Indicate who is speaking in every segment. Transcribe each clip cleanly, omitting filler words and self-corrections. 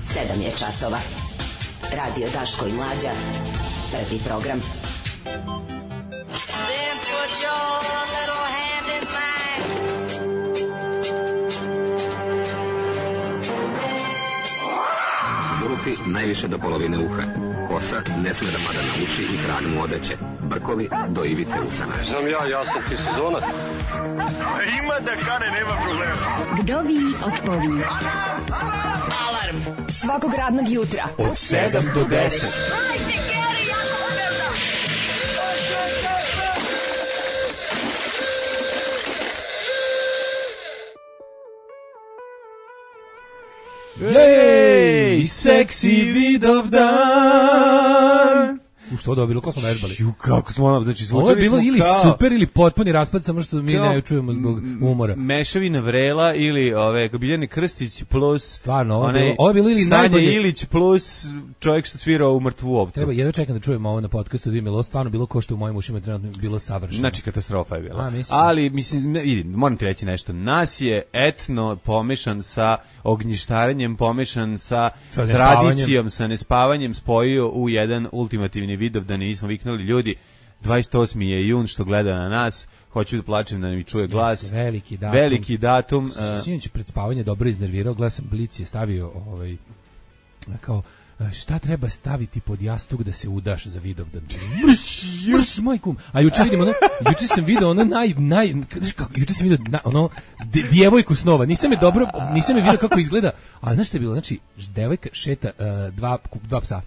Speaker 1: 7 je časova. Radio Daško i Mlađa. Prvi program.
Speaker 2: Zulufi najviše do polovine uha. Kosa ne sme da pada na uši i krag mu odeće. Brkovi do ivice usana.
Speaker 3: Znam ja sam ti sezonac. Ima da kane, nema problema.
Speaker 4: Vdovi od pović.
Speaker 1: Alarm svakog radnog jutra
Speaker 5: od 7 do 10. Jej, seksi Vidovdan.
Speaker 6: Što da bilo, ko smo vežbali?
Speaker 5: Kako smo, znači
Speaker 6: ovo je bilo ili super ili potpuni raspad, samo što mi ne čujemo zbog umora.
Speaker 5: Mešavina Vrela ili Biljane Krstić plus
Speaker 6: stvarno, ovo je bilo ili
Speaker 5: Sanja
Speaker 6: najbolje
Speaker 5: Ilić plus čovjek što svirao u Mrtvu ovcu.
Speaker 6: Treba, jedno čekam da čujemo ovo na podcastu, vidim, ovo stvarno bilo ko što u mojim ušima trenutno bilo savršeno.
Speaker 5: Znači katastrofa je bila. Ali mislim, moram ti reći nešto, nas je etno pomešan sa ognjištarenjem, pomešan sa tradicijom, sa nespavanjem spojio u jedan ultimativni Vidovdan i smo viknuli ljudi, 28. je jun što gleda na nas, hoću da plačem da mi čuje glas. Veliki datum.
Speaker 6: Sinoć pred spavanje dobro iznervirao, gledam sam Blic je stavio kao šta treba staviti pod jastuk da se udaš za Vidovdan. Mrš, moj kum. A juče vidim juče sam video juče sam video djevojku snova. Nisam je video kako izgleda, ali znaš šta je bilo? Znači, devojka šeta dva psa.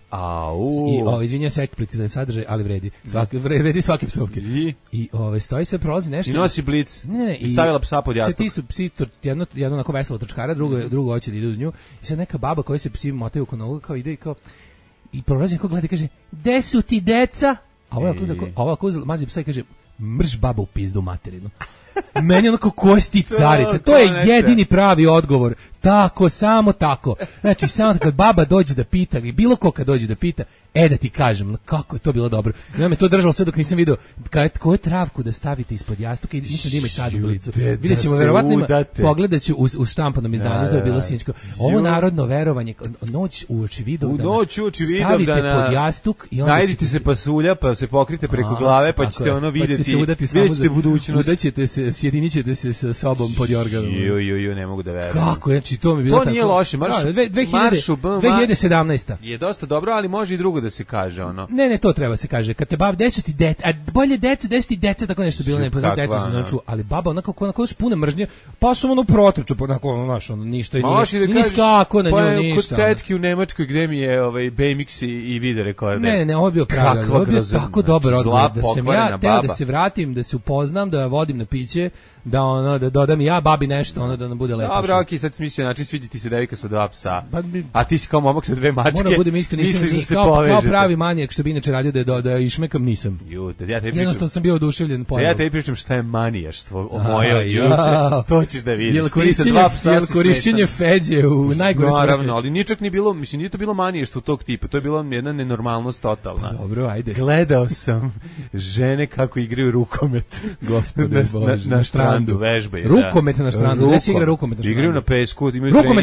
Speaker 6: I izvinjavam se eksplicitni sadržaj, ali vredi. Vredi svake psovke. I stoji se prolazi nešto.
Speaker 5: I nosi Blic. I stavila psa pod jastuk.
Speaker 6: Ti su psi jedno onako veselo trčkara, drugo hoće da ide uz nju. I sad neka baba koja se psi motaju oko nogu kao ide i prolazi neko gleda i kaže, gde su ti deca? A ova uzela, mazi psa i kaže, mrš baba u pizdu materinu. Meni onako kosti carice. To je jedini pravi odgovor. Tako, samo tako. Znači, samo kad baba dođe da pita, i bilo ko kad dođe da pita, da ti kažem, kako je to bilo dobro. Ja me to držalo sve dok nisam vidio koju travku da stavite ispod jastuka i mislim da ima i sad u Blicu. Vidjet ćemo, verovatno pogledat ću u štampanom izdanju, to je bilo sinjsko. Ovo narodno verovanje, noć uoči Vidovdana, stavite pod jastuk i onda
Speaker 5: najdite se pasulja, pa se pokrite preko glave, pa ćete ono vidjeti, vidjet ćete budućnost.
Speaker 6: Udaćete se, sjedinit ćete se sa sobom pod jorganom.
Speaker 5: Ne mogu da verujem.
Speaker 6: Kako, znači to mi bilo tako.
Speaker 5: To nije loše,
Speaker 6: 2017.
Speaker 5: Je dosta dobro, ali može i drugo da se kaže ono.
Speaker 6: Ne, to treba se kaže. Kad te baba, decu ti deca, a bolje decu ti deca, tako nešto bilo, ne poznam decu se znači, ali baba onako još puna mržnje, pa su ono protrču, onako ništa i nije skako na nju ništa.
Speaker 5: Kod tetki u Nemačkoj gde mi je BMX i video rekorder.
Speaker 6: Ne, ovo je bio pravi, ovo je bio tako dobar odgovor, da sam ja teo da se vratim, da se upoznam, da vodim na piće, da dodam ja babi nešto, da nam bude lepo.
Speaker 5: Dobro, okej, sad smislio, znači sviđa ti se devojka sa dva psa, a ti si kao momak sa dve mačke.
Speaker 6: Moram budem iskren, nisam kao pravi manijak što bi inače radio da išmekam, nisam. Jednostavno sam bio oduševljen.
Speaker 5: Ja tebi pričam šta je manijaštvo o mojoj juče, to ćeš da vidiš.
Speaker 6: Jel korišćenje feđe u najgore svrhe?
Speaker 5: Naravno, ali ničak nije bilo, mislim, nije to bilo manijaštvo tog tipa, to je bila jedna nenormalnost totalna.
Speaker 6: Dobro, ajde.
Speaker 5: Gledao sam žene kako igraju rukomet.
Speaker 6: Gospode Bože,
Speaker 5: na strandu vežbaju.
Speaker 6: Rukomet na strandu, gde se igra rukomet na strandu?
Speaker 5: Igraju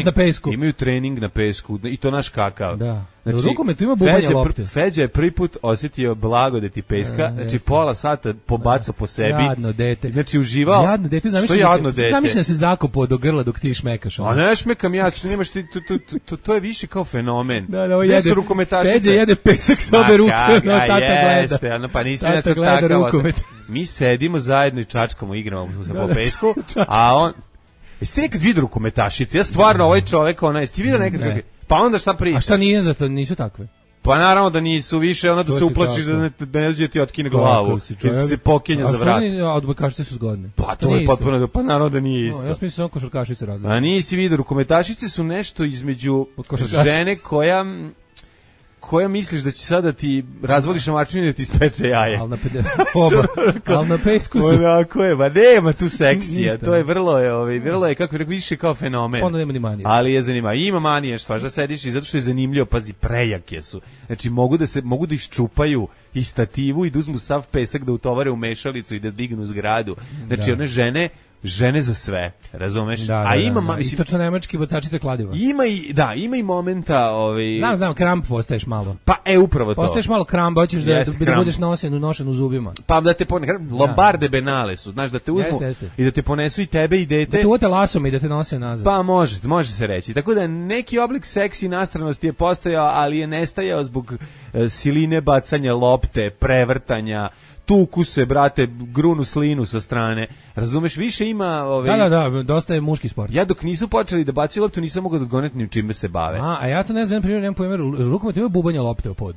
Speaker 5: na pesku, imaju trening na pesku i to naš kakav.
Speaker 6: Da. Znači, rukometu ima bubanja lopte.
Speaker 5: Feđa je prvi put osjetio blagodeti peska, znači pola sata pobacao po sebi.
Speaker 6: Jadno dete.
Speaker 5: Znači uživao.
Speaker 6: Jadno dete, zamisli da se zakopao do grla dok ti šmekaš.
Speaker 5: A ne šmekam ja, što nemaš ti, to je više kao fenomen.
Speaker 6: Da, jede rukometašice. Feđa jede pesak s obe ruke, no tata gleda.
Speaker 5: Pa nisam ja sad takav. Mi sedimo zajedno i čačkamo, igramo se po pesku, a on... Jeste nekad vidio rukometašice? Ja stvarno, ovaj čovek, jeste ti vidio nekad kakve? Pa onda šta priča?
Speaker 6: A šta nije za to, nisu takve?
Speaker 5: Pa naravno da nisu više, onda da se uplačiš da ne dođe ti otkine glavu, da se pokenja za vrat.
Speaker 6: A odbojkašice su zgodne.
Speaker 5: Pa to je potpuno, pa naravno da nije isto.
Speaker 6: Ja mislim samo košarkašice različite.
Speaker 5: A nisi vidio, rukometašice su nešto između žene koja misliš da će sada ti razvališ mačinu i da ti ispeče jaje.
Speaker 6: Ali na pesku su.
Speaker 5: Onako je, nema tu seksija, to je vrlo je, kako rekao, više kao fenomen.
Speaker 6: Onda nema ni manije.
Speaker 5: Ali je zanimljivo. Ima manije, što da sediš i zato što je zanimljivo, pazi, prejake su. Znači, mogu da iščupaju i stativu i da uzmu sav pesak da utovare u mešalicu i da dignu zgradu. Znači, one žene žene za sve, razumeš?
Speaker 6: A ima istočno-nemački bocačice kladiva.
Speaker 5: Ima i momenta,
Speaker 6: Znam, kramp postaješ malo.
Speaker 5: Pa upravo to.
Speaker 6: Postaješ malo kramp, hoćeš da budeš nošen u zubima.
Speaker 5: Pa da te lombarde benale su, znaš, da te uzmu i da te ponesu i tebe i dete.
Speaker 6: Da te uvate lasom i da te nose nazad.
Speaker 5: Pa može se reći. Tako da neki oblik seksi nastranosti je postojao, ali je nestajao zbog siline bacanja lopte, prevrtanja, tuku se, brate, grunu slinu sa strane. Razumeš, više ima...
Speaker 6: Da, dosta je muški sport.
Speaker 5: Ja dok nisu počeli da bacaju loptu, nisam mogao da odgoneti ni čime se bave.
Speaker 6: A ja to ne znam, primjer, nemam pojma, rukomet ima bubanje lopte u pod.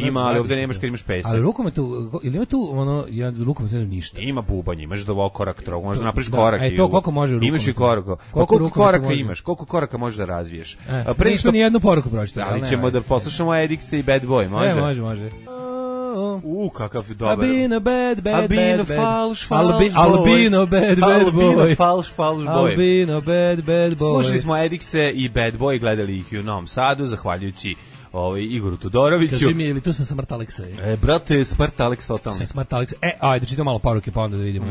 Speaker 5: Ima, ali ovde nemaš kad imaš pesak.
Speaker 6: Ali rukometu, ili ima tu, ja rukomet ne znam ništa.
Speaker 5: Ima bubanje, imaš da korak trog, možeš da napraviš korak.
Speaker 6: To koliko može rukomet?
Speaker 5: Imaš i koraka. Koliko koraka imaš? Koliko koraka možeš da razviješ?
Speaker 6: Nismo ni jednu poruku pročitali.
Speaker 5: Ali ćemo da poslušamo Edikce i Bad Boy, može?
Speaker 6: Može.
Speaker 5: Kakav dobar.
Speaker 6: Albino bad boy.
Speaker 5: Albino bad boy. Slušali smo Edikce i Bad Boy, gledali ih u Novom Sadu, zahvaljujući Igoru Todoroviću.
Speaker 6: Kaži mi, ili tu sam Smrt Aleksa?
Speaker 5: Brate, Smrt Aleks totalno.
Speaker 6: Smrt Aleksa. Ajde, čitam malo poruke pa onda da vidimo.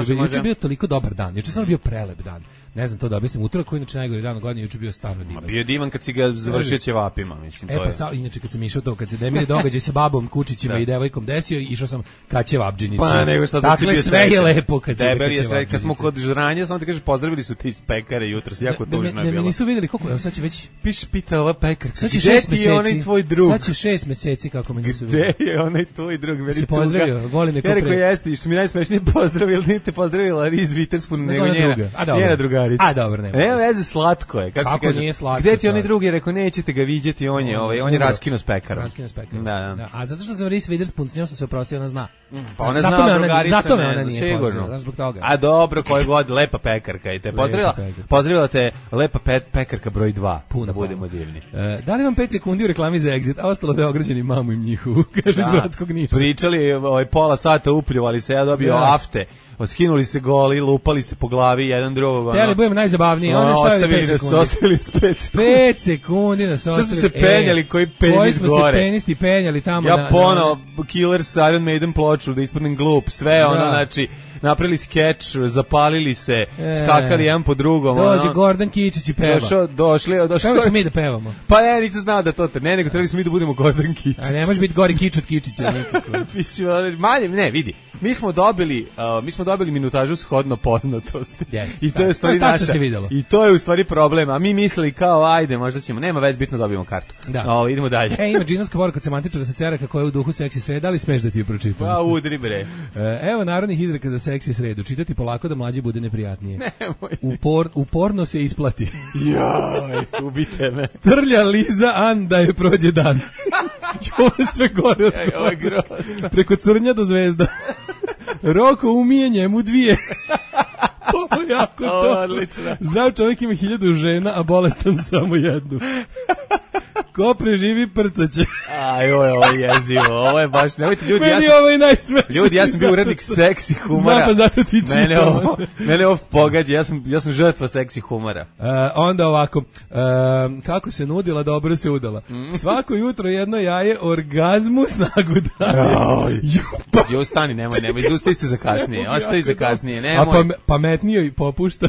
Speaker 6: Juče je bio toliko dobar dan. Juče sam bio prelep dan. Ne znam to da objasnim, utorak koji inače najgori dan u godini, juče bio stvarno divan.
Speaker 5: Bio divan kad si ga završio ćevapima, mislim, to je.
Speaker 6: Inače kad sam išao to, kad se Demir događaj sa babom, kučićima i devojkom desio, išao sam ka ćevapdžinici.
Speaker 5: Pa nego šta sam bio
Speaker 6: sve je lepo kad se
Speaker 5: kad smo kod žranja, samo ti kažeš pozdravili su ti iz pekare jutros, jako tužno je bilo.
Speaker 6: Ne, nisu videli koliko, evo sad će već
Speaker 5: pita ova pekarka.
Speaker 6: Sad će 6 meseci.
Speaker 5: Onaj tvoj drug.
Speaker 6: Sad će 6 meseci kako me nisu videli.
Speaker 5: Gde je onaj tvoj drug?
Speaker 6: Se pozdravio, volim neko pre.
Speaker 5: Ja rekao jeste, što mi najsmešnije pozdravila Riz Witherspoon, nego njena drugarica.
Speaker 6: A dobro, ne.
Speaker 5: Evo veze, slatko je.
Speaker 6: Kako nije slatko?
Speaker 5: Gde ti onaj drugi rekao nećete ga viđati, on je raskinuo s pekarom.
Speaker 6: Da. A zato što sam Reese Witherspoon, s njom sam se oprostio, ona zna.
Speaker 5: Pa ona zna drugarica.
Speaker 6: Zato me ona nije pozdravila, zbog toga.
Speaker 5: A dobro, koje god, lepa pekarka i te pozdravila te lepa pekarka broj 2, da budemo divni.
Speaker 6: Da li vam 5 sekundi u reklami za Exit, a ostalo Beograđani mamu im njihovu, kaže iz Bratskog Niša.
Speaker 5: Pričali, pola sata upljuvali se, ja dobio afte. Skinuli se goli, lupali se po glavi jedan drugog.
Speaker 6: Teli budem najzabavniji, oni stavili 5 sekundi.
Speaker 5: Ostavili nas 5 sekundi.
Speaker 6: 5 sekundi nas ostavili.
Speaker 5: Što smo se penjali, koji penis gore.
Speaker 6: Koji smo se penisti penjali tamo.
Speaker 5: Ja pono Killers Iron Maiden ploču, da ispadnem glup, sve znači... Napravili skeč, zapalili se, skakali jedan po drugom.
Speaker 6: Dođe Gordon Kičić i peva.
Speaker 5: Došli.
Speaker 6: Kako smo mi da pevamo?
Speaker 5: Pa nisam znao da to nego trebali smo mi da budemo Gordon Kičić.
Speaker 6: A ne može biti gori Kič od Kičića nikako.
Speaker 5: Ne, vidi. Mi smo dobili minutažu shodno poznatosti. I to je u stvari naša. I to je u stvari problem. A mi mislili kao ajde, možda ćemo, nema veze, bitno dobijemo kartu. Idemo dalje.
Speaker 6: Ima džinovska poruka od semantičara sa Ceraka koja je u duhu seksi sreda, ali smeš da ti je pročitam.
Speaker 5: Pa udri bre.
Speaker 6: Evo narodnih izreka za seksi sredu. Čitati polako da mlađi bude neprijatnije.
Speaker 5: Nemoj.
Speaker 6: Uporno se isplati.
Speaker 5: Joj, ubite me.
Speaker 6: Trlja Liza An da je prođe dan. Ovo je sve gore od gore. Preko crnja do zvezda. Roko umije njemu 2. Ovo je jako dobro. Zdrav čovjek ima 1000 žena, a bolestan samo 1. Ko preživi prcaće.
Speaker 5: Ovo je jezivo, ovo je baš, nemojte ljudi,
Speaker 6: ovo je najsmešniji.
Speaker 5: Ljudi, ja sam bio urednik seksi humora.
Speaker 6: Znam, pa zato ti čitam.
Speaker 5: Mene ovo pogađa, ja sam žrtva seksi humora.
Speaker 6: Onda ovako, kako se nudila, dobro se udala. Svako jutro jedno jaje, orgazmu snagu daje.
Speaker 5: Jo, stani, nemoj, izustavi se za kasnije, ostavi za kasnije, nemoj.
Speaker 6: A pametnije i popušta.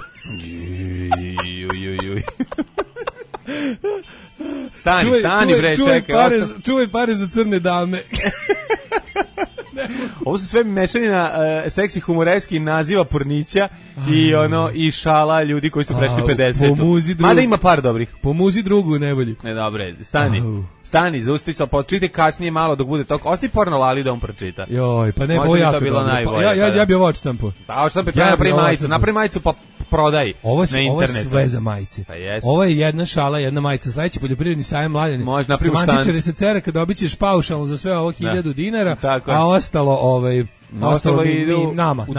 Speaker 5: Stani bre, čekaj.
Speaker 6: Čuvaj pare za crne dame.
Speaker 5: Ovo su sve mešavina seksi humoreski naziva pornića i šala ljudi koji su prešli 50. Mada ima par dobrih.
Speaker 6: Pomuzi drugu nevolji.
Speaker 5: Dobre, stani, zaustavi se, počite kasnije malo dok bude toliko. Ostavi porno Lali da on pročita.
Speaker 6: Joj, pa ne, ovo jako dobro. Ja bi ovo odštampo.
Speaker 5: Pa odštampo, napravi majicu pa prodaj na internetu. Ovo je
Speaker 6: sve za majice. Ovo je jedna šala, jedna majica. Sledeći poljoprivredni sajam Mladeni.
Speaker 5: Može napraviti stand.
Speaker 6: Semantičari sa Ceraka dobit ćeš paušalno za sve ovo 1000 dinara, a ostalo i nama.
Speaker 5: U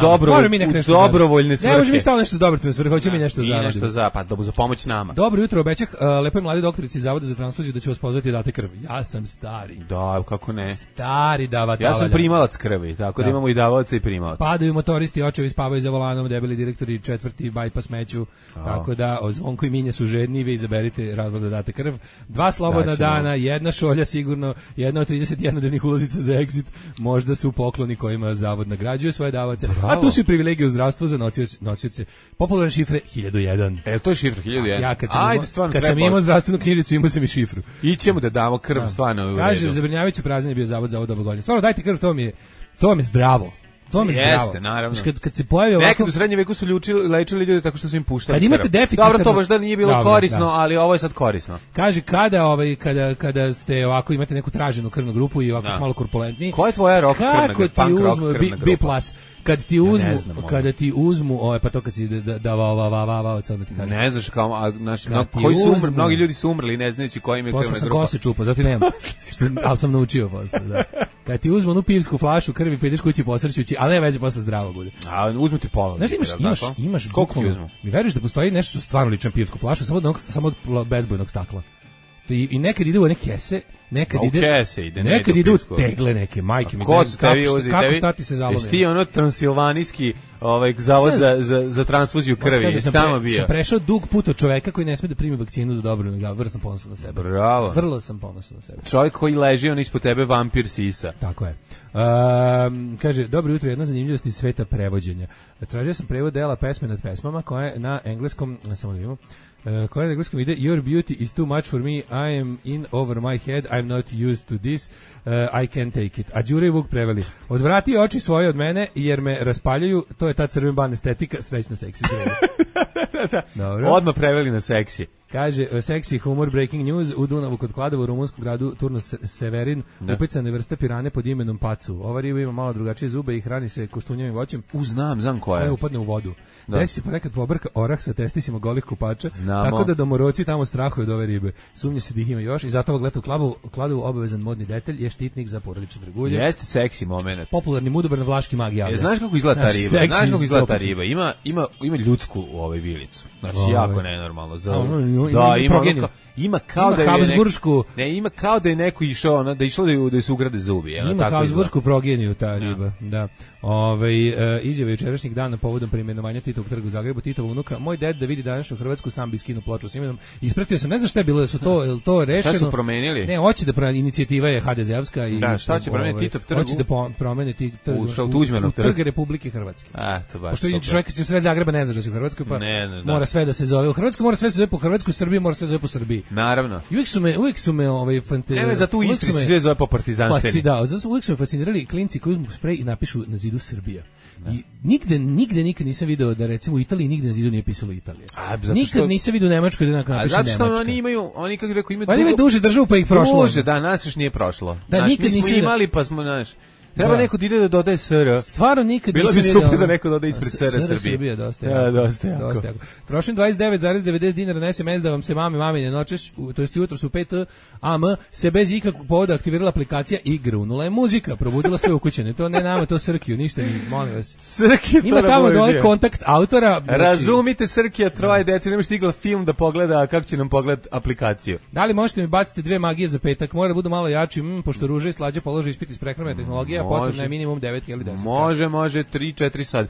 Speaker 5: dobrovoljne svrhe.
Speaker 6: Ne može mi staviti nešto za dobrotvorne svrhe, hoće mi nešto zaraditi.
Speaker 5: Pa za pomoć nama.
Speaker 6: Dobro jutro, obećah lepoj mladi doktorici Zavoda za transfuziju da će vas pozvati da date krv. Ja sam stari.
Speaker 5: Da, kako ne.
Speaker 6: Stari davatelj.
Speaker 5: Ja sam primalac krvi, tako da imamo i davaoca i primalac.
Speaker 6: Padaju motoristi, očevi spavaju za volanom, debeli direktori 4. bajpas meću, tako da Zvonko i Minja su žedni, vi izaberite razlog da date krv. 2 slobodna dana, jedna šolja sigurno, jedna od 31 dnevnih ulazica za Exit, možda su pokloni kojima zavod nagrađuje svoje davaoce, a tu su i privilegije u zdravstvu za nosioce popularne šifre 1001.
Speaker 5: To je šifra 1001?
Speaker 6: Ja kad sam imao zdravstvenu knjižicu, imao sam i šifru.
Speaker 5: Ićemo da damo krv, stvarno u redu.
Speaker 6: Kaže, zabrinjavajuće prazan je bio zavod za ovo godine. Stvarno, dajte krv, to vam je zdravo. To mi je zdravo.
Speaker 5: Jeste, naravno.
Speaker 6: Kad se pojavi ovako...
Speaker 5: Nekad u srednjem veku su lečili ljude tako što su im puštali
Speaker 6: krv. Kad imate deficit...
Speaker 5: Dobro, to baš da nije bilo korisno, ali ovo je sad korisno.
Speaker 6: Kaže, kada ste ovako, imate neku traženu krvnu grupu i ovako malo korpulentniji...
Speaker 5: Koja je tvoja rock krvna grupa?
Speaker 6: Kako ti uzmu, B+, kada ti uzmu, pa to kad si
Speaker 5: ne znaš kao, koji su umrli, mnogi ljudi su umrli, ne znajući koja im je krvna grupa.
Speaker 6: Posle sam kose čupao, zato nema, ali sam naučio posle, da. Kad ti uzmu onu pivsku flašu krvi, pa ideš kući posrćući, ali ne veze, posle zdravo bude.
Speaker 5: A uzmu ti pola.
Speaker 6: Znaš, imaš
Speaker 5: koliko ti uzmu?
Speaker 6: Mi veruješ da postoji nešto što stvarno liči na pivsku flašu, samo od bezbojnog stakla. I nekad ide u neke kese, nekad ide u tegle neke, majke mi. Kako šta ti se zalome?
Speaker 5: Jesi ti ono transilvanijski zavod za transfuziju krvi? Jesi tamo bio?
Speaker 6: Sam prešao dug put od čoveka koji ne sme da primi vakcinu do dobro. Vrlo sam ponosan na sebe.
Speaker 5: Bravo.
Speaker 6: Vrlo sam ponosan na sebe.
Speaker 5: Čovjek koji leži, on ispod tebe vampir sisa.
Speaker 6: Tako je. Kaže, dobro jutro, jedna zanimljivost iz sveta prevođenja. Tražio sam prevod dela Pesme nad pesmama, koja je na engleskom, samo da vidimo, koja na engleskom ide Your beauty is too much for me, I am in over my head, I'm not used to this, I can't take it. A Đure i Vuk preveli, odvrati oči svoje od mene jer me raspaljuju, to je ta crven ban estetika, srećna seksi.
Speaker 5: Dobro. Odmah preveli na seksi.
Speaker 6: Kaže, seksi humor, breaking news, u Dunavu kod Kladova u rumunskom gradu Turnos Severin, upecane vrste pirane pod imenom pacu. Ova riba ima malo drugačije zube i hrani se koštunjavim voćem.
Speaker 5: Znam koja je.
Speaker 6: Koja upadne u vodu. Desi se ponekad pobrka orah sa testisima golih kupača, tako da domoroci tamo strahuju od ove ribe. Sumnje se da ih ima još i zato ovog leta u Kladovu obavezan modni detalj je štitnik za porodične dragulje.
Speaker 5: Jeste seksi moment.
Speaker 6: Popularni mudobrni vlaški mag javlja.
Speaker 5: Znaš kako izgleda ta riba? Znaš kako izgleda ta riba? Ima ljudsku u ovoj vilicu. Znači jako nenormalno. Ima kao da je
Speaker 6: Habsburšku,
Speaker 5: ima kao da je neko išao, da išlo da se ugrade zubi,
Speaker 6: ima Habsburšku progeniju ta riba, da. Izjave jučerašnjeg dana povodom preimenovanja Titovog trga u Zagrebu, Titova unuka, moj ded da vidi današnju Hrvatsku sam bi skinuo ploču s imenom. Ispratio sam, ne znam šta je bilo, da su to rešeno.
Speaker 5: Šta su promenili?
Speaker 6: Ne, hoće da inicijativa je HDZ-evska i
Speaker 5: da, šta će promeniti Titov trg?
Speaker 6: Hoće da promene
Speaker 5: Tuđmanov
Speaker 6: trg Republike Hrvatske.
Speaker 5: To baš.
Speaker 6: Pošto čovjek iz sred Zagreba ne zna da se u Hrvatskoj, pa mora sve da se zove u Hrvatskoj, mora sve da se zove po Hrvatskoj, u Srbiji mora sve da se zove po Srbiji.
Speaker 5: Naravno.
Speaker 6: I uvijek su me
Speaker 5: za tu Istri sve zove po partizanštini.
Speaker 6: Da, zato uvijek su me fascinirali klinci koji uzmu sprej i napišu na zidu Srbija. I nigde nisam video da recimo u Italiji nigde na zidu nije pisalo Italija. Nikad nisam video u Nemačkoj da napiše Nemačka.
Speaker 5: Zato što oni imaju kako rekao,
Speaker 6: imaju duže državu pa ih prošlo.
Speaker 5: Duže, da, nas još nije prošlo.
Speaker 6: Da, nikad nisam
Speaker 5: imali pa smo, treba neko da ide da dodaje SR.
Speaker 6: Stvarno nikad
Speaker 5: nisam
Speaker 6: vidio.
Speaker 5: Bilo bi super da neko dodaje ispred SR Srbije.
Speaker 6: Dosta jako. Trošim 29,90 dinara na SMS da vam se mamine noćeš, to jest jutro su 5 AM, se bez ikakvog povoda aktivirala aplikacija i grunula je muzika, probudila sve ukućene. To ne nama, to Srkiju, ništa ni, molim vas.
Speaker 5: Srkija to
Speaker 6: ima tamo dole kontakt autora.
Speaker 5: Razumite Srkija, troje dece, nemaš stigla film da pogleda kako će nam pogledati aplikaciju.
Speaker 6: Da li možete mi baciti 2 magije za petak? Mora da budu malo jači, pošto Ruža i Slađa polože ispit iz prehrambene tehnologije. Potrebno je minimum 9 ili 10.
Speaker 5: Može 3-4 sad.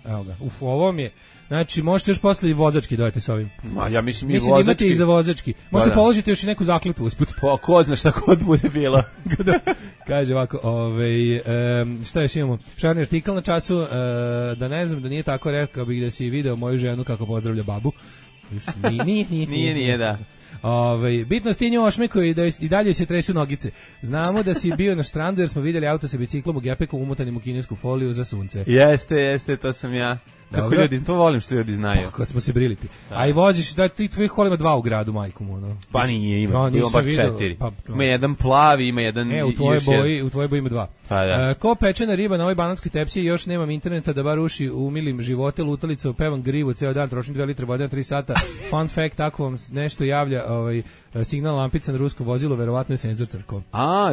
Speaker 6: Evo ga. Ovo mi je. Znači, možete još posle i vozački dojete s ovim.
Speaker 5: Ja mislim
Speaker 6: da imate i za vozački. Možete položiti još i neku zakletvu usput.
Speaker 5: Pa ko zna šta kod bude bilo.
Speaker 6: Kaže ovako, šta još imamo? Šarni artikl na času, da ne znam, da nije tako, rekao bih da si video moju ženu kako pozdravlja babu.
Speaker 5: Nije, da.
Speaker 6: Bitno stinju ošmeku i da i dalje se tresu nogice. Znamo da si bio na štrandu jer smo vidjeli auto sa biciklom u gepeku umutanim u kinesku foliju za sunce.
Speaker 5: Jeste, to sam ja. Kako ljudi, to volim što ljudi znaju.
Speaker 6: Pa, kad smo se briliti. A i voziš, da ti tvojih kola ima 2 u gradu, majkom, ono.
Speaker 5: Pa nije, ima bar 4. Ima jedan plavi, ima jedan
Speaker 6: u tvojoj boji ima 2. Ko pečena riba na ovoj banatskoj tepsi, još nemam interneta da bar uši umilim živote, lutalicu, pevam grivu ceo dan, trošim 2 litre vode na 3 sata. Fun fact, ako vam nešto javlja signal lampica na ruskom vozilu, verovatno je senzor crkao.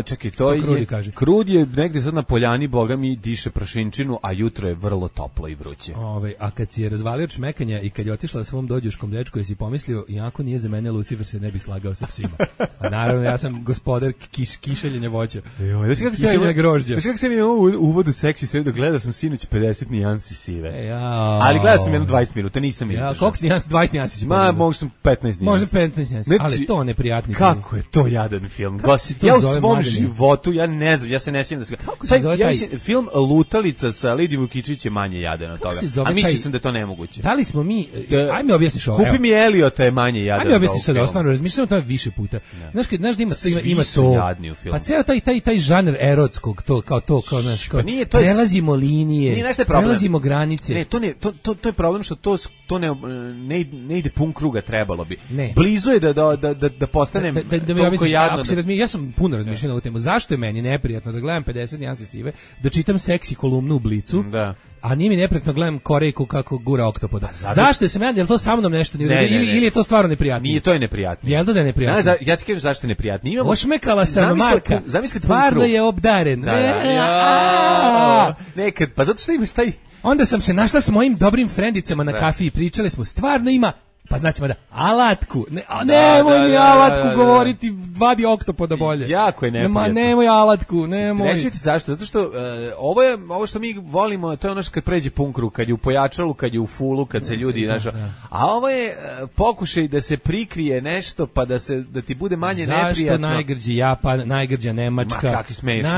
Speaker 5: Čekaj, to je Krud je negde sad na poljani, boga mi diše prašinčinu, a jutro je vrlo toplo i vruće.
Speaker 6: a kad si je razvalio od šmekanja i kad je otišla svom dođuškom dečku, je si pomislio, iako nije za mene Lucifer, se ne bi slagao sa psima. A naravno, ja sam gospodar kišeljenja voća. Kišeljenja grožđa.
Speaker 5: Kako sam imao uvodu seksi sredo, gledao sam sinoć 50 nijansi sive. Ali gledao sam jedno 20 minuta, nisam izdržao.
Speaker 6: Koliko si nijansi? 20 nijansi si
Speaker 5: pogledao? Možda sam 15 nijansi.
Speaker 6: Možda 15 nijansi, ali to neprijatni.
Speaker 5: Kako je to jadan film? Ja u svom životu, ja ne znam, ja se ne sjećam da se...
Speaker 6: Kako se zove taj...
Speaker 5: Film Lutalica sa Lidijom Vukičić je manje jadan od toga. A mislio sam da je to nemoguće.
Speaker 6: Da li smo mi... Ajme objasniš ovo.
Speaker 5: Kupi mi Eliota je manje jadan.
Speaker 6: Ajme objasniš sad, stvarno, razmišljam o tome više puta. Znaš da ima to... Pa ceo taj žanr erotskog, znaš, prelazimo linije, prelazimo granice.
Speaker 5: Ne, to je problem što to ne ide pun kruga, trebalo bi. Blizu je da postanem toliko jadno.
Speaker 6: Ja sam puno razmišljao na ovu temu. Zašto je meni neprijatno da gledam 50 nijansi sive, da čitam seksi kolumnu u Blicu, a nije mi neprijatno gledam Korejku kako gura oktopoda. Zašto je se meni, je li to sa mnom nešto ili je to stvarno neprijatno?
Speaker 5: Nije, to je neprijatno.
Speaker 6: Jel da je neprijatno?
Speaker 5: Ja ti kažem zašto je neprijatno.
Speaker 6: Ošmekala sam Marka, stvarno je obdaren.
Speaker 5: Nekad, pa zato što imaš taj...
Speaker 6: Onda sam se našla s mojim dobrim frendicama na kafi i pričali smo, stvarno ima, pa znači da, alatku. Nemoj mi alatku govoriti, vadi oktopoda bolje.
Speaker 5: Jako je neprijatno.
Speaker 6: Nemoj alatku, nemoj.
Speaker 5: Neću ti zašto, zato što ovo što mi volimo, to je ono što kad pređe pun krug, kad je u pojačalu, kad je u fulu, kad se ljudi a ovo je pokušaj da se prikrije nešto, pa da ti bude manje neprijatno.
Speaker 6: Zašto najgrđi Japan, najgrđa Nemačka?
Speaker 5: Ma kakvi smešno.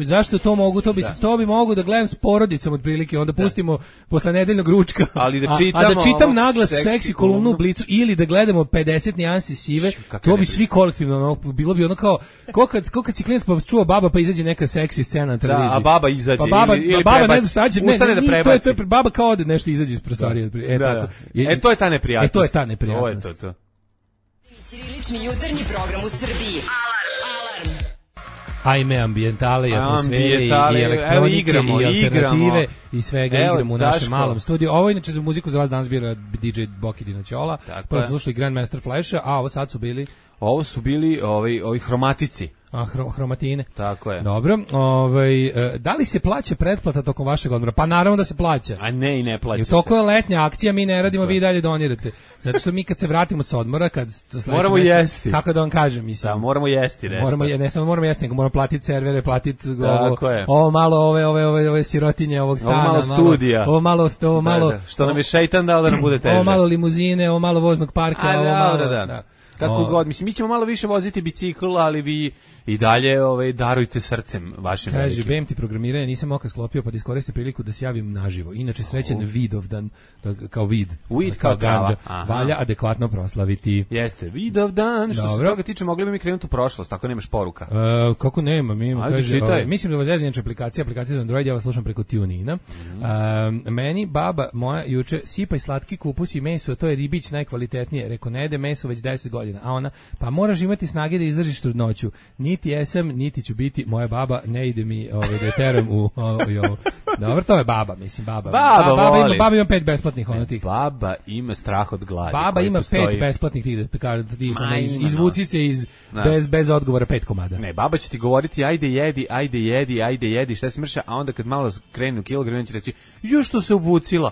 Speaker 6: Zašto to mogu? To bi mogu da gledam s porodicom otprilike, onda pustimo posle nedeljnog ručka.
Speaker 5: Ali da
Speaker 6: čitam naglas seksi kolumnu u Blicu ili da gledamo 50 nijansi sive, to bi svi kolektivno bilo bi ono kao kad si klijent pa čuva baba pa izađe neka seksi scena na televiziji.
Speaker 5: A baba izađe ili
Speaker 6: baba ne zna šta će,
Speaker 5: to
Speaker 6: je baba kao ode nešto izađe iz prostorije.
Speaker 5: To je ta neprijatnost.
Speaker 6: To je ta neprijatnost.
Speaker 5: Ovo je to.
Speaker 1: Ćirilični jutarnji program u Srbiji. Alarm.
Speaker 6: Ajme, ambijentale i atmosfere i elektronike i alternative i svega igramo u našem malom studiju. Ovo inače za muziku za vas danas bira DJ Boki Dinoćola. Prvo slušali Grandmaster Flasha, a ovo sad su bili...
Speaker 5: Ovo su bili ovi hromatici.
Speaker 6: Hromatine.
Speaker 5: Tako je.
Speaker 6: Dobro, da li se plaća pretplata tokom vašeg odmora? Pa naravno da se plaća.
Speaker 5: A ne, i ne plaća se.
Speaker 6: Toko je letnja akcija, mi ne radimo, vi dalje donirate. Zato što mi kad se vratimo sa odmora,
Speaker 5: moramo jesti.
Speaker 6: Kako da vam kažem, mislim.
Speaker 5: Da, moramo jesti nešto.
Speaker 6: Ne samo moramo jesti, nego moramo platiti servere, platiti ovo malo ove sirotinje ovog stana.
Speaker 5: Ovo malo studija.
Speaker 6: Ovo malo.
Speaker 5: Što nam je šejtan dao da nam bude teže.
Speaker 6: Ovo malo limuzine, ovo malo voznog parka, ovo malo.
Speaker 5: Da. Kako god, mislim, mi ćemo malo više voziti bicikl, ali vi i dalje darujte srcem vašim velikim.
Speaker 6: Kaže, BMT programiranje nisam oka sklopio, pa da iskoristim priliku da se javim naživo. Inače, srećen Vidovdan, kao vid.
Speaker 5: Weed kao trava.
Speaker 6: Valja adekvatno proslaviti.
Speaker 5: Jeste, Vidovdan, što se toga tiče, mogli bi mi krenuti u prošlost, tako nemaš poruka.
Speaker 6: Kako nema, mislim da vas zezanjače aplikacija za Android, ja vas slušam preko TuneIna. Meni baba moja juče sipaj slatki kupus i meso, to je ribić najkvalitetnije. Reko, ne jede meso već 10 godina. A ona, pa moraš imati snage da izdržiš trudnoću. Niti jesam, niti ću biti moja baba, ne ide mi da teram u ovo. Dobro, to je baba, mislim, baba. Baba ima 5 besplatnih tih.
Speaker 5: Baba ima strah od gladi.
Speaker 6: Baba ima 5 besplatnih tih, izvuci se bez odgovora 5 komada.
Speaker 5: Ne, baba će ti govoriti ajde jedi, šta si mrša, a onda kad malo krenu kilogram, će reći, što se obucila,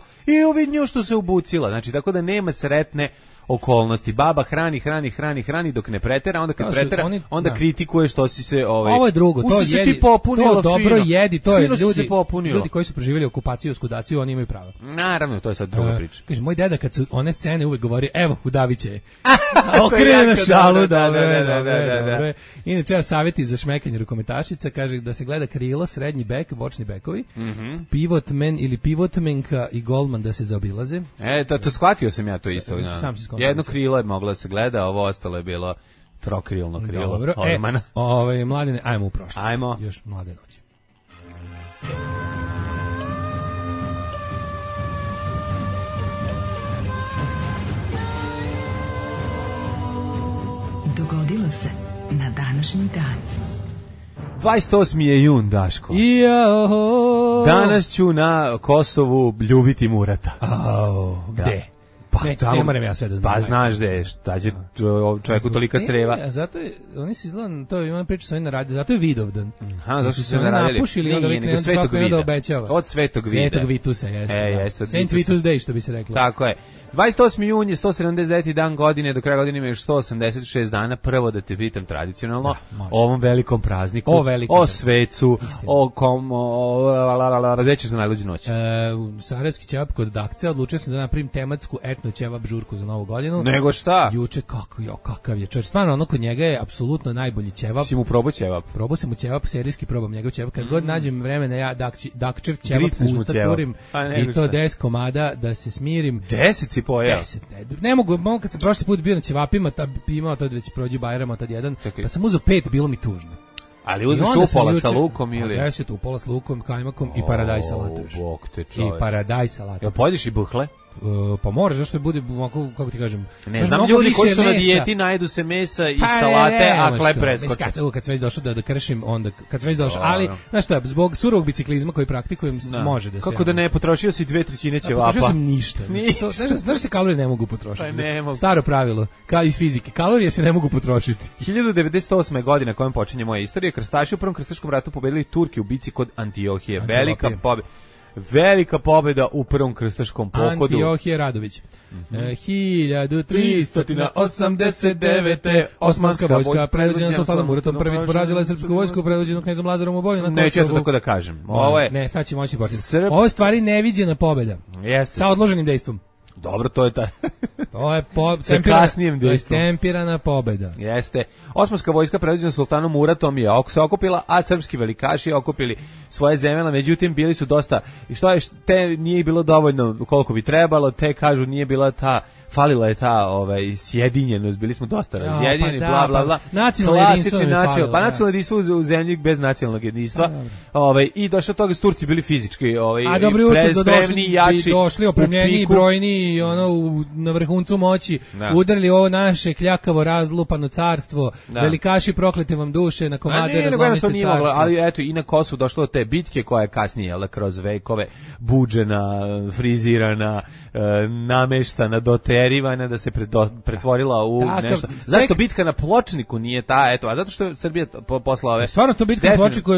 Speaker 5: nju što se obucila. Znači, tako da nema sretne okolnosti. Baba hrani dok ne pretera, onda kad pretera, onda kritikuje što si se
Speaker 6: Ovo je drugo, to jedi, to dobro jedi, to je ljudi koji su preživjeli okupaciju, oskudaciju, oni imaju pravo.
Speaker 5: Naravno, to je sad druga priča.
Speaker 6: Kaže, moj deda kad su one scene uvek govori, evo, udaviće je. Okrene na šalu, dobro. Inače, savjeti za šmekanje rukometašica, kaže da se gleda krilo, srednji bek, bočni bekovi, pivotmen ili pivotmenka i golman da se zaobilaze.
Speaker 5: To shvatio sam ja to isto. Jedno krilo je moglo da se gleda, ovo ostalo je bilo trokrilno krilo.
Speaker 6: Dobro, mladine, ajmo u prošlost.
Speaker 5: Ajmo.
Speaker 6: Još mlade noći.
Speaker 1: Dogodilo se na današnji dan.
Speaker 5: 28. je jun, Daško. Danas ću na Kosovu ljubiti Murata.
Speaker 6: Gde? ne moram ja sve da znam.
Speaker 5: Pa znaš da je, šta će čovjeku tolika creva.
Speaker 6: Zato je, oni su izgledali, to ima priča sa oni na radiju, zato je Vidovdan.
Speaker 5: Aha, zašto su se naradili?
Speaker 6: Napušili, onda vi krenu svako da obećava.
Speaker 5: Od Svetog Vida.
Speaker 6: Svetog Vitusa, jeste.
Speaker 5: Jeste.
Speaker 6: Saint Vitus Day, što bi se reklo.
Speaker 5: Tako je. 28. jun je 179. dan godine, do kraja godine ima još 186 dana. Prvo da te pitam tradicionalno o ovom velikom prazniku, o svecu, gde ćeš za najluđu noć?
Speaker 6: Sarajevski ćevap kod Dakce, odlučio sam da napravim tematsku etno ćevap žurku za novu godinu.
Speaker 5: Nego šta?
Speaker 6: Juče, kakav je čovječ. Stvarno, ono kod njega je apsolutno najbolji ćevap.
Speaker 5: Si mu probao ćevap?
Speaker 6: Probao sam mu ćevap, serijski probam njegov ćevap. Kad god nađem vremena, ja Dakčev ćevap usta turim i to 10 komada da se smirim.
Speaker 5: 10 si pojeo?
Speaker 6: 10, ne mogu, kad sam prošli put bio na ćevapima, imao tad već prođe Bajrama, tad jedan, pa sam uzeo 5, bilo mi tužno.
Speaker 5: Ali uzmeš upola sa lukom ili?
Speaker 6: 10 upola s lukom, kajmakom i paradaj salatu.
Speaker 5: Bog te čoveč.
Speaker 6: I paradaj salatu.
Speaker 5: Jel pojedeš i buhle?
Speaker 6: Pa moraš, zašto bude, kako ti kažem...
Speaker 5: Ne znam, ljudi koji su na dijeti najedu se mesa i salate, a hleb preskoče.
Speaker 6: Kad sam već došao da kršim, onda, kad sam već došao, ali, znaš šta, zbog surovog biciklizma koji praktikujem, može da se...
Speaker 5: Kako da ne, potrošio si 2/3 ćevapa?
Speaker 6: Potrošio sam ništa. Znaš se kalorije ne mogu potrošiti? Staro pravilo, iz fizike, kalorije se ne mogu potrošiti.
Speaker 5: 1098. godina kojom počinje moja istorija, krstaši u Prvom krstaškom ratu pobedili Turke u bici kod Antiohije. Velika pobjeda u Prvom krstaškom pohodu.
Speaker 6: Antiohije Radović. 1389. Osmanska vojska predvođena sultanom Muratom I porazila je srpsku vojsku predvođenu knezom Lazarom u boju na Kosovu.
Speaker 5: Neću ja to tako da kažem.
Speaker 6: Ne, sad će moći početi. Ovo je stvari neviđena pobjeda. Sa odloženim dejstvom.
Speaker 5: Dobro, to je ta.
Speaker 6: To je tempirana pobjeda.
Speaker 5: Jeste. Osmanska vojska predvođena sultanom Muratom je se okupila, a srpski velikaši okupili svoje zemlje, međutim bili su dosta, i što je, te nije bilo dovoljno koliko bi trebalo, te kažu nije bila ta, falila je ta sjedinjenost, bili smo dosta razjedinjeni, bla bla bla.
Speaker 6: Nacionalno jedinstvo je falilo.
Speaker 5: Pa nacionalno jedinstvo u zemlji bez nacionalnog jedinstva. I došlo toga Turci bili fizički spremni, jači,
Speaker 6: došli opremljeni, brojni, na vrhuncu moći, udarili ovo naše kljakavo razlupano carstvo, velikaši proklete vam duše, na komade razlomite carstvo.
Speaker 5: Ali eto, i na Kosovu došlo do te bitke koja je kasnije, kroz vekove, buđena, frizirana, nameštana, doterivana, da se pretvorila u nešto. Zašto bitka na Pločniku nije ta, eto, a zato što je Srbija posla ove...
Speaker 6: Stvarno to bitka na Pločniku,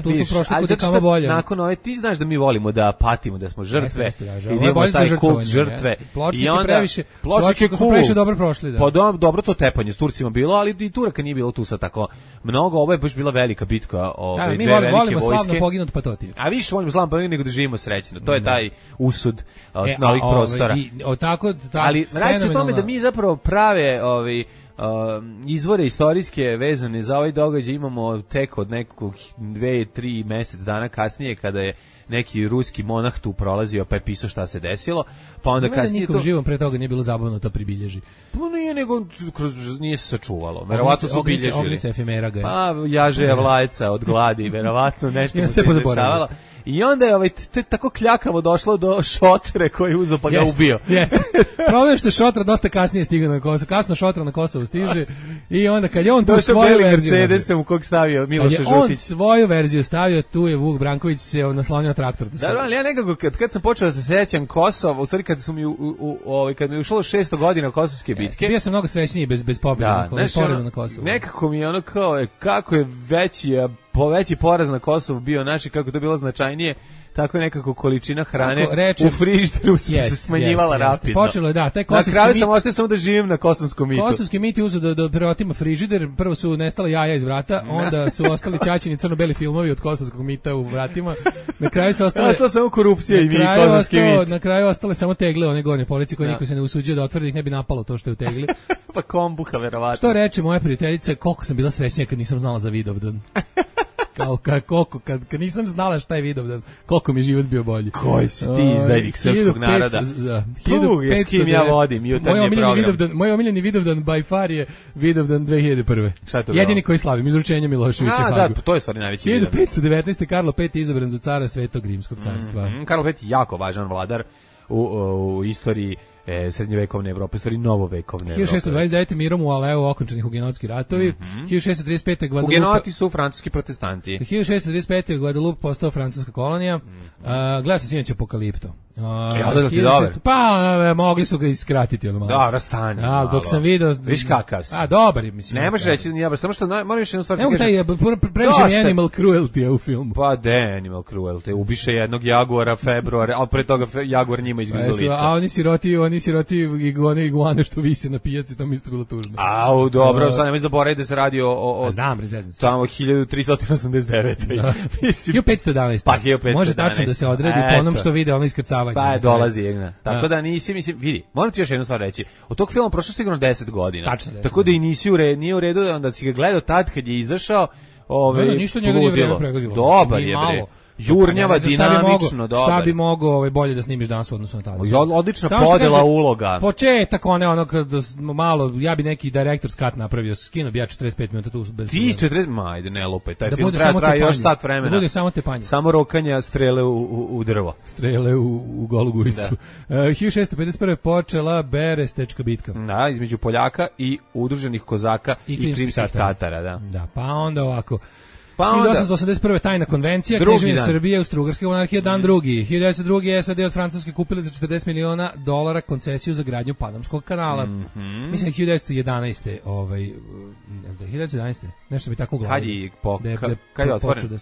Speaker 6: tu su prošli kod kama bolje.
Speaker 5: Nakon ove, ti znaš da mi volimo da patimo, da smo žrtve, i da imamo taj kult žrtve.
Speaker 6: Pločnik je cool. Previše dobro prošli.
Speaker 5: Pa dobro to tepanje s Turcima bilo, ali i Turaka nije bilo tu sad tako mnogo, ovo je baš bila velika bitka,
Speaker 6: mi volimo slavno poginut patoti.
Speaker 5: A više volimo slavno poginut nego da živimo srećno. To je taj usud novih prostora. Ali radi se o tome da mi zapravo prave izvore istorijske vezane za ovaj događaj imamo tek od nekog 2-3 mjesec dana kasnije, kada je neki ruski monah tu prolazio pa je pisao šta se desilo, pa onda kasnije
Speaker 6: nikom živom pre toga nije bilo zabavno to pribilježi.
Speaker 5: Pa nije, nego nije se sačuvalo. Verovatno su bilježili.
Speaker 6: Ognjica efemera ga je.
Speaker 5: Pa jaže vlajca od gladi, verovatno nešto mu se dešavalo. I onda je tako kljakavo došlo do Šotre koji je uzeo pa ga ubio.
Speaker 6: Problem je što Šotra dosta kasnije stiga na Kosovo. Kasno Šotra na Kosovo stiže i onda kad je on tu svoju verziju...
Speaker 5: Mercedes u kog stavio Miloša Župić.
Speaker 6: Kad je on svoju verziju stavio, tu je Vuk Branković se naslonio traktor.
Speaker 5: Da, ali ja nekako kad sam počeo da se sećam Kosova, u stvari kad su mi kad mi je ušlo 600 godina kosovske bitke.
Speaker 6: Bio sam mnogo srećniji bez pobjede, bez poraza na Kosovu.
Speaker 5: Nekako mi je kao kako je veći poraz na Kosovu bio naši, kako to bilo značajnije, tako je nekako količina hrane u frižideru se smanjivala rapidno.
Speaker 6: Počelo je, taj kosovski mit.
Speaker 5: Na kraju sam ostao samo da živim na kosovskom mitu.
Speaker 6: Kosovski mit je uzeo da preotima frižider, prvo su nestala jaja iz vrata, onda su ostali ćaćini crno-beli filmovi od kosovskog mita u vratima. Na kraju su ostale...
Speaker 5: Ostala samo korupcija i kosovski mit.
Speaker 6: Na kraju ostale samo tegle, one gornje polici koje niko se ne usuđuje da otvori, da ih ne bi napalo to što je u tegli.
Speaker 5: Pa kombuha, verovatno.
Speaker 6: Što reče moja prijateljica, koliko sam bila srećnija kad nisam znala za Vidovdan. Kad nisam znala šta je Vidovdan, koliko mi život bio bolji.
Speaker 5: Koji si ti izdajnik srpskog naroda? S kim ja vodim jutarnje program.
Speaker 6: Moj omiljeni Vidovdan by far je Vidovdan 2001. Jedini koji slavim, izručenje Miloševića Hagu.
Speaker 5: Da, to je stvarno najveći Vidovdan.
Speaker 6: 1519. Karlo V izabran za cara Svetog Rimskog carstva.
Speaker 5: Karlo V je jako važan vladar u istoriji srednjevekovne Evrope, stvari novovekovne Evrope.
Speaker 6: 1629. mirom u Aleu okončani hugenotski ratovi. 1635. Guadalupe.
Speaker 5: Hugenoti su francuski protestanti.
Speaker 6: 1635. Guadalupe postao francuska kolonija. Gledao sam sinoć Apokalipto.
Speaker 5: Da ti dobar.
Speaker 6: Pa mogli su ga iskratiti ono malo.
Speaker 5: Da, rastanje.
Speaker 6: Dok sam video,
Speaker 5: viš kakav si.
Speaker 6: Dobar je, mislim.
Speaker 5: Ne možeš reći da samo što moram još jednu stvar
Speaker 6: da kažem. Ne mogu taj previše animal cruelty u filmu.
Speaker 5: Pa animal cruelty. Ubiše jednog jaguara februar, al pre toga jaguar njima izgrizo lice.
Speaker 6: A oni siroti iguane što vise na pijaci, to mi isto bilo tužno.
Speaker 5: Dobro, sad nemoj zaboraviti da se radi o
Speaker 6: znam, rezezno.
Speaker 5: Tamo 1389.
Speaker 6: 1511.
Speaker 5: Pa 1511.
Speaker 6: Može tačno da se odredi po onom što vide ono iskrcavanje.
Speaker 5: Pa dolazi jedna. Tako da nisi, mislim, vidi, moram ti još jednu stvar reći. Od tog filma prošlo sigurno 10 godina.
Speaker 6: Tačno 10.
Speaker 5: Tako da i nije u redu, onda si ga gledao tad kad je izašao,
Speaker 6: ništa njega nije vreme pregazilo.
Speaker 5: Dobar je, bre. Jurnjava, dinamično, dobro.
Speaker 6: Šta bi mogao bolje da snimiš danas u odnosu na tada?
Speaker 5: Odlična podela uloga.
Speaker 6: Početak ono malo, ja bi neki director's cut napravio, skino bi ja 45 minuta tu bez.
Speaker 5: Ti 40, ajde ne lupaj, taj film traje još sat vremena.
Speaker 6: Da bude samo tepanje.
Speaker 5: Samo rokanja strele u drvo.
Speaker 6: Strele u golu gujicu. 1651. počela Berestečka bitka.
Speaker 5: Da, između Poljaka i udruženih kozaka i krimskih Tatara, da.
Speaker 6: Da, pa onda ovako. 1881. tajna konvencija, Kneževina Srbije, Austro-Ugarska monarhija, dan drugi. 1902. SAD od Francuske kupili za $40 miliona koncesiju za gradnju Panamskog kanala. Mislim 1911. 1911. Nešto bi tako uglavio.
Speaker 5: Kad je otvoren?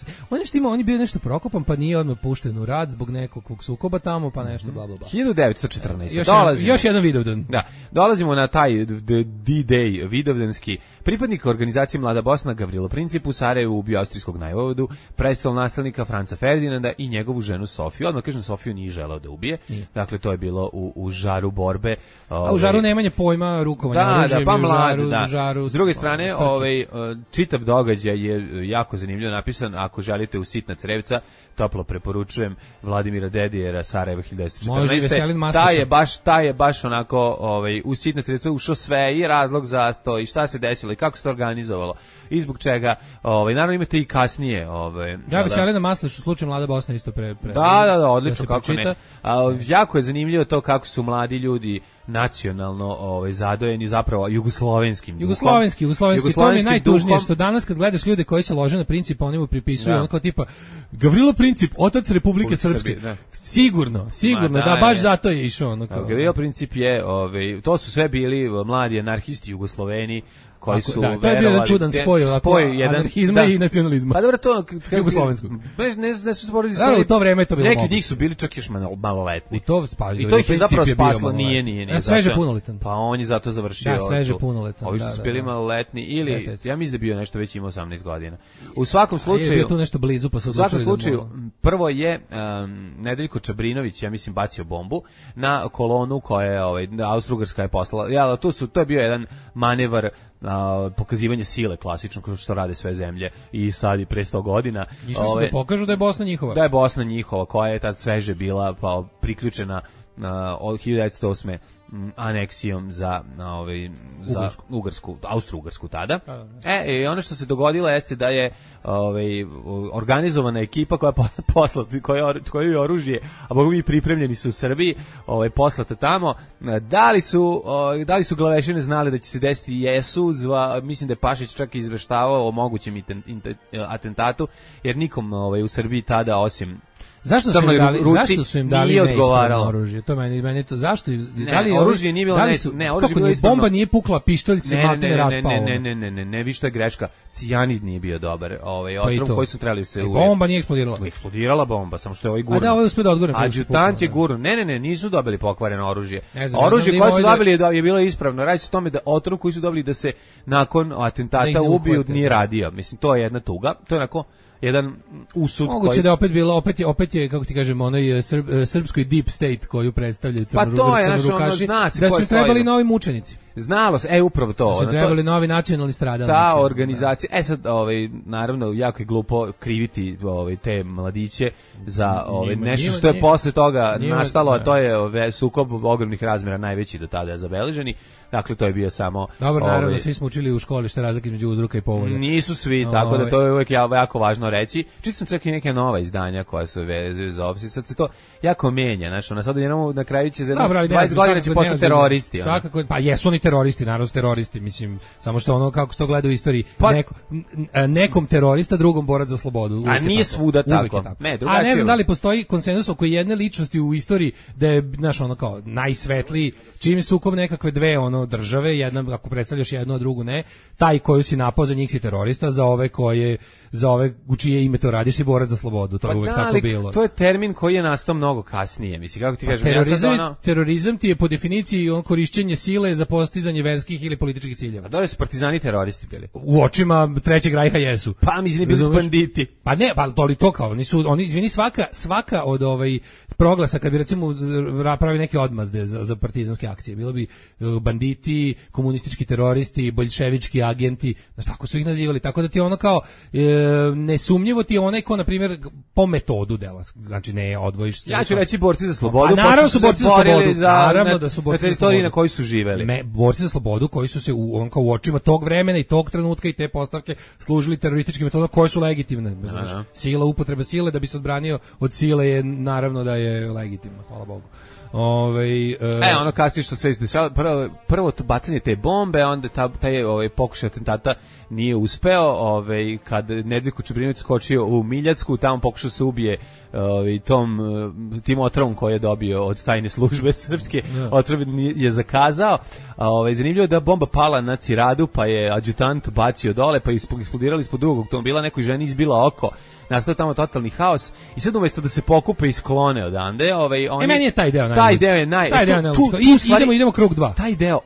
Speaker 6: On je bio nešto prokopan, pa nije odmah pušten u rad zbog nekog sukoba tamo, pa nešto bla bla bla.
Speaker 5: 1914.
Speaker 6: Još jedan Vidovdan.
Speaker 5: Da, dolazimo na taj D-Day Vidovdanski. Pripadnik organizacije Mlada Bosna Gavrilo Princip u Sarajevu ubio austrijskog najvodu, prestolonaslednika Franca Ferdinanda i njegovu ženu Sofiju. Odmah kažem, Sofiju nije želeo da ubije. Dakle, to je bilo u žaru borbe.
Speaker 6: A u žaru nemanje pojma rukovanja oružjem.
Speaker 5: Pa mlad, da. S druge strane, čitav događaj je jako zanimljivo napisan. Ako želite u sitna crevca, toplo preporučujem Vladimira Dedijera, Sarajevo 1914. Taj je baš onako u sitna crevca ušao sve i razlog za to i šta se desilo i kako se to organizovalo i zbog čega. Naravno imate i kasnije.
Speaker 6: Ja Veselina Masliš u slučaju Mlada Bosna isto pre.
Speaker 5: Da, odlično, kako ne. Jako je zanimljivo to kako su mladi ljudi nacionalno zadojeni zapravo jugoslovenskim duhom. Jugoslovenski,
Speaker 6: to mi je najtužnije što danas kad gledaš ljude koji se lože na Princip, oni mu pripisuju ono kao tipa Gavrilo Princip, otac Republike Srpske. Sigurno, da baš zato je išao ono kao.
Speaker 5: Gavrilo Princip je, to su sve bili mladi anarhisti Jugosloveni koji su
Speaker 6: to je bio jedan čudan spoj anarhizma i nacionalizma.
Speaker 5: Pa dobro, to
Speaker 6: jugoslovenskog.
Speaker 5: Ne su sporedi.
Speaker 6: Da, u to vreme je to bilo.
Speaker 5: Neki od njih su bili čak još maloletni.
Speaker 6: I
Speaker 5: to ih je zapravo spaslo, nije.
Speaker 6: Sveže punoletan.
Speaker 5: Pa on je zato završio.
Speaker 6: Da, sveže punoletan.
Speaker 5: Ovi su bili maloletni ili ja mislim da je bio nešto već imao 18 godina. U svakom slučaju
Speaker 6: je bio tu nešto blizu, pa su
Speaker 5: u svakom slučaju prvo je Nedeljko Čabrinović, ja mislim, bacio bombu na kolonu koja je Austro-Ugarska je poslala. To je bio jedan manevar pokazivanje sile klasično kao što rade sve zemlje i sad i pre 100 godina.
Speaker 6: Išli su da pokažu da je Bosna njihova.
Speaker 5: Da je Bosna njihova, koja je tad sveže bila pa priključena od 1908. aneksijom za Ugarsku, Austro-Ugarsku tada. I ono što se dogodilo jeste da je organizovana ekipa koja je oružje, a bogu mi pripremljeni su u Srbiji, poslata tamo. Da li su glavešine znali da će se desiti? Jesu. Mislim da je Pašić čak izveštavao o mogućem atentatu, jer nikom u Srbiji tada osim
Speaker 6: Zašto su im dali neispravno oružje? To meni to zašto
Speaker 5: oružje nije bilo
Speaker 6: bomba nije pukla, pištolj se matne raspao.
Speaker 5: Ne, vi što je greška. Cijanid nije bio dobar. Otrov koji su trebali se
Speaker 6: bomba nije eksplodirala.
Speaker 5: Eksplodirala bomba, samo što je ovaj gurno.
Speaker 6: A da, ovaj uspeo da odgurne.
Speaker 5: Adjutant je gurno. Ne, nisu dobili pokvareno oružje. Oružje koje su dobili je bilo ispravno. Radi se o tome da otrov koji su dobili da se nakon atentata ubiju nije radio. Mislim, to je jedna tuga. To je onako jedan usud
Speaker 6: moguće da je opet bilo opet je kako ti kažemo onaj srpskoj deep state koju predstavljaju crnorukaši, da su trebali novi mučenici.
Speaker 5: Znalo se, upravo to.
Speaker 6: Su trebali novi nacionalni stradalnici.
Speaker 5: Ta organizacija, sad, naravno, jako je glupo kriviti te mladiće za nešto što je posle toga nastalo, a to je sukob ogromnih razmjera, najveći do tada zabeleženi. Dakle, to je bio samo...
Speaker 6: Dobro, naravno, svi smo učili u školi šta je razlika između uzroka i povoda.
Speaker 5: Nisu svi, tako da to je uvijek jako važno reći. Čitao sam čak i neke nova izdanja koja su vezuju za opis. Sad se to jako menja, znaš, sad na kraju će za 20 godina će postati teroristi.
Speaker 6: Svakako, pa jesu oni teroristi, naravno su teroristi, mislim, samo što kako se to gleda u istoriji, nekom terorista, drugom borac za slobodu.
Speaker 5: A nije svuda tako.
Speaker 6: A ne znam da li postoji konsenzus oko jedne ličnosti u istoriji da je, znaš, kao najsvetliji, čim sukob nekakve dve države, jedna ako predstavljaš jednu, a drugu ne, taj koju si napao za njih si terorista, za ove u čije ime to radiš si borac za slobodu, to je uvek tako bilo.
Speaker 5: To je termin koji je nastao mnogo kasnije, mislim, kako ti kažem.
Speaker 6: Terorizam ti je po definiciji korišćenje sile za postizanje verskih ili političkih ciljeva.
Speaker 5: A da li su partizani teroristi bili?
Speaker 6: U očima Trećeg rajha jesu.
Speaker 5: Pa mislim bili su banditi.
Speaker 6: Pa ne, pa to kao, oni izvini svaka od proglasa kad bi recimo pravi neke odmazde za partizanske akcije, bilo bi banditi, komunistički teroristi, boljševički agenti, znaš, tako su ih nazivali, tako da ti kao nesumnjivo ti je onaj ko, na primjer, po metodu dela, znači ne odvojiš se.
Speaker 5: Ja ću reći borci za slobodu,
Speaker 6: pa naravno su borci za slobodu, naravno da su borci za
Speaker 5: teritoriji na kojoj su živeli.
Speaker 6: Borci za slobodu koji su se u očima tog vremena i tog trenutka i te postavke služili terorističkim metodama koje su legitimne. Sila, upotreba sile da bi se odbranio od sile je naravno da je legitimno, hvala Bogu.
Speaker 5: Kasnije što sve izdešava, prvo to bacanje te bombe, onda taj pokušaj atentata nije uspeo, kad Nedjeljko Čubrinović skočio u Miljacku, tamo pokušao se ubije tim otrovom koji je dobio od tajne službe srpske, otrov je zakazao, zanimljivo je da bomba pala na Ciradu, pa je adjutant bacio dole, pa je eksplodirali ispod drugog automobila, nekoj ženi izbila oko, nastao tamo totalni haos i sad umjesto da se pokupe i sklone odande,
Speaker 6: meni je taj deo idemo krug 2.
Speaker 5: Taj deo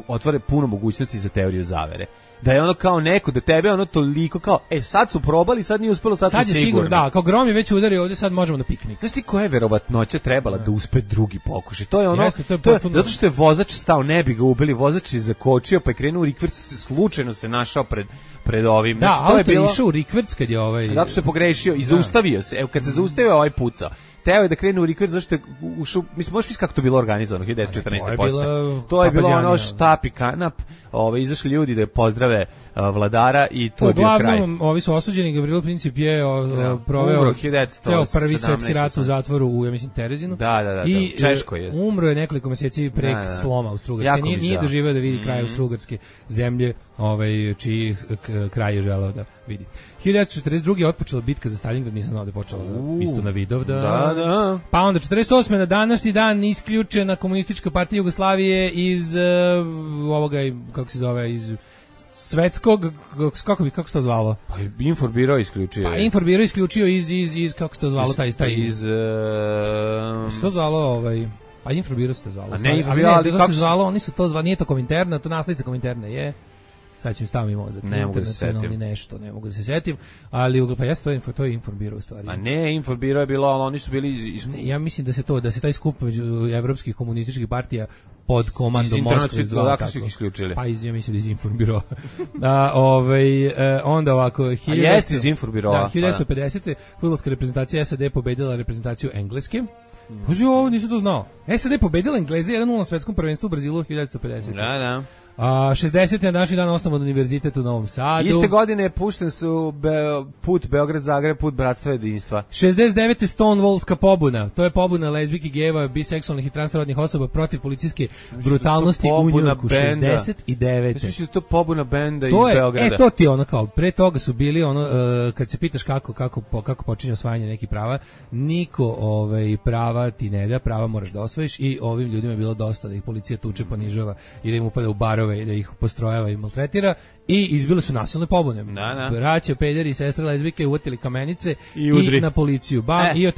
Speaker 5: otvara puno mogućnosti za teoriju zavere. Da je kao neko, da tebe toliko kao, sad su probali, sad nije uspelo, sad je sigurno.
Speaker 6: Da, kao grom je već udario ovdje, sad možemo na piknik.
Speaker 5: Znaš ti koja je verovatnoća trebala da uspe drugi pokušaj? To je zato što je vozač stao, ne bi ga ubili, vozač je zakočio, pa je krenuo u rikvrcu, slučajno se našao pred ovim.
Speaker 6: Da, auto je išao u rikvrc kad je
Speaker 5: zato što je pogrešio i zaustavio se. Evo, kad se zaustavio pucao. Teo je da krene u rikvrc, zašto je ušao, mislim, možeš misliti kako to bilo organizovano, 1914. To je bilo štap i kanap, izašli ljudi da pozdrave vladara i to je bio kraj.
Speaker 6: Uglavnom, ovi su osuđeni, Gavrilo Princip je proveo ceo prvi svetski rat u zatvoru u, ja mislim, Terezinu.
Speaker 5: Da,
Speaker 6: i
Speaker 5: Češko je.
Speaker 6: Umro je nekoliko meseci prek sloma Austrougarske. Nije doživeo da vidi kraj Austrougarske zemlje, čiji kraj je želeo da vidi. 1942. je otpočela bitka za Stalingrad, nisam znao da je počela isto na Vidovdan.
Speaker 5: Da.
Speaker 6: Pa onda 48. na današnji dan isključena Komunistička partija Jugoslavije iz ovoga, kako se zove, iz svetskog, kako se to zvalo?
Speaker 5: Pa Inforbiro isključio.
Speaker 6: Pa Inforbiro isključio iz kako se to zvalo, taj iz se to zvalo, pa Inforbiro se to zvalo.
Speaker 5: A ne Inforbiro, ali
Speaker 6: kako se zvalo, oni su to zvali, nije to Kominterna, to naslednica Kominterne je. Sad ću mi staviti mozak.
Speaker 5: Ne mogu da se setim.
Speaker 6: Nešto, ne mogu da se setim, ali pa jeste to je Inforbiro u stvari.
Speaker 5: A ne, Inforbiro je bilo, ali oni su bili...
Speaker 6: ja mislim da se taj skup među evropskih komunističkih partija pod komandom Moskve zvao tako.
Speaker 5: Isključili.
Speaker 6: Pa ja mislim da iz Inforbiro. Onda ovako...
Speaker 5: jeste iz Inforbiro.
Speaker 6: Da, 1950. fudbalska reprezentacija SAD pobedila reprezentaciju Engleske. Bože, ovo nisam to znao. SAD pobedila Engleze 1-0 na svetskom prvenstvu u Brazilu 1950.
Speaker 5: Da.
Speaker 6: 60. na današnji dan osnovan univerzitet u Novom Sadu.
Speaker 5: Iste godine je pušten su put Beograd-Zagreb, put Bratstva jedinstva.
Speaker 6: 69. Stonewallska pobuna. To je pobuna lezbijki, gejeva, biseksualnih i transrodnih osoba protiv policijske brutalnosti u Njujorku. 69.
Speaker 5: Mislim da je to pobuna benda iz Beograda.
Speaker 6: To ti kao, pre toga su bili kad se pitaš kako počinje osvajanje nekih prava, niko prava ti ne da, prava moraš da osvojiš i ovim ljudima je bilo dosta da ih policija tuče, ponižava i da im upada u barove i da ih postrojava i maltretira i izbile su nasilne pobune. Braća, pederi i sestre lezbijke uvatili kamenice i na policiju. I od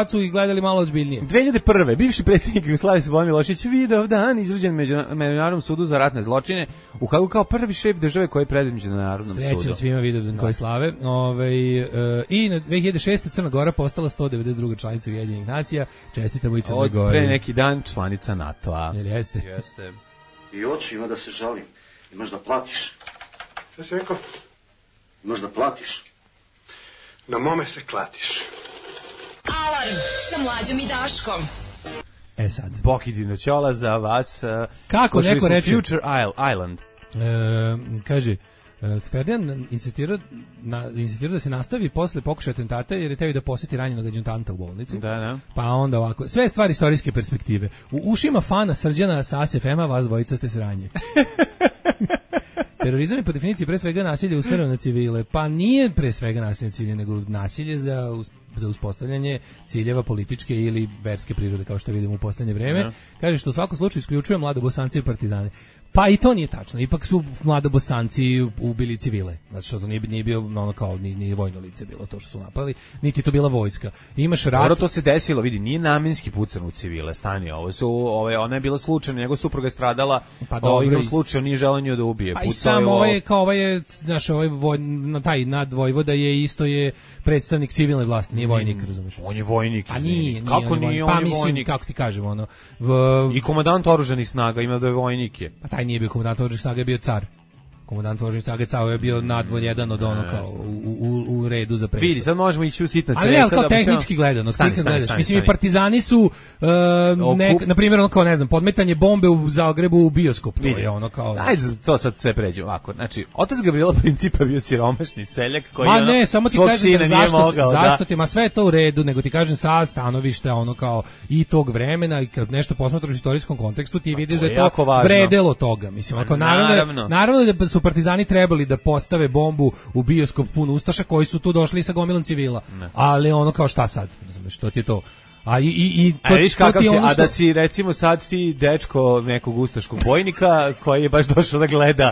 Speaker 6: su ih gledali malo ozbiljnije.
Speaker 5: 2001. bivši predsjednik Jugoslavije Slobodan Milošević Vidovdan izručen Međunarodnom sudu za ratne zločine u Hagu kao prvi šef države koji je predviđen na Narodnom sudu.
Speaker 6: Sreća svima Vidovdan koji slave. I na 2006. Crna Gora postala 192. članica Ujedinjenih nacija. Čestitamo i Crnoj Gori.
Speaker 5: Pre neki dan članica NATO-a.
Speaker 6: Jel jeste?
Speaker 5: Jeste.
Speaker 7: I oči ima da se žalim. Imaš da platiš.
Speaker 8: Šta si rekao?
Speaker 7: Imaš da platiš.
Speaker 8: Na mome se klatiš.
Speaker 1: Alarm sa Mlađom i Daškom.
Speaker 6: Sad.
Speaker 5: Boki Dinoćola za vas.
Speaker 6: Kako neko reče?
Speaker 5: Future Island.
Speaker 6: Kaže, Ferdinand insistirao da se nastavi posle pokušaja atentata jer je teo da poseti ranjenog adjutanta u bolnici.
Speaker 5: Da.
Speaker 6: Pa onda ovako, sve stvari istorijske perspektive. U ušima fana Srđana sa ASFM-a vas dvojica ste sranje. Terorizam je po definiciji pre svega nasilje usmereno na civile. Pa nije pre svega nasilje na civile, nego nasilje za uspostavljanje ciljeva političke ili verske prirode, kao što vidimo u poslednje vreme. Kaže što u svakom slučaju isključuje mladobosanci i partizane. Pa i to nije tačno. Ipak su mladobosanci ubili civile. Znači što to nije bio ono kao ni vojno lice bilo to što su napali, niti to bila vojska. Imaš rat.
Speaker 5: Dobro, to se desilo, vidi, nije namenski pucan u civile, stani, ona je bila slučajno, njegova supruga je stradala,
Speaker 6: pa dobro,
Speaker 5: slučajno nije želeo nju da ubije.
Speaker 6: Pa i sam znaš, taj nadvojvoda je isto je predstavnik civilne vlasti, nije vojnik, razumeš?
Speaker 5: On je vojnik.
Speaker 6: A nije.
Speaker 5: Kako nije on
Speaker 6: je
Speaker 5: vojnik?
Speaker 6: Kako ti kažem, ono...
Speaker 5: I komandant oružanih snaga ima da je vojnik je.
Speaker 6: Pa taj nije bio komandant oružanih snaga, je bio car. Komandant oružanih snaga Cao je bio nadvoj jedan od ono kao u redu za predsjednik.
Speaker 5: Vidi, sad možemo ići u sitna
Speaker 6: creca. Ali kao tehnički gledano, mislim i partizani su na primjer ono kao ne znam, podmetanje bombe u Zagrebu u bioskop, to je ono kao.
Speaker 5: Ajde, to sad sve pređe ovako. Znači, otac Gabriela Principa bio siromašni seljak koji
Speaker 6: Ma ne, samo ti kažem zašto ti, ma sve je to u redu, nego ti kažem sad stanovište ono kao i tog vremena i kad nešto posmatraš u istorijskom kontekstu ti vidiš da je to vredelo toga, mislim, ako naravno da su partizani trebali da postave bombu u bioskop pun ustaša koji su tu došli sa gomilom civila. Ali ono kao šta sad? Što ti je to?
Speaker 5: Viš kakav si, a da si recimo sad ti dečko nekog ustaškog bojnika koji je baš došao da gleda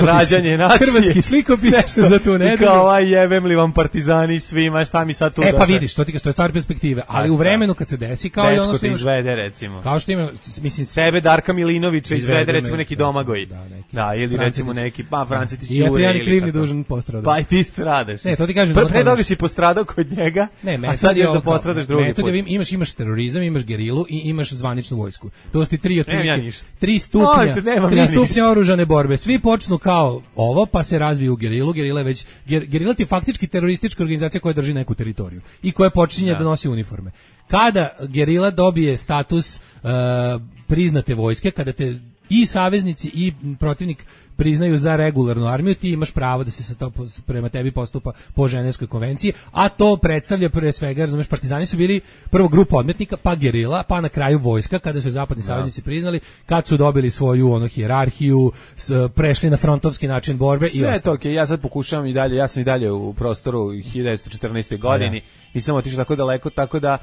Speaker 5: rađanje nacije.
Speaker 6: Hrvatski slikopis za tu nedelju.
Speaker 5: I kao jebem li vam partizani svima, šta mi sad tu
Speaker 6: pa vidiš, to je stvar perspektive, ali u vremenu kad se desi kao
Speaker 5: dečko i ono što imaš, izvede recimo.
Speaker 6: Kao što ima, mislim,
Speaker 5: sebe Darka Milinovića izvede recimo neki Domagoj. Da, ili recimo neki, Francetić Jure.
Speaker 6: I ja ni krivni dužan postradao.
Speaker 5: Pa i ti stradaš.
Speaker 6: Ne, to ti kažem.
Speaker 5: Pre toga si postradao kod njega, a sad još da postradaš drugi put.
Speaker 6: Imaš terorizam, imaš gerilu i imaš zvaničnu vojsku. To su ti tri stupnja oružane borbe. Svi počnu kao ovo, pa se razviju u gerilu. Gerila ti je faktički teroristička organizacija koja drži neku teritoriju i koja počinje da nosi uniforme. Kada gerila dobije status priznate vojske, kada te i saveznici i protivnik priznaju za regularnu armiju, ti imaš pravo da se sa to prema tebi postupa po Ženevskoj konvenciji, a to predstavlja pre svega, razumeš, partizani su bili prvo grupa odmetnika, pa gerila, pa na kraju vojska, kada su zapadni saveznici priznali, kad su dobili svoju hijerarhiju, prešli na frontovski način borbe.
Speaker 5: Sve je to okej, ja sad pokušavam i dalje, ja sam i dalje u prostoru 1914. godini, nisam otišao tako daleko, tako da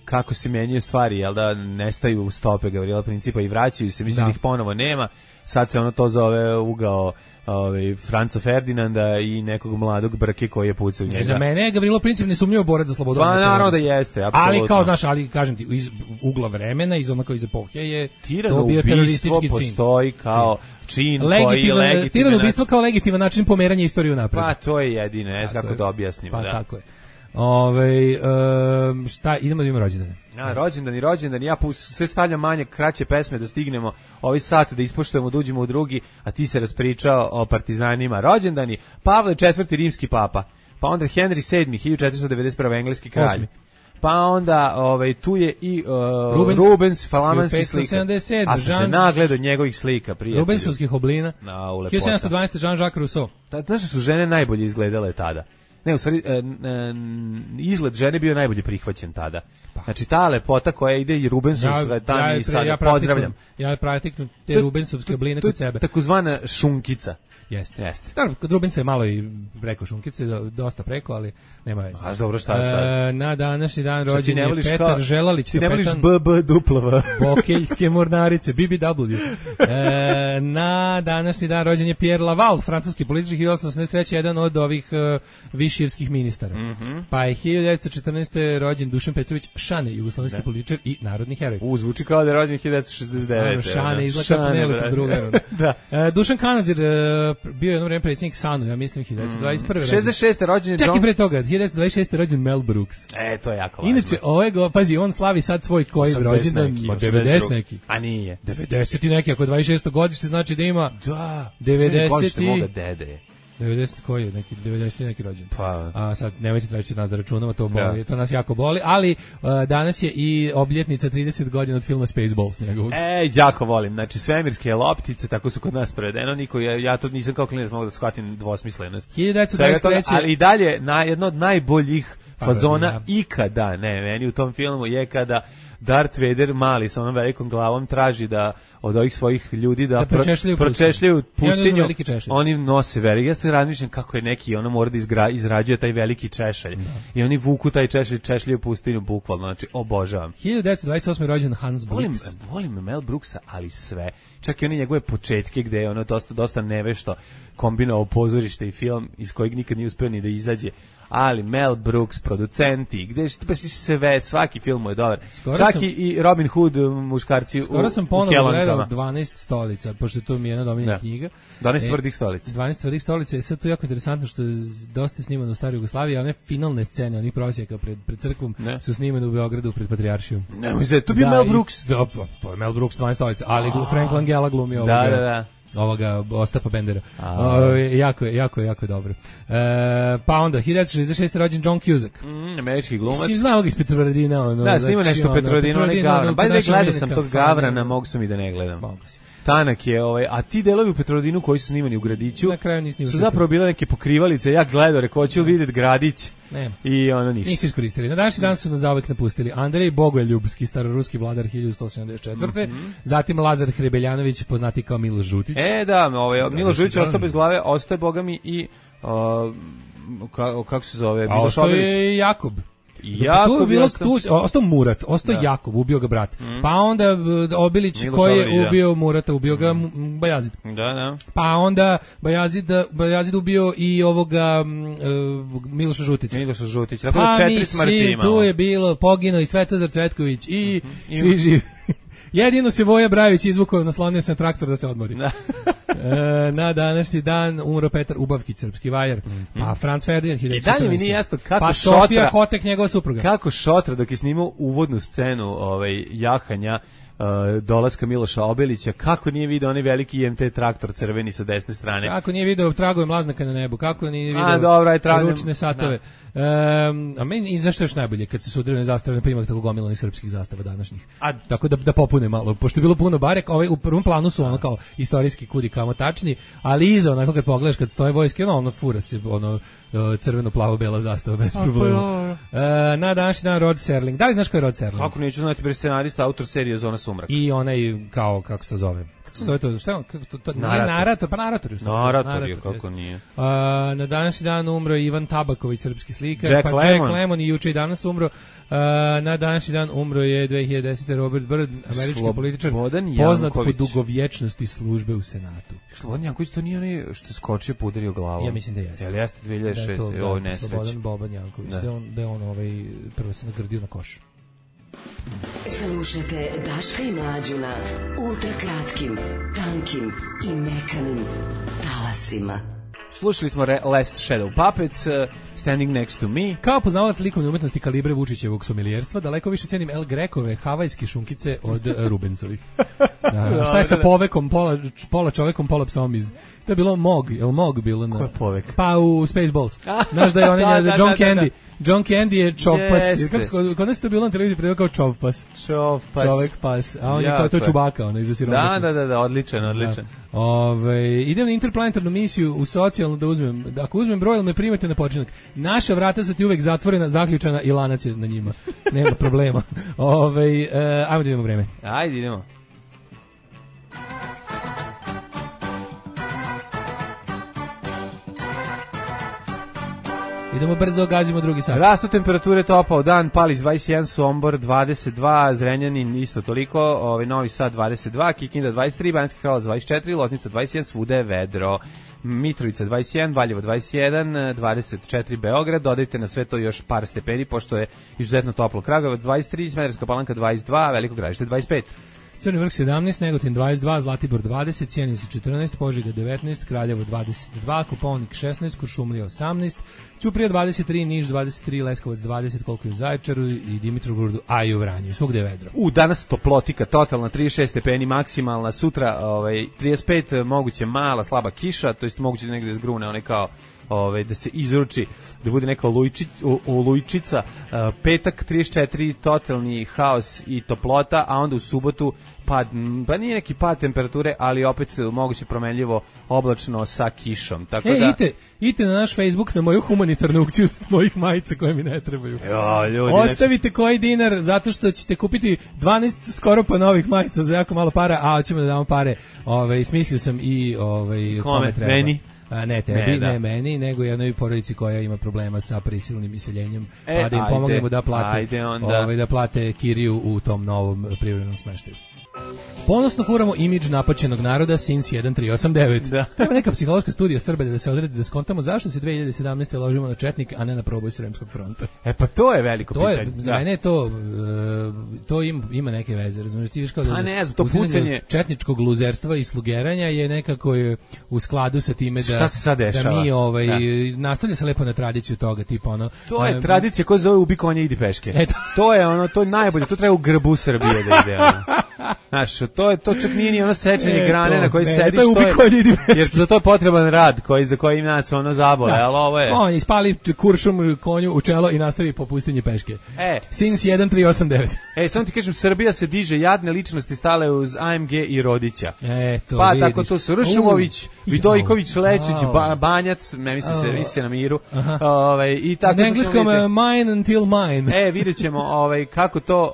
Speaker 5: kako se menjaju stvari, jel da nestaju stope Gabriela Principa i vraćaju se, mislim da ih ponovo nema. Sad se ono to zove ugao Franca Ferdinanda i nekog mladog Brke koji je pucao njega.
Speaker 6: Za mene je Gavrilo Princip nesumnjivo borac za slobodu.
Speaker 5: Pa naravno da jeste, apsolutno.
Speaker 6: Ali kao, znaš, ali kažem ti, iz ugla vremena, iz epohe je to bio teroristički čin.
Speaker 5: Postoji kao čin koji je legitiman.
Speaker 6: Tirano ubistvo kao legitiman način pomeranja istoriju napred.
Speaker 5: Pa to je jedino, kako da objasnimo.
Speaker 6: Pa tako je. Šta, idemo da imamo rođendane.
Speaker 5: Rođendan, ja sve stavljam manje, kraće pesme da stignemo ovaj sat, da ispoštujemo, da uđemo u drugi, a ti se raspričao o partizanima. Rođendani, Pavle IV. Rimski papa, pa onda Henry VII. 1491. engleski kralj. 8. Pa onda tu je i Rubens, falamanski slika. A se nagled od njegovih slika, prijatelju.
Speaker 6: Rubensovskih oblina. 1712. Jean-Jacques Rousseau.
Speaker 5: Znaš da su žene najbolje izgledale tada? Ne, u stvari, izgled žene bio najbolje prihvaćen tada. Znači, ta lepota koja ide i Rubensovska tamo i sada, pozdravljam.
Speaker 6: Ja praktikno te Rubensovske obline kod sebe.
Speaker 5: Takozvana šunkica.
Speaker 6: Jeste. Naravno, kod Rubensa je malo i preko šunkice, dosta preko, ali nema veze.
Speaker 5: A dobro, šta sad?
Speaker 6: Na današnji dan rođen je Petar Želalić,
Speaker 5: ti ne voliš BB-duplava.
Speaker 6: Bokeljske mornarice, BBW. Na današnji dan rođen je Pierre Laval, francuski politički 1883, jedan od ovih viširskih ministara. Pa je 1914. rođen Dušan Petrović Šane, jugoslovenski političar i narodni heroj.
Speaker 5: Zvuči kao da je rođen 1969.
Speaker 6: Šane izgleda kako nelika druga. Dušan Kanazir, bio jedno vreme predsjednik SANU, ja mislim 1921.
Speaker 5: 66. rođen je John...
Speaker 6: Čak i pre toga, 1926. rođen Mel Brooks.
Speaker 5: To je jako važno.
Speaker 6: Inače, pazi, on slavi sad svoj koji rođendan, 90 neki.
Speaker 5: A nije.
Speaker 6: 90 i neki, ako 26. godište, znači da ima...
Speaker 5: Da,
Speaker 6: 90 i...
Speaker 5: moga dede.
Speaker 6: 90 koji je, neki 90 neki rođen.
Speaker 5: Pa.
Speaker 6: A sad nemojte tražiti nas da računamo, to boli, to nas jako boli, ali danas je i obljetnica 30 godina od filma Spaceballs njegovog.
Speaker 5: Jako volim. Znači svemirske loptice, tako su kod nas prevedeno, niko ja to nisam kao klinac mogao da shvatim dvosmislenost.
Speaker 6: 1923.
Speaker 5: Ali i dalje jedno od najboljih fazona ikada, meni u tom filmu je kada Darth Vader mali sa onom velikom glavom traži da od ovih svojih ljudi da pročešljaju pustinju. Oni nose veliki. Ja se razmišljam kako je neki ono mora da izrađuje taj veliki češalj. I oni vuku taj češalj, češljaju pustinju bukvalno. Znači, obožavam.
Speaker 6: 1928. rođen Hans Blix.
Speaker 5: Volim Mel Brooksa, ali sve. Čak i oni njegove početke gde je ono dosta nevešto kombinovao pozorište i film iz kojeg nikad nije uspeo ni da izađe. Ali Mel Brooks, producenti, gde sve, svaki film mu je dobar. I Robin Hood, muškarci u
Speaker 6: Skoro sam ponovno gledao 12 stolica, pošto to mi je jedna domiljena knjiga.
Speaker 5: 12 tvrdih stolica.
Speaker 6: 12 tvrdih stolica je sad to jako interesantno što je dosta snimano u staroj Jugoslaviji, a one finalne scene, onih prosjeka pred crkvom su snimane u Beogradu pred Patrijaršijom.
Speaker 5: To bi Mel Brooks.
Speaker 6: To je Mel Brooks, 12 stolica, ali Frank Langella glumi ovoga Ostapa Bendera. Jako dobro. Pa onda 1966. rođen John Cusack.
Speaker 5: Američki glumac.
Speaker 6: Si znao ga iz Petrovaradina.
Speaker 5: Da, snima nešto Petrovaradina, onaj Gavran. Bajde gledao sam tog Gavrana, mogu sam i da ne gledam. Tanak je, a ti delovi u Petrovaradinu koji su snimani u Gradiću su zapravo bile neke pokrivalice. Ja gledao, rekao, hoću vidjeti Gradić. I ono ništa.
Speaker 6: Nisu iskoristili. Na današnji dan su nas zauvek napustili Andrej Bogoljubski, staroruski vladar 1174. Zatim Lazar Hrebeljanović, poznati kao Miloš Žutić.
Speaker 5: Miloš Žutić ostao bez glave, ostaje bogami i kako se zove?
Speaker 6: A ostao je Jakob. Ostao Murat, Jakob, ubio ga brat. Pa onda Obilić koji je ubio Murata, ubio ga Bajazid. Pa onda Bajazid ubio i ovoga Miloša Žutića.
Speaker 5: Pa mislim,
Speaker 6: tu je bilo poginuo i Svetozar Cvetković i svi živi. Jedino se Voja Brajović izvukao, naslonio se na traktor da se odmori. Na današnji dan umro Petar Ubavkić, srpski vajar. Pa Franz Ferdinand 1914.
Speaker 5: I dalje mi nije jasno kako
Speaker 6: pa Sofija Kotek, njegova supruga.
Speaker 5: Kako Šotra dok je snimao uvodnu scenu jahanja dolaska Miloša Obilića, kako nije video onaj veliki IMT traktor crveni sa desne strane.
Speaker 6: Kako nije video tragove mlaznaka na nebu, kako nije video ručne satove. A meni, zašto je još najbolje kad se sudrene zastave na primak tako gomilanih srpskih zastava današnjih. Tako da popune malo, pošto je bilo puno barek, u prvom planu su ono kao istorijski kudi kamo tačni, ali iza onako kad pogledaš kad stoje vojske, ono fura se crveno plavo bela zastava bez problema. Na današnji dan Rod Serling. Da li znaš ko je Rod Serling?
Speaker 5: Kako neću znati, bre, scenarista, autor serije Zona sumraka.
Speaker 6: I onaj kako se to zove? Narator,
Speaker 5: kako nije.
Speaker 6: Na današnji dan umro Ivan Tabaković, srpski slikar.
Speaker 5: Jack
Speaker 6: Lemmon i juče i danas umro. Na današnji dan umro je 2010. Robert Byrd, američki političar, poznat po dugovječnosti službe u Senatu.
Speaker 5: Slobodan Janković, to nije onaj što je skočio pa udario glavom?
Speaker 6: Ja mislim da jeste.
Speaker 5: Jel jeste 2006. Ovo je nesreće.
Speaker 6: Slobodan Boban Janković, da je on prvo se nagrdio na koš.
Speaker 1: Slušajte Daška i Mlađu na ultrakratkim, tankim i mekanim talasima.
Speaker 5: Slušali smo Last Shadow Puppets, Standing Next to Me.
Speaker 6: Kao poznavalac likovne umetnosti kalibre Vučićevog somelijerstva, daleko više cenim El Grekove havajske šunkice od Rubencovih. Šta je sa povekom, pola čovekom, pola psom iz... To je bilo Mog bilo na...
Speaker 5: Ko je povek?
Speaker 6: Pa u Spaceballs. Znaš da je onaj John Candy. John Candy je čovpas. Kod nas je to bilo na televiziji predao kao čovpas. Čovek pas. A on je kao to Čubaka, ono, iza siromašna.
Speaker 5: Da, odličan.
Speaker 6: Idem na interplanetarnu misiju u socijalnu da uzmem. Ako uzmem broj, me primate na počinak. Naša vrata su ti uvek zatvorena, zaključana i lanac je na njima. Nema problema. Ajmo da idemo vreme.
Speaker 5: Ajde, idemo.
Speaker 6: Idemo brzo, gazimo drugi sat.
Speaker 5: Rastu temperature, topao dan, Palić 21, Sombor 22, Zrenjanin isto toliko, Novi Sad 22, Kikinda 23, Banjski Karlovac 24, Loznica 21, svuda je vedro. Mitrovica 21, Valjevo 21, 24 Beograd, dodajte na sve to još par stepeni, pošto je izuzetno toplo. Kragujevac 23, Smederevska Palanka 22, Veliko Gradište 25.
Speaker 6: Crni Vrh 17, Negotin 22, Zlatibor 20, Sjenica 14, Požega 19, Kraljevo 22, Kopaonik 16, Kuršumlija 18, Ćuprija 23, Niš 23, Leskovac 20, koliko je u Zaječaru i Dimitrovgradu, a i u Vranju, svugde je vedro.
Speaker 5: Danas toplotika, totalna 36 stepeni maksimalna, sutra 35, moguće mala, slaba kiša, to jest moguće negde zgrune, onaj kao da se izruči, da bude neka olujčica, petak 34, totalni haos i toplota, a onda u subotu pa nije neki pad temperature, ali opet moguće promenljivo oblačno sa kišom. Tako da
Speaker 6: idite na naš Facebook, na moju humanitarnu aukciju s mojih majica koje mi ne trebaju.
Speaker 5: Ljudi,
Speaker 6: ostavite koji dinar, zato što ćete kupiti 12 skoro pa novih majica za jako malo para, a hoćemo da damo pare. Smislio sam i kome treba.
Speaker 5: Meni?
Speaker 6: Ne tebi, ne meni, nego jednoj porodici koja ima problema sa prisilnim iseljenjem, pa da im pomognemo da plate, da plate kiriju u tom novom privremenom smeštaju. Ponosno furamo imidž napaćenog naroda since 1389. Da. Treba neka psihološka studija Srba da se odredi da skontamo zašto se 2017. ložimo na četnik, a ne na proboj Sremskog fronta.
Speaker 5: Pa to je veliko pitanje.
Speaker 6: Za mene to ima neke veze, razumiješ, ti viš kao da
Speaker 5: ne znam, to pucanje
Speaker 6: četničkog luzerstva i slugeranja je nekako u skladu sa time da mi nastavlja se lepo na tradiciju toga, tipa ono.
Speaker 5: To je tradicija koja zove ubi konja, idi peške. To je ono, to je najbolje, to treba u grbu Srbije da ide. Znaš, to čak nije ni ono sečenje grane na kojoj sediš, jer za to je potreban rad za koji nas ono zabole, ali ovo je...
Speaker 6: On ispali kuršum konju u čelo i nastavi po pustinji peške. Since 1389.
Speaker 5: Samo ti kažem, Srbija se diže, jadne ličnosti stale uz AMG i Rodića.
Speaker 6: Pa
Speaker 5: vidiš. Tako to su Ršumović, Vidojković, Lečić, Banjac, ne misli se na miru. I tako
Speaker 6: na engleskom mine until mine.
Speaker 5: Vidjet ćemo kako to,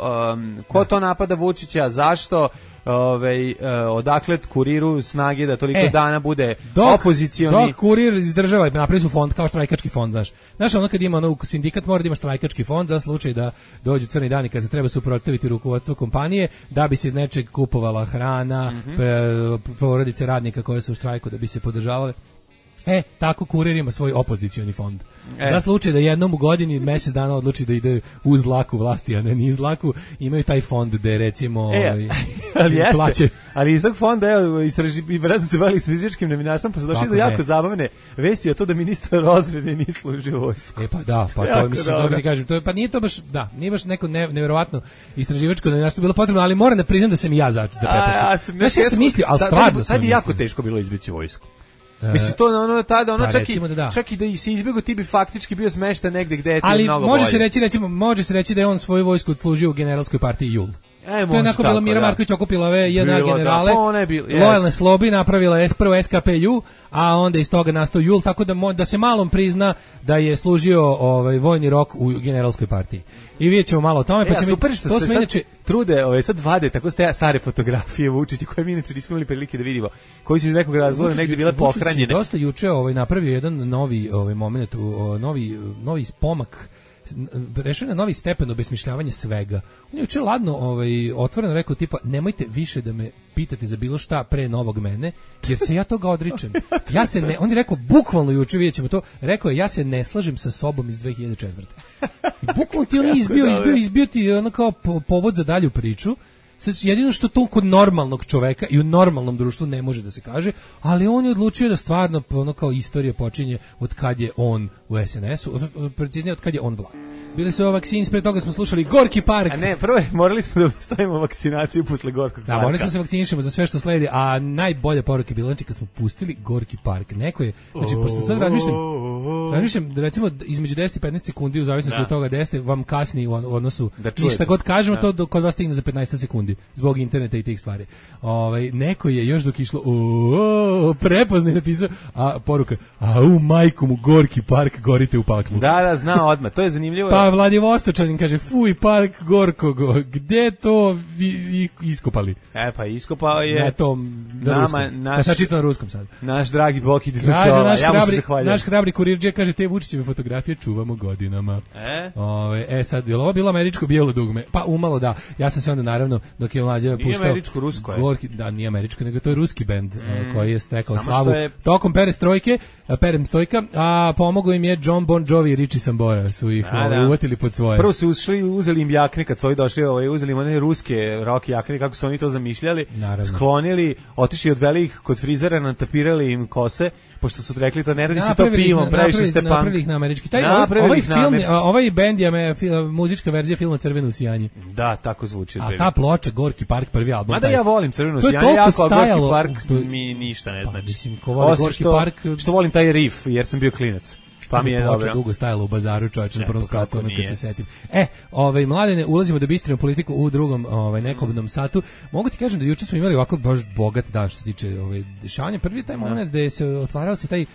Speaker 5: ko to napada Vučića, zašto, odakle Kuriru snage da toliko dana bude opozicioni.
Speaker 6: Dok Kurir izdržava, napravi su fond kao štrajkački fond, znaš ono kad ima sindikat mora da ima štrajkački fond za slučaj da dođu crni dani kad se treba suprotstaviti rukovodstvo kompanije, da bi se iz nečeg kupovala hrana, porodice radnika koje su u štrajku da bi se podržavale. Tako Kurir ima svoj opozicioni fond. Za slučaj da jednom u godini mesec dana odluči da ide uz dlaku vlasti, a ne niz dlaku, imaju taj fond gde recimo plaće.
Speaker 5: Ali iz tog fonda, vratno se bavili statističkim novinarstvom, pa su došli do jako zabavne vesti o to da ministar odbrane nije služio vojsku.
Speaker 6: To mislim, dobro ti kažem, pa nije to baš, nije baš neko nevjerovatno istraživačko novinarstvo bilo potrebno, ali moram da priznam da sam i ja zaprepašen. Znaš, ja sam mislio, ali stvarno sam
Speaker 5: mislio. Tad je jako teško bilo izbeći vojsku. Mislim, to tada, čak i da si izbjegao, ti bi faktički bio smešten negde gde je ti mnogo bolje.
Speaker 6: Ali može se reći da je on svoju vojsku odslužio u generalskoj partiji JUL. To je onako bila Mira Marković okupila ove jedna generale, lojalne slobi, napravila prvo SKPU, a onda iz toga nastao JUL, tako da se malom prizna da je služio vojni rok u generalskoj partiji. I vidjet ćemo malo o tome.
Speaker 5: Super što se sad trude, sad vade tako stare fotografije Vučića, koje mi inače nismo imali prilike da vidimo, koji su iz nekog razloga negdje bile pohranjene.
Speaker 6: Vučić je dosta juče napravio jedan novi moment, novi pomak, rešio na novi stepen obesmišljavanja svega. On je juče ladno otvoreno rekao tipa nemojte više da me pitate za bilo šta pre novog mene, jer se ja toga odričem. On je rekao bukvalno juče, vidjet ćemo to, rekao je ja se ne slažem sa sobom iz 2004. I bukvalno ti on izbio ti ono kao povod za dalju priču. Jedino što to kod normalnog čoveka i u normalnom društvu ne može da se kaže, ali on je odlučio da stvarno ono kao istorija počinje od kad je on u SNS-u, preciznije od kad je on vlad. Bili su vakcini, pre toga smo slušali Gorki park.
Speaker 5: A ne, prvo morali smo da stavimo vakcinaciju posle Gorkog parka.
Speaker 6: Da, morali smo se vakcinišemo za sve što sledi, a najbolja poruka je bila kad smo pustili Gorki park. Neko je, znači, pošto sad razmišljam, recimo između 10 i 15 sekundi, u zavisnosti od toga 10 vam kasni u odnosu, i šta god kažemo, to kod vas stigne za 15 sekundi, zbog interneta i tih stvari. Neko je još dok išlo, prepoznaj napisao, a poruka, majku mu Gorki park, gorite u paklu.
Speaker 5: Da, zna odmah, to je zanimljivo.
Speaker 6: Pa Vladivostočanin kaže, fuj, park Gorkog, gde to vi iskopali?
Speaker 5: Pa iskopao je...
Speaker 6: Na tom, na ruskom. Sad čitam na ruskom sad.
Speaker 5: Naš dragi Boki
Speaker 6: Kaže, naš hrabri kurir Kurirđe kaže, te Vučićeve fotografije čuvamo godinama. Sad, je li ovo bilo američko bijelo dugme? Pa umalo da. Ja sam se onda naravno, dok je mlađa puštao...
Speaker 5: Nije američko, rusko je.
Speaker 6: Da, nije američko, nego to je ruski bend koji je stekao slavu tokom Perem-stojka, a pomogao im je John Bon Jovi i Richie Sambora, su ih uvatili pod svoje.
Speaker 5: Prvo su uzeli im jakne, kad su ovi došli, uzeli im one ruske rock jakne, kako su oni to zamišljali, sklonili, otišli, odveli ih kod frizera, natapirali im kose, pošto su rekli to ne radi se to pivom, previše ste punk.
Speaker 6: Napravili ih na američki. Ovaj bend je muzička verzija filma Crveno usijanje.
Speaker 5: Da, tako zvuči.
Speaker 6: A ta ploča, Gorki park, prvi album.
Speaker 5: Mada ja volim Crveno usijanje, jako, a Gorki park mi ništa ne znači. Osim što volim taj riff, jer sam bio klinac. Pa mi je dobro.
Speaker 6: Dugo stajalo u bazaru, čovječe, na prvom spratu, kad se setim. Mladene, ulazimo da bistrimo politiku u drugom nekobnom satu. Mogu ti kažem da juče smo imali ovako baš bogat dan što se tiče dešavanja. Prvi taj moment da se otvarao se taj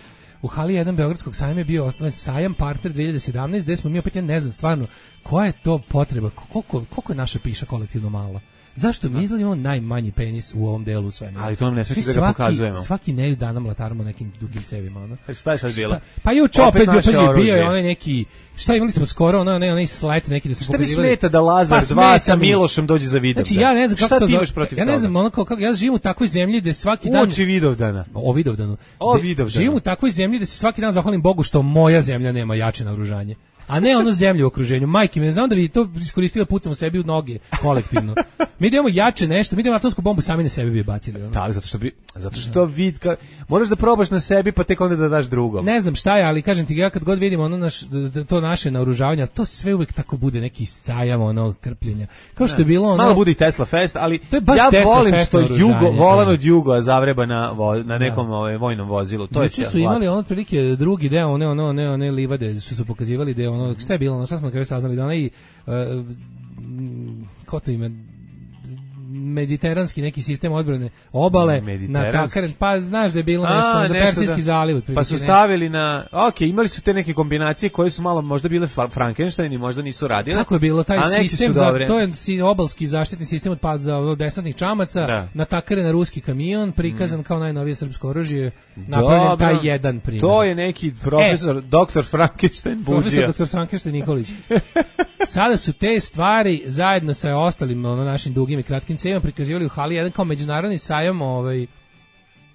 Speaker 6: u hali 1 Beogradskog sajma je bio osnovan sajam Partner 2017, gde smo mi opet, ja ne znam stvarno koja je to potreba, koliko je naša piša kolektivno mala. Zašto mi izgledamo najmanji penis u ovom delu svemira?
Speaker 5: Ali to nam ne smiješ da ga pokazujemo.
Speaker 6: Svaki nedelju dana mlataramo nekim dugim cevima, ono.
Speaker 5: Šta je sad bilo?
Speaker 6: Pa juče opet bio je onaj neki, šta imali smo skoro, onaj slet neki da smo pokazivali.
Speaker 5: Šta mi smeta da Lazar 2 sa Milošem dođe za Vidovdan?
Speaker 6: Znači ja ne znam kako to zove. Ja ne znam, ja živim u takvoj zemlji da svaki dan
Speaker 5: uoči Vidovdana.
Speaker 6: O Vidovdanu. Živim u takvoj zemlji da se svaki dan zahvalim Bogu što moja zemlja nema jače naoružanje. A ne ono zemlju u okruženju. Majke mi, znam da bi to iskoristili da pucamo sebi u noge kolektivno. Mi idemo jače nešto, mi idemo atomsku bombu sami na sebi bi bacili. Ono.
Speaker 5: Da, zato što moraš da probaš na sebi pa tek onda da daš drugom.
Speaker 6: Ne znam šta je, ali kažem ti, ja kad god vidim ono to naše naoružavanje, to sve uvek tako bude neki sajam, ono krpljenja. Kao što je bilo ono...
Speaker 5: Malo bude i Tesla Fest, ali ja volim što volan od Jugo zavreba na nekom vojnom vozilu. To je
Speaker 6: su imali ono otprilike drugi deo, one livade što su pokazivali da ono, šta je bilo, ono, šta smo na kraju saznali, da onaj, ko to ime, mediteranski neki sistem odbrane obale, na takar, pa znaš da je bilo nešto za Persijski zaliv.
Speaker 5: Pa su stavili imali su te neke kombinacije koje su malo možda bile Frankenstein i možda nisu radile.
Speaker 6: Kako je bilo taj sistem, to je obalski zaštitni sistem od pada za desantnih čamaca, natakare na ruski kamion, prikazan kao najnovije srpsko oružje, napravljen taj jedan primjer.
Speaker 5: To je neki profesor, doktor Frankenstein Buđija.
Speaker 6: Profesor doktor Frankenstein Nikolić. Sada su te stvari zajedno sa ostalim našim dugim i kratkim cevima prikazivali u hali 1 kao međunarodni sajam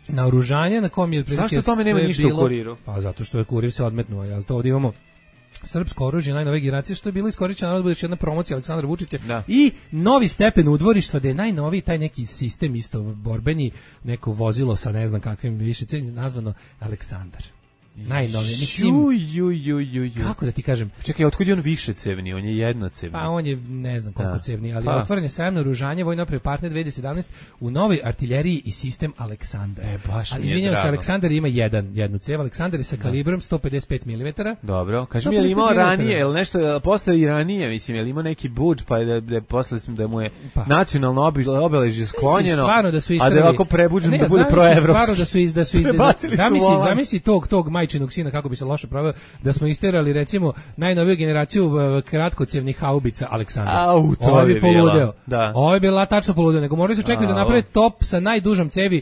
Speaker 6: naoružanja na kom je
Speaker 5: zašto tome nema ništa u Kuriru?
Speaker 6: Pa zato što je Kurir se odmetnuo, ja to ovdje imamo srpsko oružje najnove generacije što je bilo iskorišćeno, naravno bude još jedna promocija Aleksandra Vučića i novi stepen udvorištva da je najnoviji taj neki sistem isto borbeni, neko vozilo sa ne znam kakvim više nazvano Aleksandar. Najnovije, mislim. Kako da ti kažem?
Speaker 5: Čekaj, otkud je on više cevni? On je jednocevni.
Speaker 6: Pa on je ne znam koliko cevni, ali otvoren je sajam naoružanja vojno opreme Partner 2017 u novoj artiljeriji i sistem Aleksandar.
Speaker 5: Baš mi je
Speaker 6: izvinjavam se, Aleksandar ima jednu cev. Aleksandar je sa kalibrom 155 mm.
Speaker 5: Dobro, kaži mi, je li imao ranije, je li nešto postoji i ranije, mislim, je li imao neki budž, pa da posle da mu je nacionalno obeležje sklonjeno, a da je ovako prebuđen da bude proevropski.
Speaker 6: Stvarno zamisli tog majčinog sina kako bi se loše proveo, da smo isterali recimo najnoviju generaciju kratkocevnih haubica Aleksandra. Ovo bi poludeo. Ovo je bila tačno poludeo, nego morali su čekati da naprave top sa najdužom cevi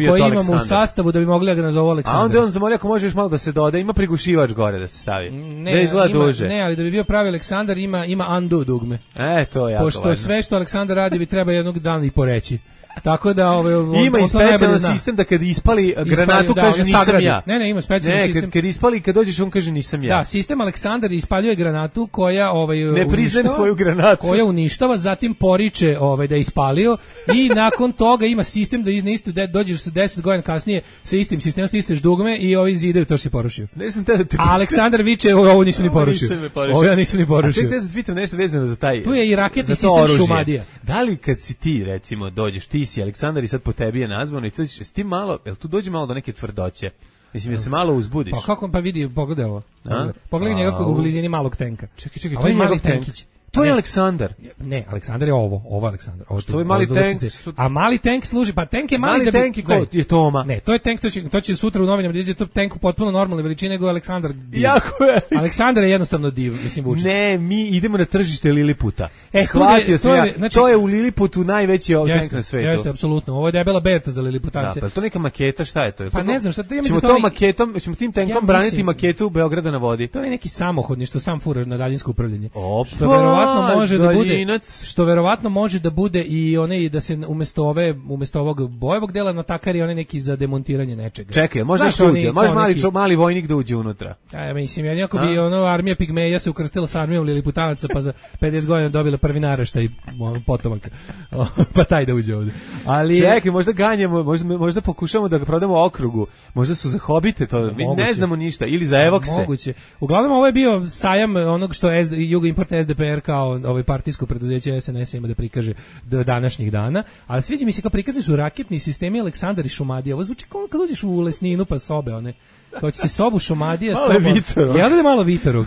Speaker 6: koji imamo u sastavu da bi mogli da ga nazovu Aleksandar.
Speaker 5: A onda on zamolio ako možeš malo da se doda, ima prigušivač gore da se stavi. Da izgleda duže.
Speaker 6: Ne, ali da bi bio pravi Aleksandar ima undo dugme.
Speaker 5: To je jako
Speaker 6: pošto važno. Sve što Aleksandar radi bi treba jednog dana i poreći. Tako da
Speaker 5: ima i specijalan sistem da kad ispali granatu kaže nisam ja.
Speaker 6: Ne, ima specijalan sistem.
Speaker 5: Kad ispali, kad dođeš on kaže nisam ja.
Speaker 6: Da, sistem Aleksandar ispaljuje granatu koja
Speaker 5: ne priznajem svoju granatu.
Speaker 6: Koja uništava, zatim poriče da je ispalio i nakon toga ima sistem da isto dođeš sa 10 godina kasnije sa istim sistemom, stisneš dugme i ovi zidaju to što si porušio. A Aleksandar viče ovo nisu ni porušio. Ovo ja nisam ni porušio.
Speaker 5: A čekaj, da pitam nešto vezano za taj.
Speaker 6: Tu je i raketni sistem Šumadija.
Speaker 5: Da li kad si ti recimo dođeš si Aleksandar i sad po tebi je nazvano i tu s tim malo, jel tu dođe malo do neke tvrdoće? Mislim, ja se malo uzbudiš.
Speaker 6: Pa kako pa vidi, pogledaj ovo. Pogledaj njega u blizini malog tenka.
Speaker 5: Čekaj, to je njegov tenkić. to je Aleksandar.
Speaker 6: Ne, Aleksandar je ovo je Aleksandar.
Speaker 5: To je mali tank.
Speaker 6: A mali tank služi, pa tank je mali
Speaker 5: tank je Toma.
Speaker 6: Ne, to je tank, to će sutra u novinama da to tank potpuno normalne veličine nego Aleksandar.
Speaker 5: Jako je.
Speaker 6: Aleksandar je jednostavno div, mislim Vučić.
Speaker 5: Ne, mi idemo na tržište Liliputa. Shvatio sam ja. Znači, to je u Liliputu najveći tank na svetu.
Speaker 6: Jeste, apsolutno. Ovo je debela berta za Liliputance.
Speaker 5: Da, pa to neka maketa, šta je to?
Speaker 6: Pa ne znam šta to.
Speaker 5: Ćemo tim tankom braniti maketu Beograda na vodi.
Speaker 6: To je neki samohodni što sam furaš na daljinsko upravljanje. Što verovatno može da bude. Što verovatno može da bude i onaj da se umesto ovog bojevog dela natakari onaj neki za demontiranje nečega.
Speaker 5: Čekaj, može mali vojnik da uđe unutra.
Speaker 6: Ja mislim, ako bi armija pigmeja se ukrstila sa armijom Liliputanaca pa za 50 godina dobila prvi naraštaj potomaka. Pa taj da uđe ovde. Ali
Speaker 5: čekaj, možda ganjamo, možda pokušamo da ga prodamo okrugu. Možda su za hobite to, mi ne znamo ništa, ili za evokse.
Speaker 6: Moguće. Uglavnom ovo je bio sajam onog što Jugo Import SDPR kao partijsko preduzeće SNS ima da prikaže do današnjih dana, ali sviđa mi se kao prikazni su raketni sistemi Aleksandar i Šumadija. Ovo zvuči kao kad uđeš u Lesninu pa sobe, one kao ćete sobu Šumadija, soba. Ja da malo Vitorog.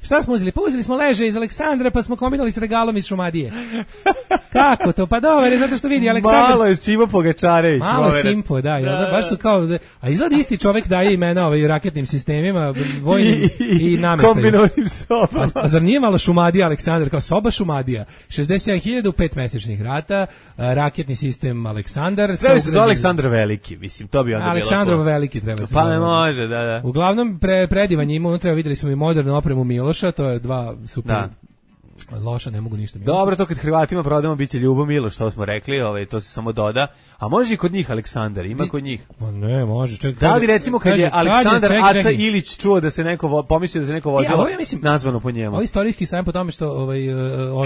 Speaker 6: Šta smo uzeli? Pa uzeli smo leže iz Aleksandra pa smo kombinovali s regalom iz Šumadije. Kako to? Pa dobro, zato što vidi Aleksandar.
Speaker 5: Malo je Simo Pogačarević.
Speaker 6: Malo Simpo, da. Baš su kao, a izgleda isti čovjek daje imena raketnim sistemima, vojnim i namještaju.
Speaker 5: Kombinovanim sobama.
Speaker 6: A zar nije malo Šumadija Aleksandar, kao soba Šumadija? 67.000 u 5 mesečnih rata, raketni sistem Aleksandar.
Speaker 5: Treba se zove Aleksandar Veliki, mislim, to bi onda bilo.
Speaker 6: Aleksandrov Veliki treba se zove.
Speaker 5: Može, da.
Speaker 6: Uglavnom, predivan je imao, unutra videli smo i modernu opremu Miloša, to je dva super loša, ne mogu ništa.
Speaker 5: Dobro, to kad Hrvatima prodamo biće Ljubo Miloš, što smo rekli, to se samo doda. A može i kod njih Aleksandar, ima kod njih.
Speaker 6: Pa ne, može.
Speaker 5: Da li recimo kad je Aleksandar Aca Ilić čuo da se neko pomislio da se neko vozilo nazvano po njemu.
Speaker 6: Ovo istorijski sajam po tome što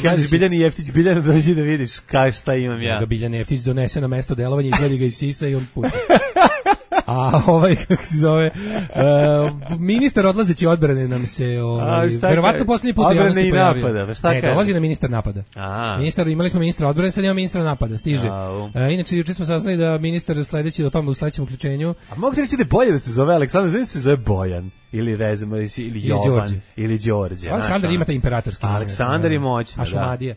Speaker 5: kažeš Biljana Jeftić, Biljana dođi da vidiš šta imam ja.
Speaker 6: Biljana Jeftić donese na mesto delovanja, izgledi ga iz sisa i on puca. A kako se zove, ministar odlazeći odbrane nam se, verovatno posljednji put u javnosti pojavio. Ne, dolazi na ministar napada. Imali smo ministra odbrane, sad imamo ministra napada, stiže. Inače, juče smo saznali da ministar sledeći, o tome u sledećem uključenju.
Speaker 5: A mogu ti reći da je bolje da se zove Aleksandar, znači se zove Bojan, ili Rezimo, ili Jovan, ili Đorđe.
Speaker 6: Aleksandar ima taj imperatorski.
Speaker 5: Aleksandar je moćna,
Speaker 6: a Šumadija?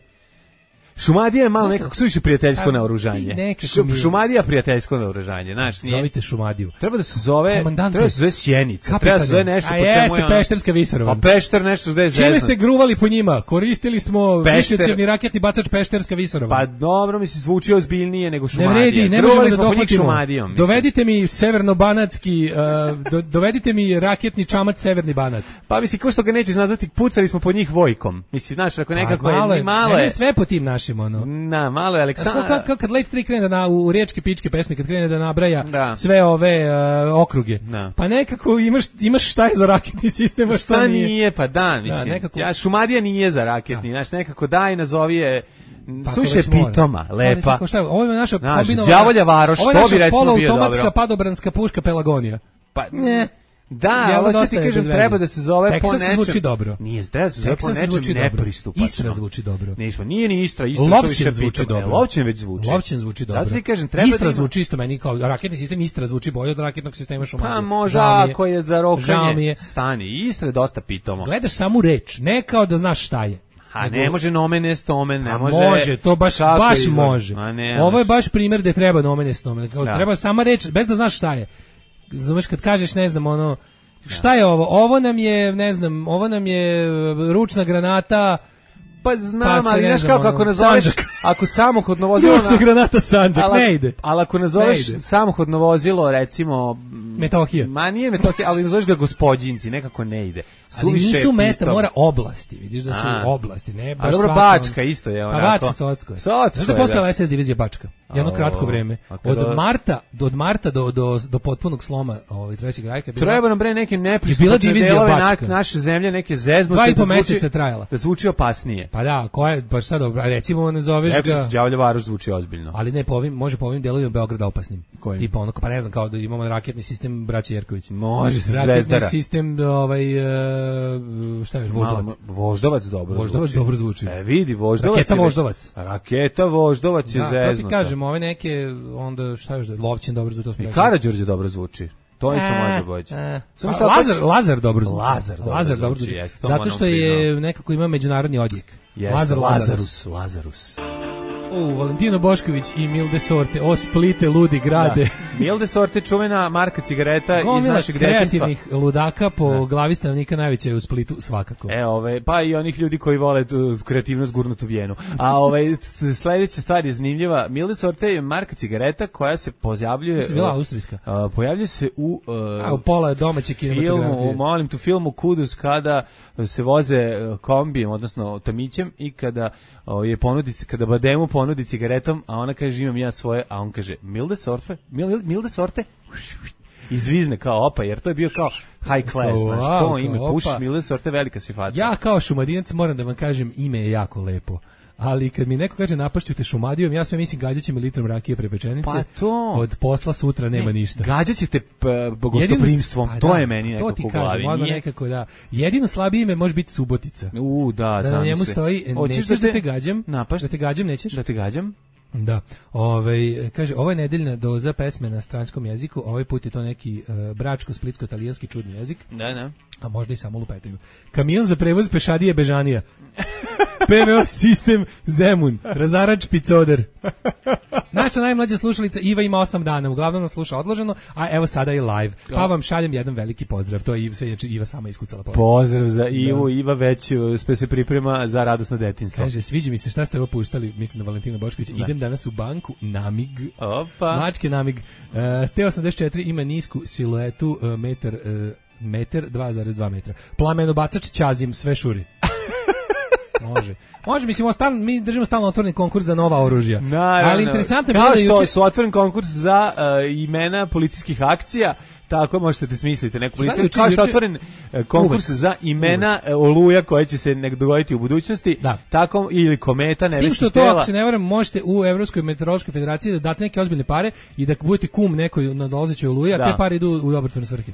Speaker 5: Šumadija je malo nekako suviše prijateljsko naoružanje. Šumadija prijateljsko naoružanje, znaš, nije.
Speaker 6: Zovite Šumadiju.
Speaker 5: Treba da se zove Sjenica, treba da se zove nešto po čemu je.
Speaker 6: A jeste Pešterska visoravan.
Speaker 5: A Pešter nešto gde je zezno.
Speaker 6: Čime ste gruvali po njima? Koristili smo višecjevni raketni bacač Pešterska visoravan.
Speaker 5: Pa dobro, mi se zvuči ozbiljnije nego Šumadija.
Speaker 6: Ne vredi, ne možemo da dohvatimo. Dovedite mi severno-banatski, dovedite mi raketni čamac Severni Banat.
Speaker 5: Pa mislim, ko što ga nećeš nazvati, pucali smo po njih Vojkom. Mislim, znaš, ako nekako je malo je
Speaker 6: sve po tim našim.
Speaker 5: Na, malo je Aleksandar.
Speaker 6: Kad Late 3 krene u riječke pičke pesme, kad krene da nabraja sve ove okruge. Pa nekako imaš šta je za raketni sistem, a šta nije.
Speaker 5: Pa da, mislim. Šumadija nije za raketni, znaš, nekako daj nazovi je suše pitoma, lepa.
Speaker 6: Ovo je naša kombinovana.
Speaker 5: Đavolja Varoš, to bi recimo bio dobro.
Speaker 6: Automatska padobranska puška Pelagonija.
Speaker 5: Pa ne. Da, ali ti kažem, treba da se zove po nečem.
Speaker 6: Texas zvuči dobro.
Speaker 5: Nije, treba se zove po nečem nepristupačno.
Speaker 6: Istra zvuči dobro.
Speaker 5: Nije ni Istra,
Speaker 6: Lovćen zvuči dobro.
Speaker 5: Lovćen već zvuči.
Speaker 6: Lovćen zvuči dobro.
Speaker 5: Zato ti kažem, treba
Speaker 6: Istra zvuči isto meni kao raketni sistem, Istra zvuči bolje od raketnog sistema Šumadije.
Speaker 5: Pa može, ako je za rokanje stani. Istra je dosta pitomo.
Speaker 6: Gledaš samu reč, ne kao da znaš šta je.
Speaker 5: A ne može nomen est omen, ne može.
Speaker 6: Može, to baš može. Ovo je baš primjer gde treba nomen est omen. Treba sama reč, bez da znaš šta je. Znaš, kad kažeš, ne znam, šta je ovo? Ovo nam je, ne znam, ovo nam je ručna granata.
Speaker 5: Pa znam, ali znaš kako nazoveš, ako samohodno vozilo...
Speaker 6: Ručna granata Sandžak, ne ide.
Speaker 5: Ali ako nazoveš samohodno vozilo, recimo...
Speaker 6: Metohija.
Speaker 5: Ma nije Metohija, ali nazoveš ga Gospođinci, nekako ne ide.
Speaker 6: Ali nisu mesta, mora oblasti, vidiš da su oblasti, ne baš
Speaker 5: svako. A dobro, Bačka isto je onako.
Speaker 6: Pa Bačka, Socko je. Znaš da je postojala SS divizija Bačka? Jedno kratko vreme. Od marta do potpunog sloma trećeg rajka.
Speaker 5: Treba nam bre neke nepristupačne delove naše zemlje, neke zeznute.
Speaker 6: 2,5 meseca trajala.
Speaker 5: Da zvuči opasnije.
Speaker 6: Pa da, baš sad recimo ne zoveš ga.
Speaker 5: Đavolja Varoš zvuči ozbiljno.
Speaker 6: Ali ne, može po ovim delovima Beograda opasnim. Tipa onako, pa ne znam, kao da imamo raketni sistem braće Jerković.
Speaker 5: Može, Zvezdara.
Speaker 6: Raketni sistem, šta je, Voždovac.
Speaker 5: Voždovac dobro zvuči.
Speaker 6: Voždovac dobro zvuči.
Speaker 5: Vidi, Voždovac.
Speaker 6: Raketa Voždovac.
Speaker 5: Raketa Voždovac je zeznuta.
Speaker 6: To ti kažem, ove neke, onda šta još da je, Lovćen dobro zvuči.
Speaker 5: I Karađorđe dobro zvuči. To isto može boći.
Speaker 6: Lazar dobro zvuči. Lazar dobro zvuči. Zato što je nekako ima međunarodni odjek.
Speaker 5: Lazarus.
Speaker 6: Valentino Bošković i Milde Sorte, o Splite, ludi grade.
Speaker 5: Da. Milde Sorte, čuvena marka cigareta iz našeg detinjstva.
Speaker 6: Kreativnih ludaka po glavi stanovnika najveća je u Splitu svakako.
Speaker 5: Pa i onih ljudi koji vole kreativnost gurnutu Vijenu. A sledeća stvar je zanimljiva. Milde Sorte je marka cigareta koja se pojavljuje...
Speaker 6: To je bila austrijska.
Speaker 5: Pojavljuje se u
Speaker 6: pola domaće kinematografije.
Speaker 5: Filmu Kudus, kada se voze kombijem, odnosno tamićem, i kada kada Bademu ponudi cigaretom, a ona kaže imam ja svoje, a on kaže Milde Sorte, izvizne kao opa, jer to je bio kao high class, to ime, pušiš Milde Sorte, velika si faca.
Speaker 6: Ja kao Šumadinac moram da vam kažem, ime je jako lepo. Ali kad mi neko kaže napašću te Šumadijom, ja sve mislim gađat će me litrom rakije pre pečenice.
Speaker 5: Pa to.
Speaker 6: Od posla sutra nema ništa.
Speaker 5: Gađat će te gostoprimstvom, to je meni nekako u glavi.
Speaker 6: To ti kažem, nekako da. Jedino slabije ime može biti Subotica.
Speaker 5: Da
Speaker 6: na njemu stoji, nećeš da te gađam,
Speaker 5: da
Speaker 6: te gađam, nećeš?
Speaker 5: Da te gađam?
Speaker 6: Da. Kaže, ovo je nedeljna doza pesme na stranskom jeziku, ovaj put je to neki bračko-splitsko-italijanski čudni jezik.
Speaker 5: Da.
Speaker 6: A možda i samo lupetaju. Kamion za prevoz pešadije Bežanija. PVO sistem Zemun, razarač Picoder. Naša najmlađa slušalica Iva ima 8 dana, uglavnom nas sluša odloženo, a evo sada je live. Pa vam šaljem jedan veliki pozdrav. To je sve Iva sama iskucala.
Speaker 5: Pozdrav za Ivu, Iva već se priprema za radosno detinjstvo.
Speaker 6: Kaže, sviđa mi se šta ste ovo puštali, mislim da Valentina Bošković. Idem danas u banku, Namig.
Speaker 5: Opa.
Speaker 6: Mačke Namig. T84 ima nisku siluetu, metar 2,2 metra. Plamenobacač Ćazim, sve šuri. Može, mislim, mi držimo stalno otvoreni konkurs za nova oružja.
Speaker 5: Naravno.
Speaker 6: Ali interesantno je
Speaker 5: kao što su otvoren konkurs za imena policijskih akcija, tako možete da smislite neku policiju. Kao što je otvoren konkurs za imena oluja koje će se dogoditi u budućnosti, tako ili kometa, nebeskih tela.
Speaker 6: Ako se ne varam, možete u Evropskoj meteorološkoj federaciji da date neke ozbiljne pare i da budete kum nekoj nadolazećoj oluji, a te pare idu u dobrotvorne svrhe.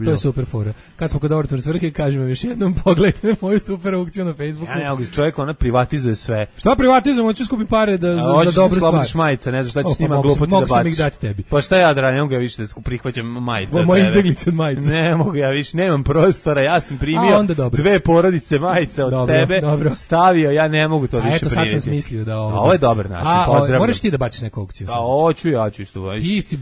Speaker 6: To je super fora. Kad smo kod dobrotvorne svrhe, kažemo još jednom, pogledajte moju super aukciju na Facebooku.
Speaker 5: Čovjek ona privatizuje sve.
Speaker 6: Šta privatizujemo? Hoću skupiti pare za dobru stvar.
Speaker 5: Hoćeš majica, ne znaš šta ćeš s njima glupoti da baciš.
Speaker 6: Mogu sam ih dati tebi.
Speaker 5: Pa šta ja da radim, ne mogu ja više da prihvaćam majice.
Speaker 6: Moje izbjeglice od majice.
Speaker 5: Ne mogu ja više, nemam prostora, ja sam primio 2 porodice majica od tebe, stavio, ja ne mogu to više primiti.
Speaker 6: A eto sad sam smislio da ovo...
Speaker 5: Ovo je dobar način, pozdravljam.
Speaker 6: Moraš ti da baciš neku aukciju?
Speaker 5: Hoću, ja ću isto.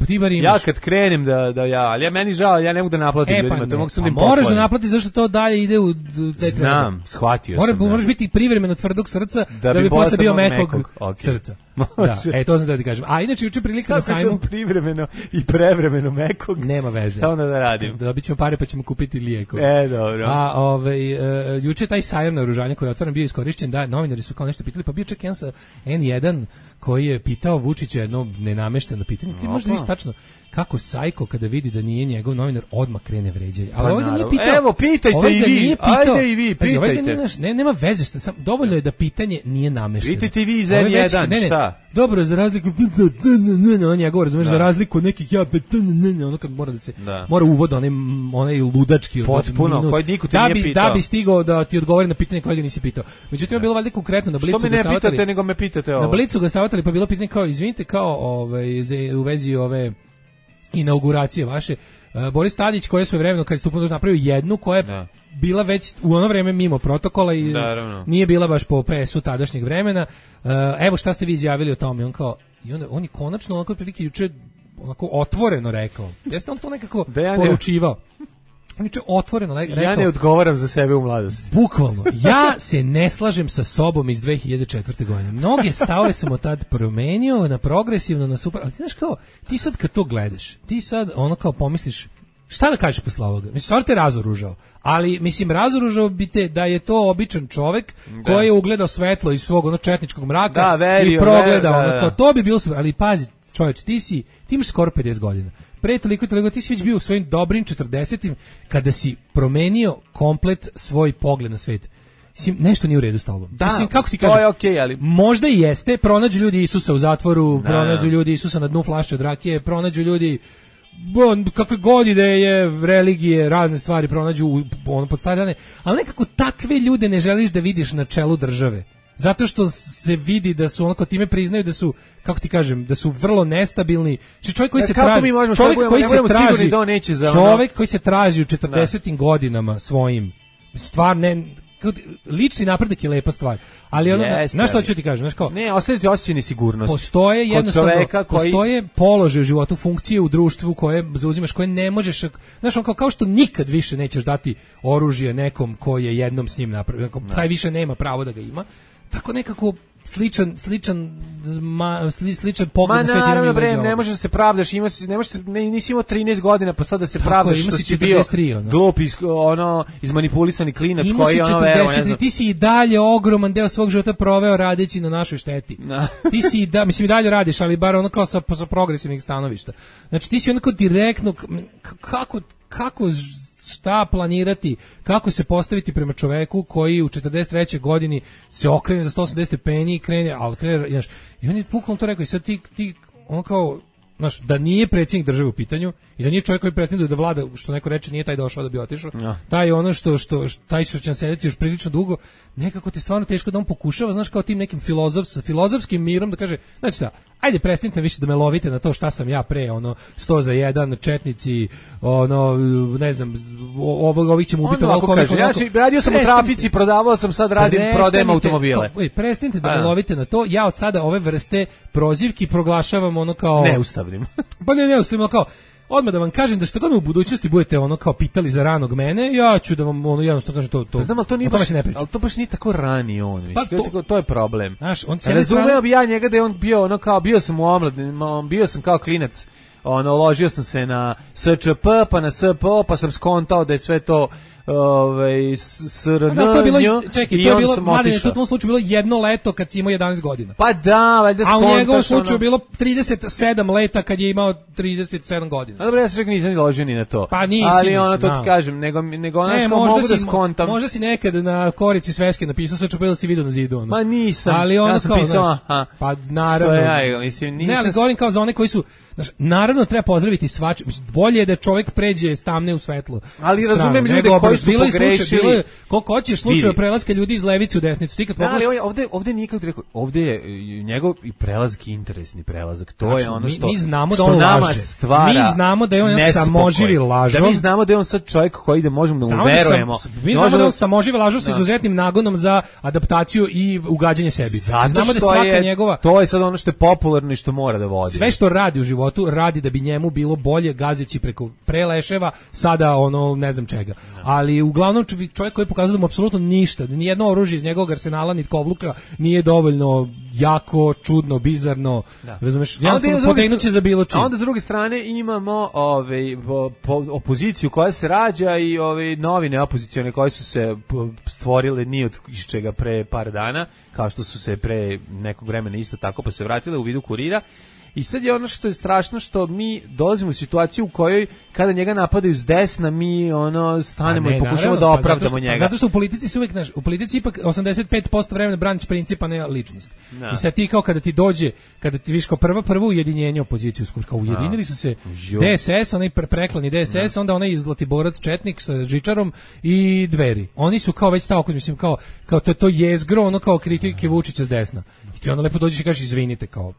Speaker 6: Ti bar imaš.
Speaker 5: Ja kad krenem ali ja meni žao, ja ne mogu da naplatim ljudima, to mogu sam da im poklonim.
Speaker 6: Moraš da naplatiš zašto to dalje ide u...
Speaker 5: Znam, shvatio sam.
Speaker 6: Moraš biti privremeno tvrdog srca da bi posle bio mekog srca. Da, to sam da ti kažem. A inače juče prilika na sajmu.
Speaker 5: Kako sam privremeno i prevremeno mekog?
Speaker 6: Nema veze.
Speaker 5: Šta onda da radim?
Speaker 6: Dobit ćemo pare pa ćemo kupiti lijekove.
Speaker 5: Dobro.
Speaker 6: A juče taj sajam naoružanja koji je otvoren bio iskorišćen, da novinari su kao nešto pitali, pa bio čak jedan sa N1 koji je pitao Vučića jedno nenamešteno pitanje. Ti možda nisi tačno kako Sajko kada vidi da nije njegov novinar odmah krene vređanje. Ali ovdje nije pitao.
Speaker 5: Evo, pitajte i vi. Ajde i vi, pitajte.
Speaker 6: Nema veze, dovoljno je da pitanje nije namešteno.
Speaker 5: Pitajte i vi iz N1, šta?
Speaker 6: Dobro, za razliku on je govor, razumeš, za razliku od nekih ono kad mora da se mora uvod onaj ludački
Speaker 5: potpuno, koji niko te nije pitao.
Speaker 6: Da bi stigao da ti odgovori na pitanje koje ga nisi pitao. Međutim, je bilo valjda konkretno na Blicu.
Speaker 5: Što me ne pitate, nego me pitate ovo.
Speaker 6: Na Blicu ga savjetali, pa bilo pitanje kao, izvinite, kao u vezi ove inauguracije vaše, Boris Tadić koji je svoje vremeno kad je stupio napravio jednu koja je bila već u ono vreme mimo protokola i nije bila baš po PS-u tadašnjeg vremena. Evo šta ste vi izjavili o tome? On je konačno onako prilike juče onako otvoreno rekao. Jeste on to nekako poručivao? Niče otvoreno rekao.
Speaker 5: Ja ne odgovaram za sebe u mladosti.
Speaker 6: Bukvalno. Ja se ne slažem sa sobom iz 2004. godine. Mnoge stavove sam od tad promenio na progresivno, na super. Ali ti znaš kao, ti sad kad to gledaš, ti sad ono kao pomisliš, šta da kažeš posle ovoga? Mislim, stvar te razoružao. Ali, mislim, razoružao bi te da je to običan čovek koji je ugledao svetlo iz svog četničkog mraka i progledao. To bi bilo super. Ali pazi, čoveč, ti imaš skoro 50 godina. Pre toliko ti si već bio u svojim dobrim 40-im kada si promenio komplet svoj pogled na svet. Mislim, nešto nije u redu s tobom. Mislim, kako ti kažem,
Speaker 5: to je okej, ali
Speaker 6: možda i jeste, pronađu ljudi Isusa u zatvoru, pronađu ljudi Isusa na dnu flaše od rakije, pronađu ljudi kakve god ideje, religije, razne stvari pronađu pod stare dane, ali nekako takve ljude ne želiš da vidiš na čelu države. Zato što se vidi da su onako time priznaju da su, kako ti kažem, da su vrlo nestabilni. Čovjek koji se traži, čovjek koji se traži u 40. godinama svojim, stvar ne, lični napredak je lepa stvar, ali ono, znaš što ću ti kažem, znaš kao,
Speaker 5: ne, ostaviti osjećaj nesigurnosti.
Speaker 6: Postoje jednostavno, postoje položaj u životu, funkcije u društvu koje zauzimaš, koje ne možeš, znaš, on kao što nikad više nećeš dati oružje nekom koji je jednom s njim napravio, taj više nema pravo da ga ima, tako nekako sličan pogled na svijet.
Speaker 5: Ma naravno, bre, ne možeš da se pravdaš, nisi imao 13 godina, pa sad da se pravdaš što si bio glup, izmanipulisani klinac koji ono vero, ne znam.
Speaker 6: Ti si i dalje ogroman deo svog života proveo radeći na našoj šteti. Ti si mislim i dalje radiš, ali bar ono kao sa progresivnih stanovišta. Znači ti si onako direktno, kako šta planirati, kako se postaviti prema čoveku koji u 43. godini se okrene za 180 stepeni i krene, znaš, i on je bukvalno to rekao i sad ti on kao, znaš, da nije predsjednik države u pitanju i da nije čovjek koji pretenduje da vlada, što neko reče, nije taj došao da bi otišao, taj ono taj što će sedeti još prilično dugo, nekako ti stvarno teško da on pokušava, znaš, kao tim nekim filozofskim mirom da kaže, znači šta, ajde prestanite više da me lovite na to šta sam ja pre, 100 za 1, četnici, ne znam, ovih ćemo ubiti
Speaker 5: ovako. Znači, radio sam u trafici, prodavao sam, sad prodajem automobile.
Speaker 6: Prestanite da me lovite na to, ja od sada ove vrste prozivki proglašavam ono kao...
Speaker 5: Neustavnim.
Speaker 6: Pa neustavnim, kao... Odmah da vam kažem da što god me u budućnosti budete kao pitali za ranog mene, ja ću da vam jednostavno kažem to.
Speaker 5: Znam, ali to nije baš nije tako rani on. To je problem. Znaš, razumeo bi ja njega da je on bio bio sam u omladini, bio sam kao klinac, ložio sam se na SČP, pa na SPO, pa sam skontao da je sve to SRN,
Speaker 6: to je bilo, čekaj, to je bilo, mladine, to u tom slučaju bilo jedno leto kad si imao 11 godina.
Speaker 5: Pa da, valjda skontaš.
Speaker 6: A u njegovom slučaju bilo 37 leta kad je imao 37 godina.
Speaker 5: A dobro, ja se čak nisam ni ložio ni na to.
Speaker 6: Pa nisi,
Speaker 5: ali to ti kažem, nego ono što mogu da skontam.
Speaker 6: Možda si nekad na korici sveske napisao, sad ću si vidio na zidu.
Speaker 5: Ma nisam,
Speaker 6: ali
Speaker 5: ja sam pisao,
Speaker 6: pa naravno. Ne, ali govorim kao za one koji su, naravno treba pozdraviti svaču, bolje je da čovjek pređe s tamne u svetlo.
Speaker 5: Ali razumem ljude koji su pogrešili.
Speaker 6: Koliko hoćeš slučajeva prelaska ljudi iz levice u desnicu. Ti kad
Speaker 5: ali ovdje nikad rekao, ovdje je njegov i prelazak interesni prelazak. To je ono što
Speaker 6: mi znamo da on laže. Mi znamo da je on samoživi lažov.
Speaker 5: Da mi znamo da je on sad čovjek koji da možemo da mu verujemo.
Speaker 6: Mi znamo da on samoživi lažov sa izuzetnim nagonom za adaptaciju i ugađanje sebi. Znamo da svaka njegova...
Speaker 5: To je sad ono što je popularno i što mora da vodi.
Speaker 6: Sve što radi u životu radi da bi njemu bilo bolje, gazeći preko preleševa, sada ne znam čega. Ali uglavnom čovjek koji pokazuje da mu apsolutno ništa, da nijedno oružje iz njegovog arsenala niti kovluka nije dovoljno jako, čudno, bizarno, razumeš, jednostavno potegnuće za bilo čim.
Speaker 5: A onda s druge strane imamo opoziciju koja se rađa i novine opozicione koje su se stvorile ni od čega pre par dana, kao što su se pre nekog vremena isto tako pa se vratile u vidu Kurira. I sad je ono što je strašno, što mi dolazimo u situaciju u kojoj kada njega napadaju s desna, mi stanemo i pokušamo da opravdamo njega.
Speaker 6: Zato što u politici se uvijek, u politici ipak 85% vremena braniš principa, ne ličnost. I sad ti kao kada ti dođe, kada ti viš kao prvo ujedinjenje opoziciju, kao ujedinili su se DSS, onaj preklani DSS, onda onaj Zlatiborac Četnik sa Žičarom i Dveri. Oni su kao već stavko, mislim, kao to jezgro, kao kritike Vučića s desna. I ti onda lepo dođeš i kažeš izvinite, kao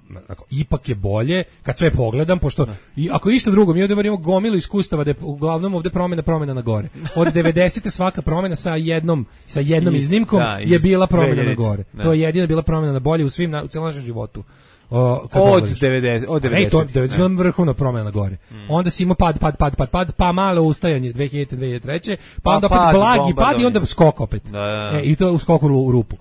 Speaker 6: ipak je bolje kad sve pogledam, pošto ako išta drugo, mi ovdje imamo gomilu iskustava da je uglavnom ovdje promjena na gore. Od 90. svaka promjena sa jednom iznimkom je bila promjena na gore. To je jedina bila promjena na bolje u cijelom našem životu.
Speaker 5: Od 90.
Speaker 6: To je bila vrhovna promjena na gore. Onda si imao pad, pa malo ustajanje 2000-2003, pa onda opet blagi pad i onda skok opet. I to u skoku u rupu.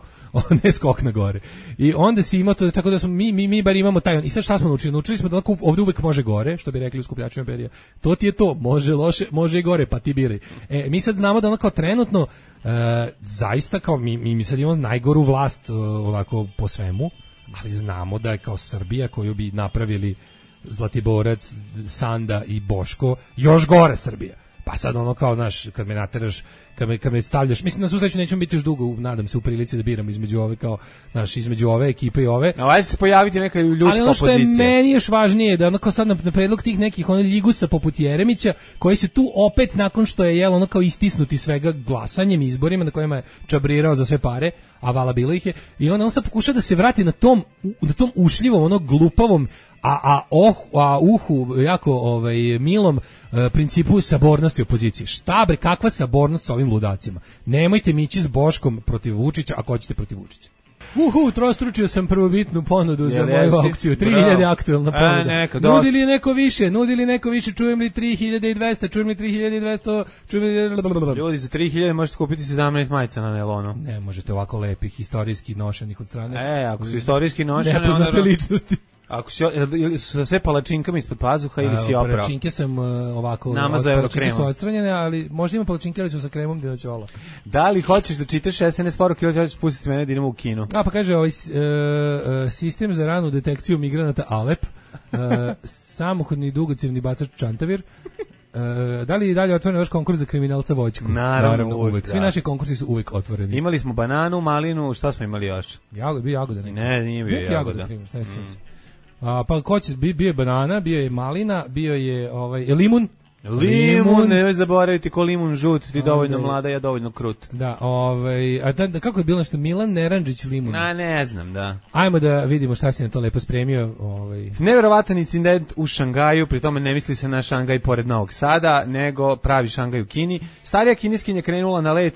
Speaker 6: Ne skok na gore. I onda si imao to, tako da smo mi bar imamo taj. I sad šta smo naučili? Naučili smo da ovdje uvek može gore, što bi rekli u skupljačima imperija. To ti je to, može loše, može i gore, pa ti biraj. Mi sad znamo da kao trenutno zaista kao mi sad imamo najgoru vlast ovako po svemu, ali znamo da je kao Srbija koju bi napravili Zlatiborac, Sanda i Boško još gore Srbija. Pa sad kao, kad me nateraš, kad me stavljaš, mislim na svu sreću nećemo biti još dugo, nadam se, u prilici da biramo između ove, kao, između ove ekipe i ove.
Speaker 5: A ajde se pojaviti neka ljudska opozicija. Ali ono
Speaker 6: što je meni još važnije, da kao sad na predlog tih nekih ljigusa poput Jeremića, koji se tu opet, nakon što je kao istisnuti svega glasanjem, izborima na kojima je čabrirao za sve pare, a vala bilo ih je, i on sad pokuša da se vrati na tom ušljivom, onog glupavom, a uhu jako milom principu sabornosti opozicije. Šta bre, kakva sabornost sa ovim ludacima? Nemojte mići s Boškom protiv Vučića ako hoćete protiv Vučića. Trostručio sam prvobitnu ponudu za moju aukciju. 3000 aktuelna ponuda. Nudili neko više, čujem li 3200, čujem li 3200, čujem li...
Speaker 5: Ljudi, za 3000 možete kupiti 17 majica na nelonu.
Speaker 6: Ne, možete ovako lepih, istorijski nošenih od strane.
Speaker 5: Ako su istorijski nošene...
Speaker 6: Nepoznate ličnosti.
Speaker 5: Ako su sa sve palačinkama ispod pazuha ili si oprao?
Speaker 6: Palačinke sam ovako...
Speaker 5: Namazao
Speaker 6: palačinke su odstranjene, ali možda ima palačinke, ali su sa kremom dinoćola.
Speaker 5: Da li hoćeš da čitaš SNS poruke ili hoćeš pustiti mene da idemo u kino?
Speaker 6: Pa kaže, sistem za ranu detekciju migranata Alep, samohodni dugocevni bacač Čantavir, da li je dalje otvoren vaš konkurs za kriminalca Voćku?
Speaker 5: Naravno, uvek.
Speaker 6: Svi naši konkursi su uvek otvoreni.
Speaker 5: Imali smo bananu, malinu, šta smo imali još?
Speaker 6: Bio jagoda.
Speaker 5: Ne, nije bio jagoda.
Speaker 6: Pa ko će, bio je banana, bio je malina, bio je limun.
Speaker 5: Limun, nemoj zaboraviti ko limun žut, ti dovoljno mlada, ja dovoljno krut.
Speaker 6: Da, kako je bilo nešto, Milan Neranđić limun?
Speaker 5: Ne znam, da.
Speaker 6: Ajmo da vidimo šta si na to lepo spremio.
Speaker 5: Nevjerovatan incident u Šangaju, pri tome ne misli se na Šangaj pored Novog Sada, nego pravi Šangaj u Kini. Starija kineskinja krenula na let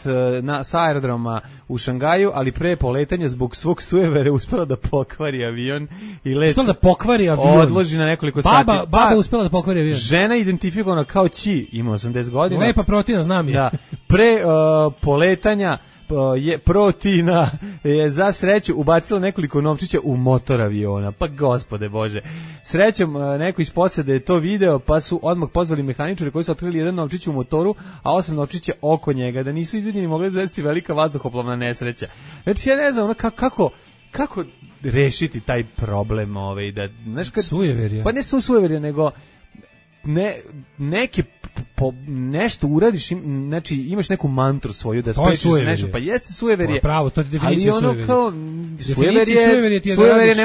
Speaker 5: sa aerodroma u Šangaju, ali pre poletanja zbog svog sujevere uspela da pokvari avion i let odloži na nekoliko sati.
Speaker 6: Baba uspela da pokvari avion.
Speaker 5: Žena identifikovana kao Ći, ima 80 godina.
Speaker 6: Lepa protina, znam je.
Speaker 5: Da, pre poletanja protina je za sreću ubacila nekoliko novčića u motor aviona. Pa gospode Bože. Srećom neko iz posade je to video, pa su odmah pozvali mehaničare koji su otkrili jedan novčić u motoru, a 8 novčića oko njega, da nisu izvidjeni mogli desiti velika vazduhoplovna nesreća. Znači ja ne znam kako rešiti taj problem da, znaš,
Speaker 6: sujeverje.
Speaker 5: Pa ne su sujeverje, nego nešto uradiš, znači imaš neku mantru svoju da sprečiš nešto, pa jeste sujeverje.
Speaker 6: Pravo, to je definicija sujeverje.
Speaker 5: Kao sujeverje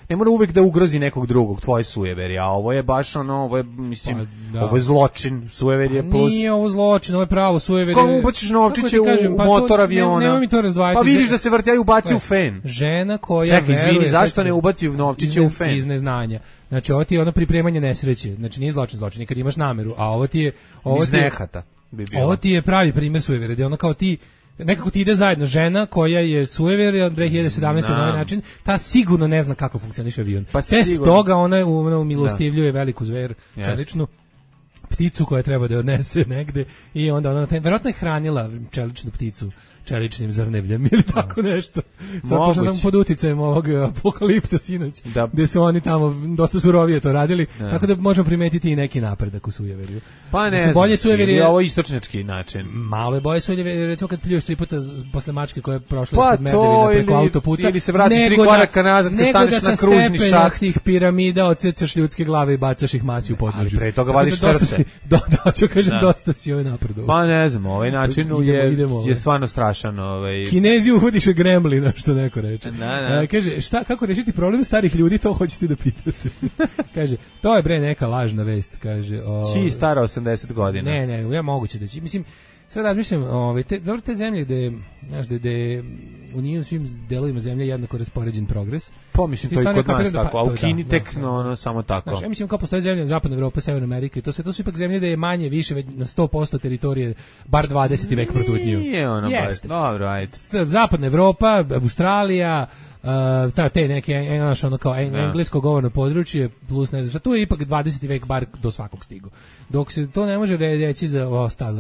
Speaker 5: ne mora uvek da ugrozi nekog drugog, tvoje sujeverje, a ovo je baš ovo je, mislim, ovo je zločin, sujeverje plus.
Speaker 6: Nije ovo zločin, ovo je pravo sujeverje.
Speaker 5: Kako ubaciš novčiće u motor aviona?
Speaker 6: Nemoj mi to razdvajati.
Speaker 5: Pa vidiš da se vrti, ubaci u fen.
Speaker 6: Žena koja
Speaker 5: čekaj, izvini, zašto ne ubaci novčiće u fen?
Speaker 6: Iz neznanja. Znači, ovo ti je ono pripremanje nesreće. Znači, nije zločin, kad imaš nameru, a ovo ti je... Ovo ti je pravi primjer sujevere, gdje ono kao ti, nekako ti ide zajedno žena koja je sujeverja 2017. na ovaj način, ta sigurno ne zna kako funkcioniše avion. Pa te stoga ona umilostivljuje veliku zver, čeličnu pticu koja treba da je odnese negde i onda ona verovatno je hranila čeličnu pticu čeličnim zrnevljem ili tako nešto. Sad pošto sam pod uticajem ovog apokalipta sinoć, gde su oni tamo dosta surovije to radili, tako da možemo primetiti i neki napredak u sujeverju.
Speaker 5: Pa ne znam, bolje sujeverje je ovo istočnjački način.
Speaker 6: Malo je bolje sujeverje, recimo kad pljuješ 3 puta posle mačke koja je prošla ispod Merdevina preko autoputa,
Speaker 5: ili se vratiš 3 koraka nazad kad staneš na kružni šast.
Speaker 6: Nego da sa tih piramida odsecaš ljudske glave i bacaš ih masi u podnožju.
Speaker 5: Ali pre toga vadiš srce.
Speaker 6: Dosta si ovaj napredovao.
Speaker 5: Pa ne znam, ovaj način je stvarno strašan.
Speaker 6: Kinezi uvodiše gremlina, što neko reče. Kaže, kako rešiti problem starih ljudi, to hoćete da pitate. Kaže, to je bre neka lažna vest, kaže.
Speaker 5: Či stara 80 godina.
Speaker 6: Ne, ja moguće da će. Mislim, sad razmišljam, te zemlje gde u njim svim delovima zemlje jednako raspoređen progres.
Speaker 5: Pa mislim, to i kod nas tako, a u Kini tek samo tako.
Speaker 6: Znači, ja mislim kao postoje zemlje Zapadna Evropa, Severna Amerika i to su ipak zemlje da je manje, više, na 100% teritorije, bar 20. vek protutniju.
Speaker 5: Nije ono baš, dobro, ajde.
Speaker 6: Zapadna Evropa, Australija, te neke ono kao englesko govorno područje plus ne znam šta, tu je ipak 20. vek bar do svakog stigo. Dok se to ne može reći za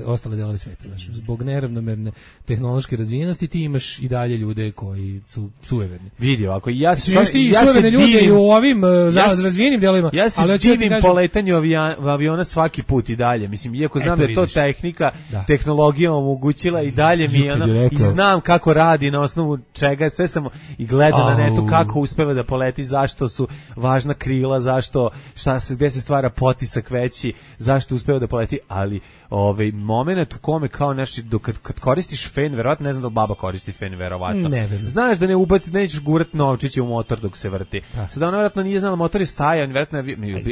Speaker 6: ostale delove sveta, znači zbog neravnomerne tehnološke razvijenosti ti imaš i dalje ljude koji su sujeverni.
Speaker 5: Vidi, ako ja se
Speaker 6: divim u ovim razvijenim delovima,
Speaker 5: ja se divim poletanju aviona svaki put i dalje. Mislim, iako znam da je to tehnika, tehnologija omogućila i dalje mi i znam kako radi, na osnovu čega, sve sam i gledao gleda na netu kako uspeva da poleti, zašto su važna krila, zašto, gde se stvara potisak veći, zašto uspeva da poleti, ali moment u kome kao nešto, kad koristiš fen, verovatno, ne znam da li baba koristi fen, verovatno. Znaš da nećeš gurat novčiće u motor dok se vrti. Sada ona verovatno nije znala, motor je stajan, verovatno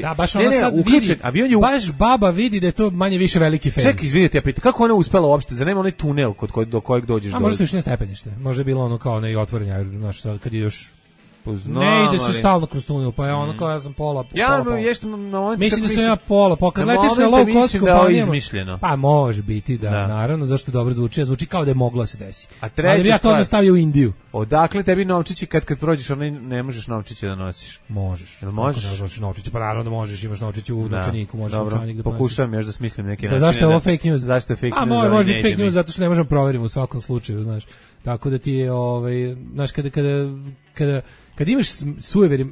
Speaker 6: da, baš ona sad vidi, baš baba vidi da je to manje više veliki fen.
Speaker 5: Čekaj, izvinite, ja pitam, kako ona uspela uopšte, zar nema onaj tunel do kojeg dođeš?
Speaker 6: A možda su još ne stepenište, možda je bilo ono kao ne otvorenje, znaš, kad je još
Speaker 5: Znam,
Speaker 6: ne ide se stalno kroz tunel, pa je ono kao ja sam pola. Mislim da sam ja pola, kad letiš na low cost kompanijama, pa može biti da, naravno, zašto dobro zvuči kao da je moglo se desi. Ali ja to nastavio u Indiju.
Speaker 5: Odakle tebi novčići kad prođeš, onaj ne možeš novčiće da nosiš?
Speaker 6: Možeš.
Speaker 5: Jel možeš?
Speaker 6: Novčiće, pa naravno da možeš, imaš novčiće u novčaniku, možeš novčanik da ponosiš.
Speaker 5: Pokušavam još da smislim neke načine.
Speaker 6: Zašto je ovo fake news?
Speaker 5: Zašto je fake news?
Speaker 6: A može biti fake news zato što ne možemo proveriti u svakom slučaju, znaš. Tako da ti je, znaš, kad imaš sujever,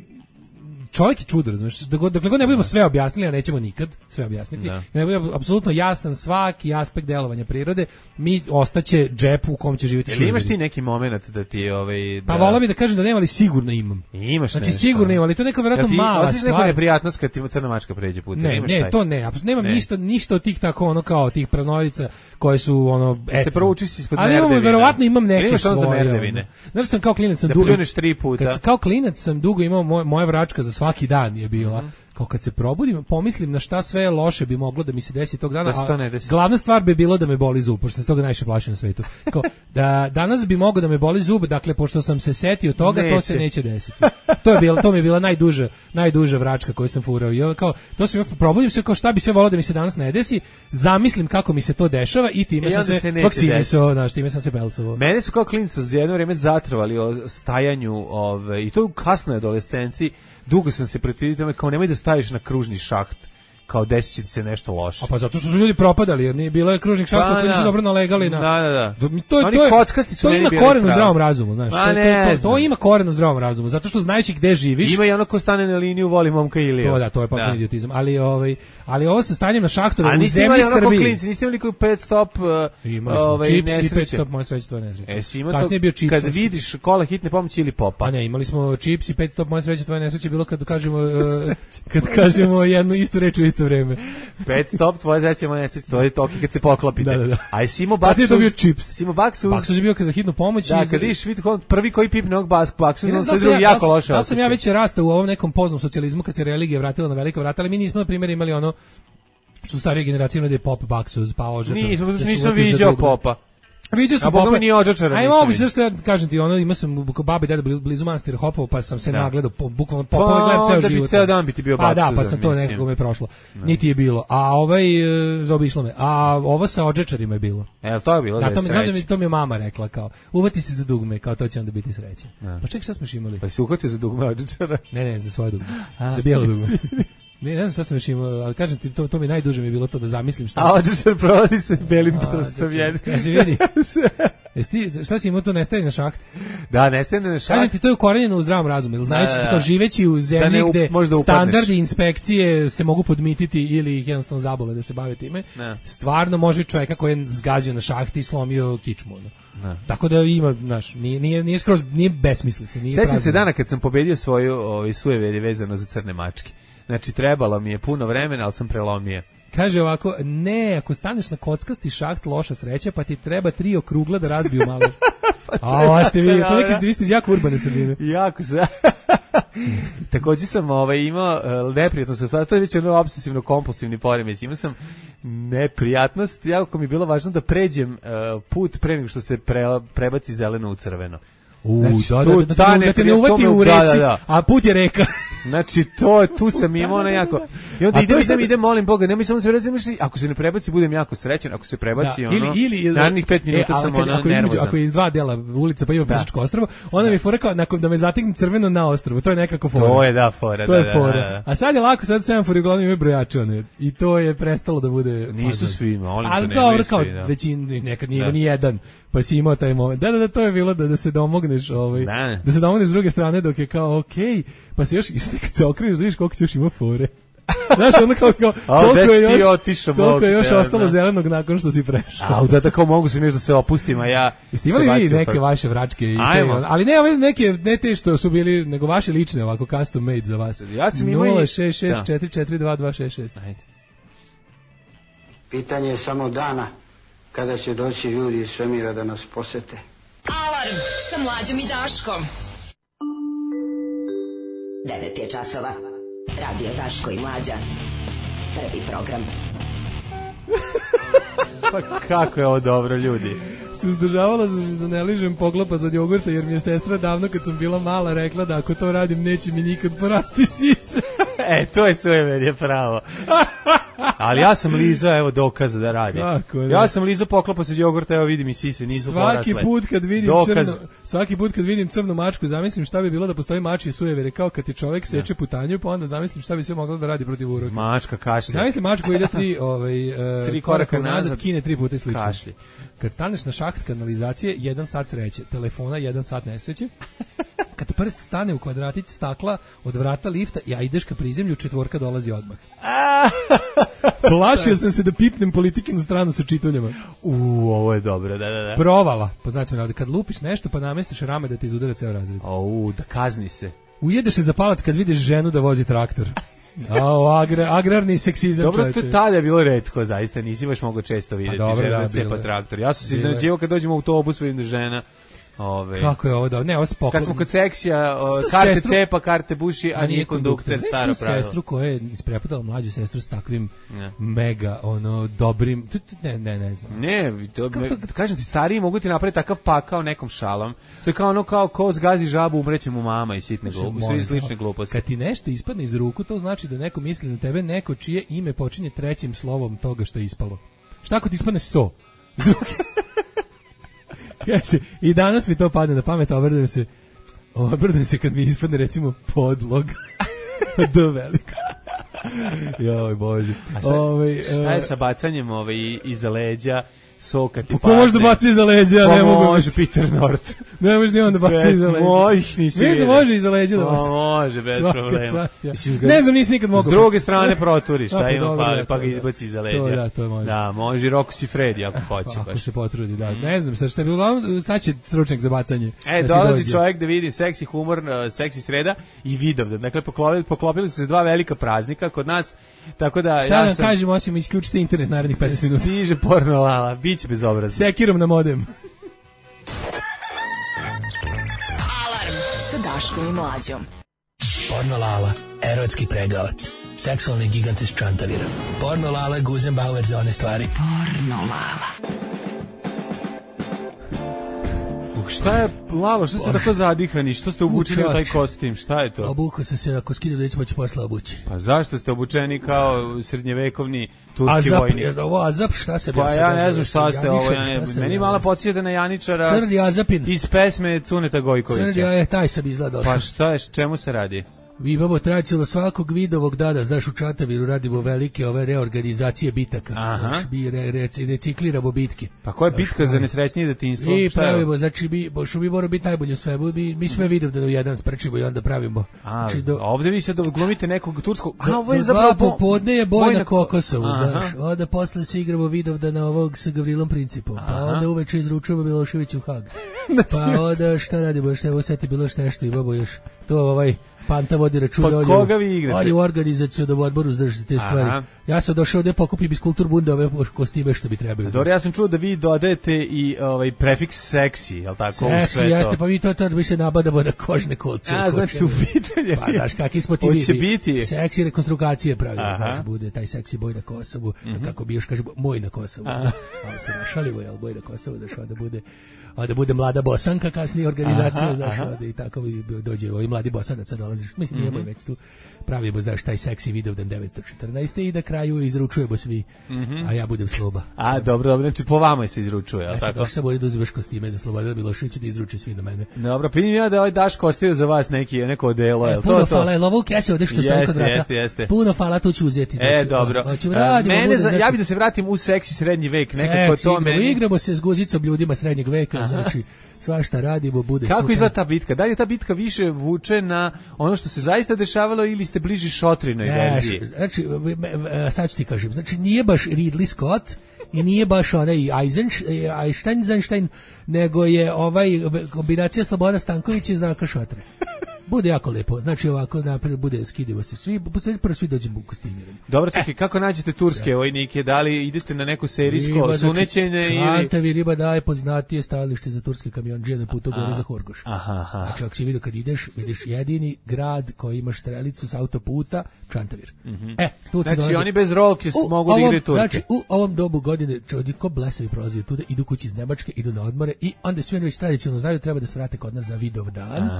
Speaker 6: čovjek je čudo, razumiješ, dokle god ne budemo sve objasnili, a nećemo nikad sve objasniti, ne bude apsolutno jasan svaki aspekt delovanja prirode, mi ostaće džep u kom će živjeti sujeveri.
Speaker 5: Imaš ti neki moment da ti
Speaker 6: Pa volao bih da kažem da nema, ali sigurno imam.
Speaker 5: Imaš
Speaker 6: znači sigurno imam, ali to je neka vjerojatno mala stvar.
Speaker 5: Osjećaš neku neprijatnost kad ti crna mačka pređe putem?
Speaker 6: Ne, to ne, nemam ništa od tih tako ono kao tih praznovica koje su ono
Speaker 5: se proučiš ispod merdevina.
Speaker 6: Ali verovatno imam neke
Speaker 5: svoje.
Speaker 6: Znaš sam kao klinac sam dugo. Kao klinac sam dugo imao moja vračka za svaki dan je bila. Kao kad se probudim, pomislim na šta sve loše bi moglo da mi se desi tog dana, a glavna stvar bi bilo da me boli zub, pošto sam toga najviše plašio na svetu. Kao, da danas bi moglo da me boli zub, dakle, pošto sam se setio toga, to se neće desiti. To mi je bila najduža vračka koju sam furao. I kao, to sam probudim se kao šta bi sve volao da mi se danas ne desi, zamislim kako mi se to dešava i time sam se vakcinisao, time sam se belcovao.
Speaker 5: Mene su kao klinca za jedno vreme zatrovali o stajanju, i to u kasnoj adolescenciji. Dugo sam se protivio tome, kao nemoj da staviš na kružni šaht, kao desit će ti se nešto loše.
Speaker 6: A pa zato što su ljudi propadali, jer nije bilo je kružnih šahta koji nisu dobro nalegali na...
Speaker 5: Da.
Speaker 6: To ima koren u zdravom razumu, znaš. To ima koren u zdravom razumu, zato što znajući gde živiš...
Speaker 5: Ima i ono ko stane na liniju, voli momka Ilija.
Speaker 6: To je potpuno idiotizam. Ali ovo sa stanjem na šahtove u zemlji Srbiji...
Speaker 5: Niste imali koji pet stop
Speaker 6: čips i pet stop, moje sreće, to je nesreće.
Speaker 5: Kasnije je bio čips. Kad vidiš kola hitne pomoći ili popa.
Speaker 6: A ne, imali smo čips i pet stop, moje sreće, to je nesreće, bilo kad kažemo jednu istu reč u isto vreme.
Speaker 5: Pet stop, tvoje zeće nesreće, to je toki kad se poklopite.
Speaker 6: Da.
Speaker 5: A i Simo Baksus...
Speaker 6: to bio čips.
Speaker 5: Simo Baksus...
Speaker 6: Baksus je bio za hitnu pomoć.
Speaker 5: Da, kad vidiš prvi koji pipne ovog Baksus, on se drugi jako loše osjeća.
Speaker 6: Da sam ja već rastao u ovom nekom poznom socijalizmu kad se religija vratila na velika vrata, ali mi nismo, na primjer, imali ono što su starije generacije imali da je pop Baksus, pa Ožačar.
Speaker 5: Nisam viđao popa.
Speaker 6: Vidio sam
Speaker 5: popa. Nije Ožačara.
Speaker 6: Aj mogu se kažem ti, ima sam babi deda blizu manastira Hopovo, pa sam se nagledao bukvalno popove gledam ceo život.
Speaker 5: Da bi ceo dan bi ti bio Baksus.
Speaker 6: Da, pa sam to nekako me prošlo. Niti je bilo. A zaobišlo me. A ovo sa Ožačarima je bilo.
Speaker 5: To je bilo da je sreće.
Speaker 6: To mi je mama rekla kao, uvati se za dugme, kao to će onda biti sreće. Pa čekaj, šta smo još imali?
Speaker 5: Pa si uhvatio za dugme Ožačara?
Speaker 6: Ne, za svoje dugme. Za bijelo dugme. Ne znam šta sam još imao, ali kažem ti, to mi najduže mi je bilo to da zamislim šta.
Speaker 5: A Ožačar provodi se belim prstom jednim.
Speaker 6: Kaže, vidi, šta si imao to nestaje na šahti?
Speaker 5: Da, nestaje na šahti.
Speaker 6: Kažem ti, to je ukorenjeno u zdravom razumu, jer znajući kao živeći u zemlji gde standardi inspekcije se mogu podmititi ili ih jednostavno zabole da se bave time, stvarno može čovjeka koji je zgazio na šahti i slomio kičmu. Tako da ima, znaš, nije skroz, nije besmislica.
Speaker 5: Sećam se dana kad sam pobedio svoju sujeverje vezano za crne mačke. Znači, trebalo mi je puno vremena, ali sam prelomio.
Speaker 6: Kaže ovako, ako staneš na kockasti šaht, loša sreća, pa ti treba 3 okrugla da razbiju malo. Ste vi, to neki vi ste iz jako urbane sredine.
Speaker 5: Jako se. Također sam imao neprijatno se, to je već obsesivno-kompulsivni poremeć. Imao sam neprijatnost, jako mi je bilo važno da pređem put pre nego što se prebaci zeleno u crveno.
Speaker 6: Da te ne uvati u reci, a put je reka.
Speaker 5: Znači, tu sam imao jako... I onda idem, molim Boga, nemoj samo se vreći, ako se ne prebaci, budem jako srećan, ako se prebaci, narednih 5 minuta sam nervozan.
Speaker 6: Ako je iz 2 dela ulica pa ima pešačko ostrvo, onda mi fora kao, nakon da me zatekne crveno na ostrvu, to je nekako fora.
Speaker 5: To je fora.
Speaker 6: To je fora. A sad je lako, sad semafori uglavnom imaju brojače, i to je prestalo da bude...
Speaker 5: Nisu svi, molim
Speaker 6: te, nemaju svi, da. Većin, nekad nije ni jedan, pa si imao taj moment. Da, to je bilo da se domogneš, s druge strane dok je kao okej, pa se još kad se okreneš da vidiš koliko si još ima fore. Znaš, ono kao koliko je još ostalo zelenog nakon što si prešao.
Speaker 5: A, da tako mogu se mi da se opustim, a ja...
Speaker 6: Jeste imali vi neke vaše vračke? Ali ne ove neke, ne te što su bili, nego vaše lične, ovako custom made za vas.
Speaker 5: Ja sam imao
Speaker 6: 066442266. Ajde.
Speaker 9: Pitanje je samo dana kada će doći ljudi iz svemira da nas posete.
Speaker 1: Alarm sa Mlađom i Daškom. 9 je časova. Radio Daško i Mlađa. Prvi program.
Speaker 5: Pa kako je ovo dobro, ljudi.
Speaker 6: Suzdržavala sam se da ne ližem poglopac od jogurta, jer mi je sestra davno kad sam bila mala rekla da ako to radim neće mi nikad porasti sise.
Speaker 5: To je sujeverje pravo. Ali ja sam lizao, evo dokaza da radim. Ja sam lizao poklopac od jogurta, evo vidim i sise nisu porasle.
Speaker 6: Svaki put kad vidim crnu mačku, zamislim šta bi bilo da postoji mačji sujevere, kao kad ti čovjek seče putanju, pa onda zamislim šta bi sve moglo da radi protiv uroka.
Speaker 5: Mačka kašlje.
Speaker 6: Zamislim mačku ide tri koraka nazad, kine 3 puta i slično. Kašlje. Kad staneš na šaht kanalizacije, 1 sat sreće, telefona 1 sat nesreće. Kad prst stane u kvadratić stakla od vrata lifta, ja ideš ka prizemlju, 4 dolazi odmah. Plašio sam se da pipnem Politikinu stranu sa čituljama.
Speaker 5: Ovo je dobro, da.
Speaker 6: Provala, pa znači kad lupiš nešto pa namestiš rame da te izudara ceo razred.
Speaker 5: Da kazni se.
Speaker 6: Ujedeš se za palac kad vidiš ženu da vozi traktor. Agrarni seksizam.
Speaker 5: Dobro, to tada je bilo retko, zaista nisi baš mogao često vidjeti ženu cepa traktor. Ja sam se iznenađivao kad dođem u autobus, vidim da žena...
Speaker 6: Kako je ovo da... Ne, ovo se poklon...
Speaker 5: Kad smo kod seksija, karte cepa, karte buši, a nije kondukter, staro pravilo.
Speaker 6: Znaš tu sestru koja je isprepodala mlađu sestru s takvim mega, dobrim... Ne znam.
Speaker 5: Ne, kažem ti, stariji mogu ti napraviti takav pakao nekom šalom. To je kao ono, kao ko zgazi žabu, umreće mu mama i sitne gluposti, slične gluposti.
Speaker 6: Kad ti nešto ispadne iz ruku, to znači da neko misli na tebe, neko čije ime počinje 3. slovom toga što je ispalo. Šta ako ti ispadne so? I danas mi to padne na pamet, obrdujem se kad mi ispadne recimo podlog. Do velika. Joj Bože.
Speaker 5: Šta je sa bacanjem iza leđa soka ti padne?
Speaker 6: Ko može da baci iza leđa?
Speaker 5: Ne mogu. Može Peter North.
Speaker 6: Ne može ni on da baci iza leđa.
Speaker 5: Možeš,
Speaker 6: može iza leđa da baci.
Speaker 5: Može, bez problema.
Speaker 6: Ne znam, nisi nikad mogao.
Speaker 5: S druge strane proturiš, pa ga izbaci iza leđa.
Speaker 6: To može.
Speaker 5: Da, može i Rocco Siffredi ako hoće.
Speaker 6: Ako se potrudi, da. Ne znam, šta je bilo, sad će stručnjak za bacanje.
Speaker 5: Dolazi čovjek da vidi seksi humor, seksi sreda i Vidovdan. Dakle, poklopili su se 2 velika praznika kod nas, tako da...
Speaker 6: Šta da kažemo, osim isključite internet narednih 15 minuta.
Speaker 5: Stiže porno lala, biće bezobrazno.
Speaker 6: Sekirom na modem.
Speaker 1: Alarm sa Daškom i Mlađom.
Speaker 10: Porno lala, erotski pregavac, seksualni gigant iz Čantavira. Porno lala, Guzenbauer za one stvari.
Speaker 1: Porno lala.
Speaker 5: Šta je, Lalo, što ste tako zadihani? Što ste obučeni u taj kostim? Šta je to?
Speaker 6: Obukao sam se, ako skidam da ću moći posla obući.
Speaker 5: Pa zašto ste obučeni kao srednjevekovni turski vojnik?
Speaker 6: Azap, šta se...
Speaker 5: Pa ja ne znam šta ste ovo. Meni malo podsjećate na Janičara iz pesme Cuneta Gojkovića.
Speaker 6: Crni, taj sam izgledao.
Speaker 5: Pa šta je, čemu se radi?
Speaker 6: Vi babo traćilo svakog vidovog dana, znaš, u Čantaviru radimo velike ove reorganizacije bitaka.
Speaker 5: Aha.
Speaker 6: Recikliramo bitke.
Speaker 5: Pa koja je bitka za nesrećnije detinjstvo?
Speaker 6: I pravimo, znači, što bi moramo biti najbolji u svemu, mi sve Vidovdan u jedan sprčimo i onda pravimo.
Speaker 5: Ovdje vi sad glumite nekog turskog...
Speaker 6: ovo je zapravo... popodne je boj na Kokosovu, znaš. Onda posle se igramo Vidovdana ovog sa Gavrilom Principom. Pa onda uveče izručujemo Miloševiću u Hag. Pa onda šta radimo, šta evo sad je bilo nešto imamo još. To Panta vodi računa.
Speaker 5: Pa koga vi igrate?
Speaker 6: On je u organizacionom odboru za te stvari. Ja sam došao ovdje pokupim iz Kulturbunda ove kostime što bi trebalo.
Speaker 5: Dobro, ja sam čuo da vi dodajete i prefiks seksi, je li tako?
Speaker 6: Seksi, jeste, pa mi to mi se nabadamo na kožne kolce.
Speaker 5: Znači u pitanje.
Speaker 6: Pa znaš, kakvi smo ti
Speaker 5: hoće biti?
Speaker 6: Seksi rekonstrukcije pravimo, znaš, bude taj seksi boj na Kosovu, kako bi još kažemo, moj na Kosovu. Ali se našalimo, jel, boj na Kosovu, da bude mlada Bosanka, kasnije organizacija, znaš, i tako dođe ovi mladi Bosanaca dolaziš, mislim, nije već tu pravimo, znaš, taj seksi Vidovdan 914 i da kraju izručujemo svi, a ja budem Sloba.
Speaker 5: Dobro, znači po vama se izručuje, je li tako?
Speaker 6: Došli sam ovdje da uzimaš kostime za Slobodana Miloševića da izruče svi na mene.
Speaker 5: Dobro, vidim ja da ovaj Daško ostavio za vas neko odelo, je li to?
Speaker 6: Puno hvala, je li ovo u kesi ovdje što stoji kod vrata?
Speaker 5: Jeste.
Speaker 6: Puno hvala, tu ću uzeti.
Speaker 5: Dobro. Ja bi da se vratim u seksi srednji vek, nekako to meni.
Speaker 6: Igramo se s guzicom ljudima srednjeg veka, znači svašta radimo, bude
Speaker 5: Kako
Speaker 6: super.
Speaker 5: izgleda ta bitka? Da li je ta bitka više vuče na ono što se zaista dešavalo ili ste bliži Šotrinoj verziji?
Speaker 6: Znači, sad ću ti kažem, znači nije baš Ridley Scott i nije baš onaj Eisenstein, nego je kombinacija Slobodana Stankovića i Zdravka Šotre. Bude jako lepo, znači ovako napred bude skidivo se svi, prvo svi dođemo u kostimirani.
Speaker 5: Dobro, čekaj, kako nađete turske vojnike? Da li idete na neko serijsko sunećenje ili...
Speaker 6: Čantavi riba daje poznatije stajalište za turske kamionđije na putu gore za Horgoš. Znači, ako si vidio kad ideš, vidiš jedini grad koji imaš strelicu s autoputa, Čantavir. Tu
Speaker 5: znači,
Speaker 6: dolazi.
Speaker 5: oni bez rolke mogu da igraju Turke.
Speaker 6: Znači, u ovom dobu godine čovjek ko blesavi prolazi tuda, idu kući iz Nemačke, idu na odmore i onda svi već tradicionalno znaju treba da se vrate kod nas za Vidovdan.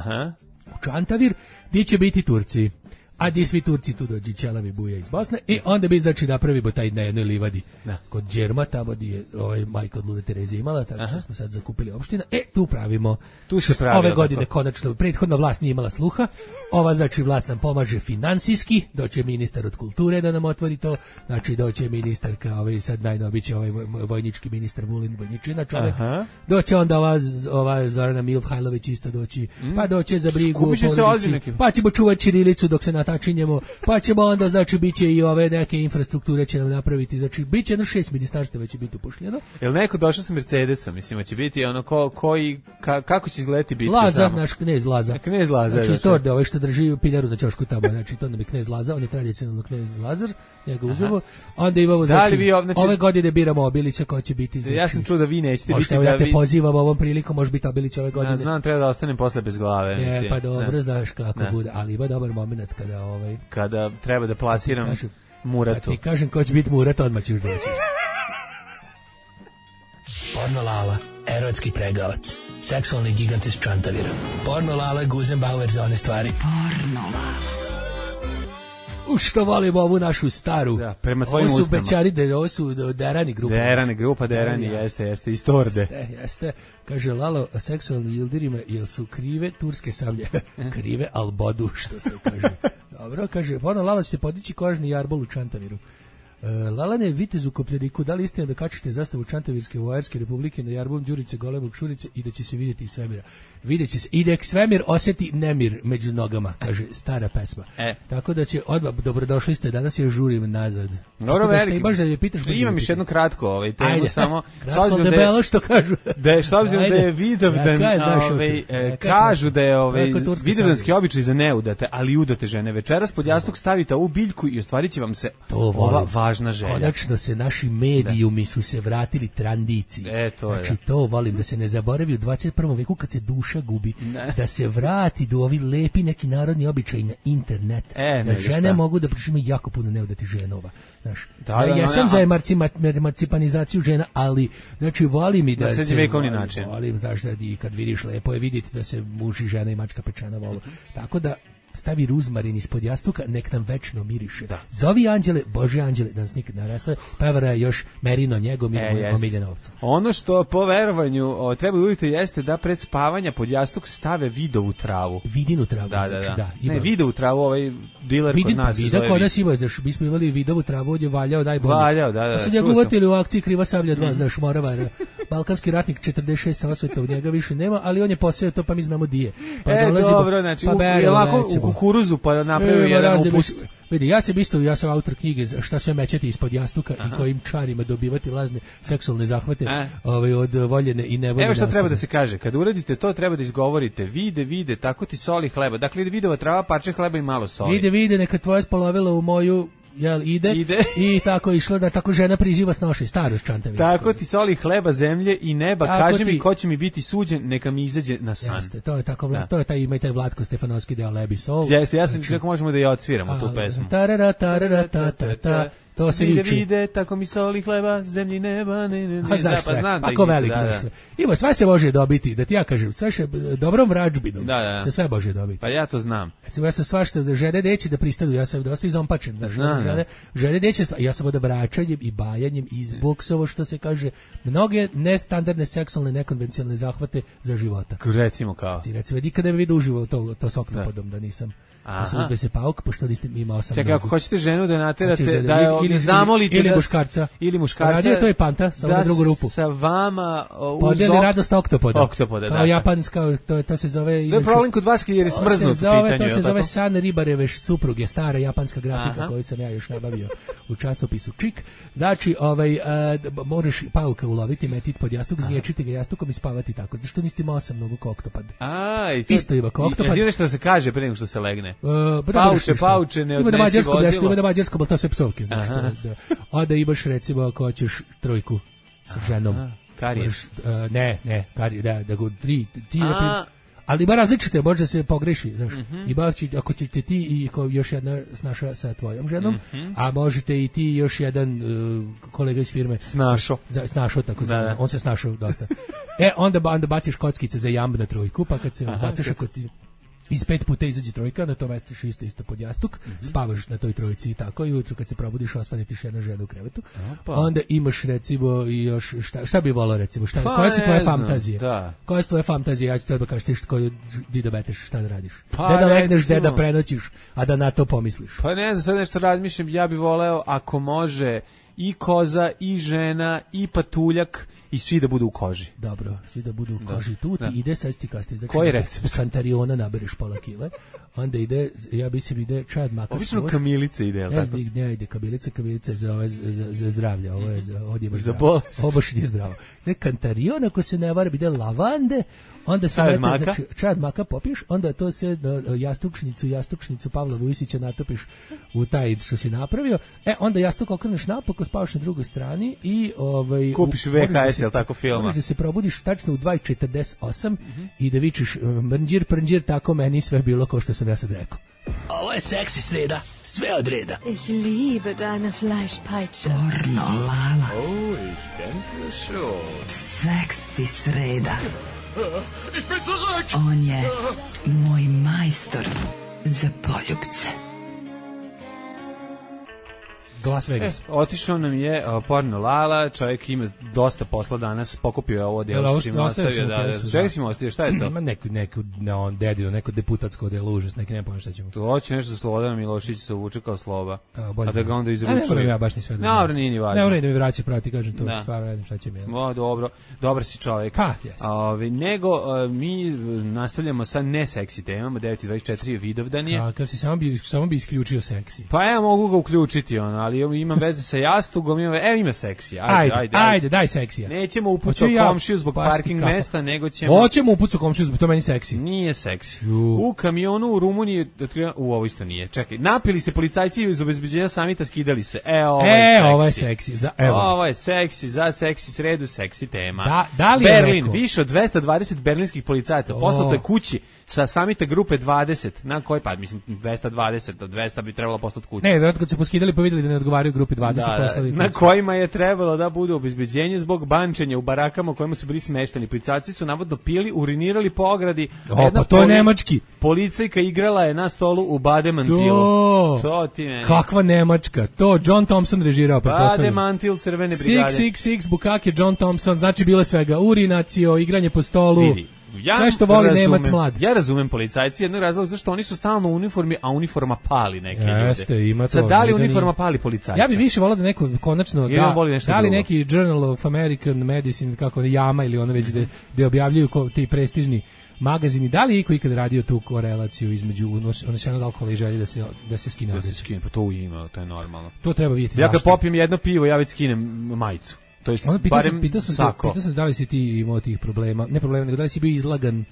Speaker 6: U Čantavir, gdje će biti Turci. A gdje svi Turci tu dođi Čelavi buja iz Bosne i onda bi znači napravimo taj na jednoj livadi kod Đerma, tamo gdje je majka od Lude Terezije imala, tako što smo sad zakupili opština. Tu pravimo.
Speaker 5: Tu se pravi.
Speaker 6: Ove godine konačno, prethodna vlast nije imala sluha, ova znači vlast nam pomaže finansijski, doće ministar od kulture da nam otvori to, znači doće ministar kao sad najnoviji će vojnički ministar Vulin Vojničina čovjek, doće onda ova Zorana Milhajlović isto doći, pa doće za brigu pa ćemo čuvati ćirilicu dok se natačinjemo, pa ćemo onda, znači, bit će i ove neke infrastrukture će nam napraviti, znači, bit će 6 ministarstva već će biti upošljeno.
Speaker 5: Jel neko došao sa Mercedesom, mislim, će biti ono kako će izgledati bitka
Speaker 6: Laza,
Speaker 5: samo?
Speaker 6: Naš knez Laza.
Speaker 5: Knez Laza.
Speaker 6: Znači, iz Torde, što drži piljaru na ćošku tamo, znači, to nam je knez Laza, on je tradicionalno knez Lazar, njega uzmemo, onda imamo, znači, ove godine biramo Obilića, ko će biti, znači,
Speaker 5: ja sam čuo da vi nećete biti.
Speaker 6: Ja te pozivam ovom prilikom, može biti Obilić ove godine.
Speaker 5: Ja znam, treba da ostanem posle bez glave.
Speaker 6: Pa dobro, znaš kako bude, ali ima dobar moment
Speaker 5: kada treba da plasiram Muratu.
Speaker 6: Kad ti kažem ko će biti Murat, odmah ćeš doći.
Speaker 10: Porno Lala, erotski pregavac, seksualni gigant iz Čantavira. Porno Lala, Guzenbauer za one stvari.
Speaker 1: Porno Lala.
Speaker 6: Što volimo ovu našu staru.
Speaker 5: Da, prema tvojim usnama.
Speaker 6: Ovo su Bećari, ovo su Derani grupa.
Speaker 5: Derani, jeste, iz Torde.
Speaker 6: Jeste. Kaže Lalo, seksualni ildirima, jel su krive turske sablje? Krive, al bodu, što se kaže. Dobro, kaže, ono Lalo će se podići kožni jarbol u Čantaviru. Lalane, vitez u Kopljeniku, da li istina da kačite zastavu Čantavirske vojarske republike na jarbol Đurice, Golemog Šurice i da će se vidjeti iz svemira? Vidjet će se, i nek svemir osjeti nemir među nogama, kaže stara pesma. Tako da će, odmah, dobrodošli ste, danas je žurim nazad.
Speaker 5: Dobro, veliki.
Speaker 6: Baš da je pitaš,
Speaker 5: imam još jednu kratko temu.
Speaker 6: Ajde,
Speaker 5: samo.
Speaker 6: Kratko debelo što kažu.
Speaker 5: S obzirom da je Vidovdan, kažu da je vidovdanski običaj za neudate, ali udate žene. Večeras pod jastuk stavite ovu biljku i ostvarit će vam se ova važna želja.
Speaker 6: Konačno se naši medijumi su se vratili tradiciji. Znači to volim, da se ne zaboravi u 21. veku kad se duša gubi, da se vrati do ovi lepi neki narodni običaj na internet. Da žene mogu da pričamo jako puno neudati ženova. Ja sam za emancipanizaciju žena, ali znači volim i da se volim, znaš, da kad vidiš lepo je vidjeti da se muž i žena i mačka pečena volu. Tako da stavi ruzmarin ispod jastuka, nek nam večno miriše. Zovi anđele, Bože anđele, da nas nikad ne rastave, pevara još Merino njegom i omiljena ovca.
Speaker 5: Ono što po verovanju treba udite jeste da pred spavanja pod jastuk stave vidovu travu.
Speaker 6: Vidinu travu, da.
Speaker 5: Ne, vidovu travu, ovaj diler kod nas se zove.
Speaker 6: Kod nas ima, znaš, mi smo imali vidovu travu, on je valjao najbolje.
Speaker 5: Da.
Speaker 6: Su njega uvatili u akciji Kriva sablja 2, znaš, Moravar, balkanski ratnik 46 sa osvetom, njega više nema, ali on je poseo to, pa mi znamo di je.
Speaker 5: Dobro, znači, kukuruzu pa napravio jedan upust.
Speaker 6: Vidi, ja sam autor knjige Šta sve mećati ispod jastuka i kojim čarima dobivati lažne seksualne zahvate od voljene i nevoljene.
Speaker 5: Evo šta treba da se kaže, kad uradite to treba da izgovorite vide, tako ti soli hleba. Dakle, vidova trava, parče hleba i malo soli.
Speaker 6: Vide, neka tvoja spolovila u moju ide i tako išlo da tako žena priživa s noše, starost Čantavirske.
Speaker 5: Tako ti soli hleba, zemlje i neba, kaži mi ko će mi biti suđen, neka mi izađe na san.
Speaker 6: Jeste, to je tako, to je taj, ima i taj Vlatko Stefanovski deo Lebi Sol.
Speaker 5: Jeste, ja sam kako možemo da je odsviramo tu pesmu.
Speaker 6: To se
Speaker 5: vide, tako mi soli hleba, zemlji neba,
Speaker 6: znaš sve, ako velik, znaš sve. Ima, sve se može dobiti, da ti ja kažem, sve še dobrom vrađbinom, se sve može dobiti.
Speaker 5: Pa ja to znam.
Speaker 6: Recimo, ja sam svašta, da žene neće da pristanu, ja sam dosta izompačen, žene neće, ja sam od bračanjem i bajanjem i izboksovo, što se kaže, mnoge nestandardne seksualne, nekonvencionalne zahvate za života.
Speaker 5: Recimo kao?
Speaker 6: Ti recimo, nikada ne bi vidio uživo to s oktopodom, da nisam. da se uzme se pauk, pošto niste imao sam.
Speaker 5: Čekaj, ako hoćete ženu da naterate, da je zamolite
Speaker 6: ili muškarca.
Speaker 5: Ili muškarca.
Speaker 6: Radio to je panta, samo na drugu rupu.
Speaker 5: Sa vama
Speaker 6: podijeli radost oktopoda.
Speaker 5: Oktopoda,
Speaker 6: kao japanska, to se zove...
Speaker 5: To je problem kod vas jer je smrznuto pitanje.
Speaker 6: To se zove San Ribareve supruge, stara japanska grafika koju sam ja još nabavio u časopisu Čik. Znači, moraš pauka uloviti, metiti pod jastuk, zniječiti ga jastukom i spavati tako. Znači, što niste imao sam mnogo kao oktopad. Isto ima kao oktopad.
Speaker 5: Jesi nešto da se kaže pre nego što se legne? Pauče, ne
Speaker 6: odnesi vozilo. Ima na mađarskom, ali to sve psovke, znaš. Onda imaš, recimo, ako hoćeš trojku sa ženom.
Speaker 5: Karijes.
Speaker 6: Da go ti ali ima različite, može se pogreši, znaš. Ima ako ćete ti i još jedna snaša sa tvojom ženom, a možete i ti još jedan kolega iz firme snašo tako zvano. On se snašao dosta. Onda baciš kockice za jamb na trojku, pa kad se bacaš ako ti iz 5 puta izađe trojka, na to mestiš isto pod jastuk, spavaš na toj trojici i tako, i ujutru kad se probudiš ostane ti jedna žena u krevetu. Onda imaš recimo i još, šta bi volao recimo, koje su tvoje fantazije? Koje su tvoje fantazije? Ja ću tebe kažeš ti di da meteš, šta da radiš? Da legneš, da prenoćiš, a da na to pomisliš.
Speaker 5: Pa ne znam, sad nešto razmišljam, ja bi voleo ako može i koza, i žena, i patuljak, i svi da budu u koži.
Speaker 6: Dobro, svi da budu u koži. Tu ti ide, sad ti kasnije. Znači,
Speaker 5: koji recept?
Speaker 6: U Kantariona nabereš pola kile, onda ide, ja mislim ide čad maka.
Speaker 5: Obično kamilice ide, jel tako?
Speaker 6: Ne, ide kamilice za zdravlje, ovo je za odjeba
Speaker 5: za bolest.
Speaker 6: Ovo baš nije zdravo. Ide Kantarion, ako se ne varam, ide lavande, onda se mete, znači, čad maka popiješ, onda to se jastučnicu Pavla Vujsića natopiš u taj što si napravio, onda jastuk okreneš napako, spavaš na drugoj strani i
Speaker 5: kupiš VHS, jel tako, filma.
Speaker 6: Možeš da se probudiš tačno u 2:48 i da vičeš mrnđir, tako meni sve bilo kao što sam ja sad rekao.
Speaker 10: Ovo je seksi sreda, sve od reda.
Speaker 11: Ich liebe deine Fleischpeitsche.
Speaker 1: Pornolala.
Speaker 3: Oh, ich denke schon.
Speaker 1: Seksi sreda.
Speaker 3: Ich bin zurück.
Speaker 1: On je moj majstor za poljubce.
Speaker 6: Las Vegas.
Speaker 5: Otišao nam je Pornolala, čovjek ima dosta posla danas, pokupio je ovo delo što si im ostavio. Čega si im ostavio, šta je to?
Speaker 6: Neko deputatsko delo, užas, neki ne povijem šta ćemo.
Speaker 5: To hoće nešto za Slobodana Milošića se uvuče kao Sloba, a da ga onda izručuje.
Speaker 6: Ne moram ja baš ni sve da
Speaker 5: znam. Nije ni važno.
Speaker 6: Ne moram da mi vraća prati, kažem to, stvarno ne znam šta će mi.
Speaker 5: Dobro, dobar si čovjek.
Speaker 6: Pa, jes.
Speaker 5: Nego, mi nastavljamo sa neseksi temama, 9:24 je Vidovdan je.
Speaker 6: Kad si samo bi isključio seksi.
Speaker 5: Pa ja mogu ga uključiti, ali imam veze sa jastugom, ima seksija.
Speaker 6: Ajde, daj seksija.
Speaker 5: Nećemo upucati komšiju zbog parking mesta, nego ćemo...
Speaker 6: Hoćemo upucati komšiju zbog to meni seksi.
Speaker 5: Nije seksi. U kamionu u Rumuniji, ovo isto nije. Čekaj, napili se policajci iz obezbeđenja samita, skidali se. Ovo je seksi. Ovo je seksi, za seksi sredu, seksi tema.
Speaker 6: Da li
Speaker 5: Berlin, više od 220 berlinskih policajaca poslato je kući sa samita grupe 20, na koji pa, mislim, 220 od 200 bi trebalo poslati kući.
Speaker 6: Ne, vjerojatno kad se poskidali pa vidjeli da ne odgovaraju grupi 20 poslali.
Speaker 5: Na kojima je trebalo da bude obezbeđenje zbog bančenja u barakama u kojima su bili smešteni. Policajci su navodno pili, urinirali po ogradi.
Speaker 6: Pa to je nemački.
Speaker 5: Policajka igrala je na stolu u bademantilu. To ti meni.
Speaker 6: Kakva nemačka? To John Thompson režirao, pretpostavljam.
Speaker 5: Bademantil Crvene brigade.
Speaker 6: 666, Bukake, John Thompson, znači bilo svega. Urinacio, igranje po stolu.
Speaker 5: Vidi.
Speaker 6: Sve što voli Nemac mlad.
Speaker 5: Ja razumem policajci, jednog razloga zašto oni su stalno u uniformi, a uniforma pali neke ljude.
Speaker 6: Ima to.
Speaker 5: Sad, da li uniforma pali policajca?
Speaker 6: Ja bih više volao da neko konačno da li neki Journal of American Medicine, kako Jama ili ono već da objavljuju ti prestižni magazini, da li je ikad radio tu korelaciju između unešenog alkohola i želje da se skine?
Speaker 5: Da se skine, pa to ima, to je normalno.
Speaker 6: To treba vidjeti.
Speaker 5: Ja kad popijem jedno pivo, ja već skinem majicu. To je
Speaker 6: pitao sam da li si ti imao tih problema, ne problema, nego da li si bio izlagan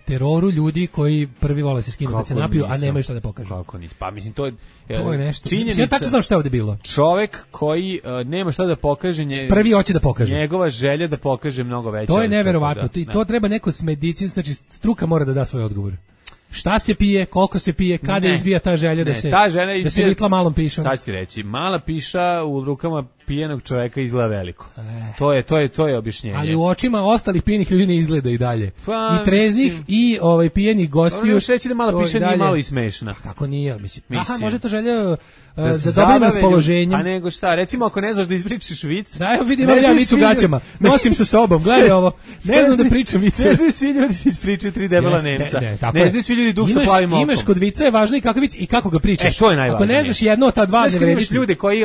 Speaker 6: teroru ljudi koji prvi vole se skinu kad se napiju, a nemaju šta da pokažu.
Speaker 5: Kako nisi? Pa mislim to je
Speaker 6: nešto. Ja tačno znam šta je ovdje bilo.
Speaker 5: Čovek koji nema šta da pokaže,
Speaker 6: prvi hoće da pokaže.
Speaker 5: Njegova želja da pokaže mnogo veća.
Speaker 6: To je neverovatno. To treba neko s medicinskom, znači struka mora da da svoj odgovor. Šta se pije, koliko se pije, kada izbija ta želja da se vitla malom pišom.
Speaker 5: Sad ću ti reći, mala piša u rukama pijenog čoveka izgleda veliko. To je objašnjenje.
Speaker 6: Ali u očima ostalih pijenih ljudi ne izgleda i dalje.
Speaker 5: Pa,
Speaker 6: I treznih i pijenih gostiju.
Speaker 5: Ono reći da malo piše nije malo i smešna.
Speaker 6: Kako nije, mislim. Aha, može to želja da dobrim raspoloženjem.
Speaker 5: A nego šta, recimo ako ne znaš da ispričaš vic.
Speaker 6: Da, evo vidim, ja vic u gaćama. Nosim sa sobom, gledaj ovo. Ne znam da pričam vice.
Speaker 5: Ne znaju svi ljudi ispričaju 3 debela Nemca. Ne znaju svi ljudi duh sa plavim okom.
Speaker 6: Imaš kod vica je važno i kakav vic i kako ga pričaš.
Speaker 5: To je najvažnije.
Speaker 6: Ako ne znaš jedno od ta dva, ne vredi.
Speaker 5: Imaš ljude koji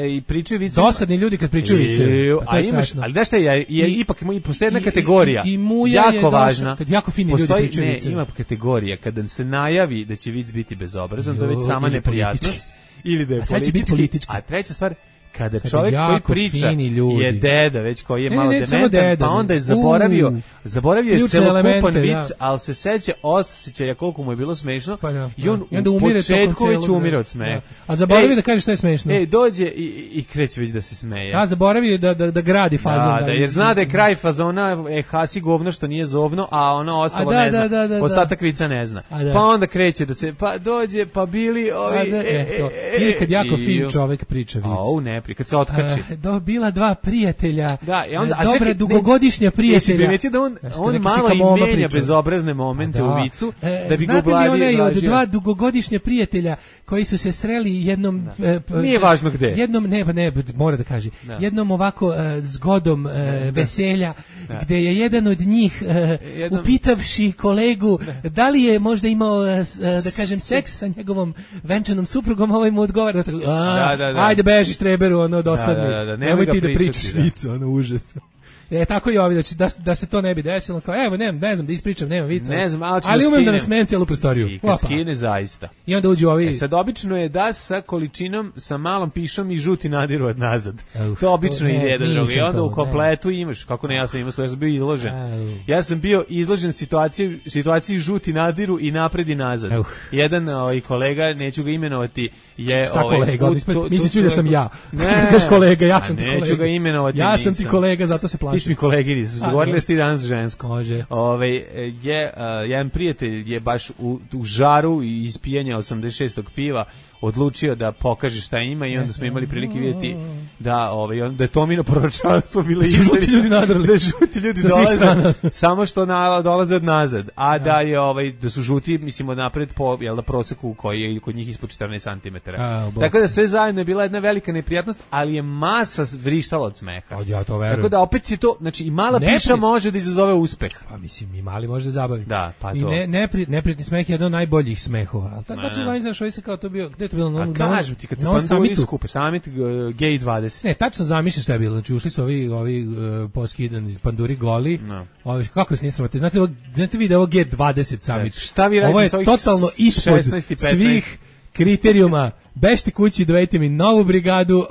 Speaker 5: i pričaju vice.
Speaker 6: Dosadni ljudi kad pričaju vice.
Speaker 5: A imaš, ali da šta je ipak ima i postoji jedna kategorija. Jako važna.
Speaker 6: Kad jako fini ljudi pričaju vice.
Speaker 5: Ima kategorija kada se najavi da će vic biti bezobrazan, to je već sama neprijatnost. Ili da je politički. A treća stvar, kada čovjek koji priča je deda, već koji je malo dementan, pa onda je zaboravio je celokupan vic, ali se osjeća koliko mu je bilo smešno i on u početku već umire od smeha.
Speaker 6: A zaboravio da kaže što je smešno.
Speaker 5: Dođe i kreće već da se smeje.
Speaker 6: A zaboravio da gradi fazon.
Speaker 5: Da, jer zna da je kraj fazona hasi govno što nije zovno, a ono ostalo ne zna. Ostatak vica ne zna. Pa onda kreće da se, pa dođe, pa bili ovi...
Speaker 6: Ili kad jako fin čovjek priča vic.
Speaker 5: Kad se otkači.
Speaker 6: Bila dva prijatelja, dobra dugogodišnja prijatelja.
Speaker 5: Jesi primetio da on malo i menja bezobrazne momente u vicu, da bi ga ubladio.
Speaker 6: Znate li onaj od dva dugogodišnja prijatelja koji su se sreli jednom...
Speaker 5: Nije važno gde.
Speaker 6: Jednom, ne, mora da kaže. Jednom ovako zgodom veselja, gde je jedan od njih upitavši kolegu da li je možda imao, da kažem, seks sa njegovom venčanom suprugom, ovaj mu odgovara, ajde beži štreberu, ono dosadni, nemoj ti da pričaš vicu, ono užas. Tako i ovi, da se to ne bi desilo, kao evo, ne znam da ispričam, nema vica, ali umem da ne smejem cijelu prostoriju.
Speaker 5: I kad skine zaista.
Speaker 6: I onda uđu ovi...
Speaker 5: Sad obično je da sa količinom, sa malom pišom i žuti nadiru od nazad. To obično ide jedan drugi. I onda u kompletu imaš, kako ne, ja sam bio izložen. Ja sam bio izložen situaciji žuti nadiru i napred i nazad. Jedan kolega, neću ga imenovati, je...
Speaker 6: Šta kolega? Misliću da sam ja. Ne, kaš kolega, ja sam ti kolega.
Speaker 5: Neću ga imenovati.
Speaker 6: Ja sam ti kolega, zato se plašim.
Speaker 5: Ti si mi kolegini, zagovorili ste ti danas žensko.
Speaker 6: Može.
Speaker 5: Jedan prijatelj je baš u žaru i ispijanja 86. piva odlučio da pokaže šta ima i onda smo imali prilike vidjeti da je Tomino proročanstvo bilo
Speaker 6: žuti ljudi nadrali.
Speaker 5: Da žuti ljudi dolaze, samo što dolaze od nazad, a da je da su žuti, mislim, od napred po proseku koji je kod njih ispod 14 cm. Tako da sve zajedno je bila jedna velika neprijatnost, ali je masa vrištala od smeha.
Speaker 6: Ja to verujem.
Speaker 5: Tako da opet je to, znači i mala piša može da izazove uspeh.
Speaker 6: Pa mislim, i mali može da zabavi.
Speaker 5: Da, pa to.
Speaker 6: I neprijatni smeh je jedan od najboljih smehova. Al tačno znaš što se kao to bio, gde to bilo
Speaker 5: na kažem ti kad se panduri skupe, summit Gay 20.
Speaker 6: Ne, tačno zamišljam šta je bilo. Znači ušli su ovi poskidan iz panduri goli. Kako se nisramate? Znate vi da je ovo G20 summit.
Speaker 5: Šta vi radite?
Speaker 6: Ovo je totalno ispod svih kriterijuma. Bežite kući, dovedite mi novu brigadu,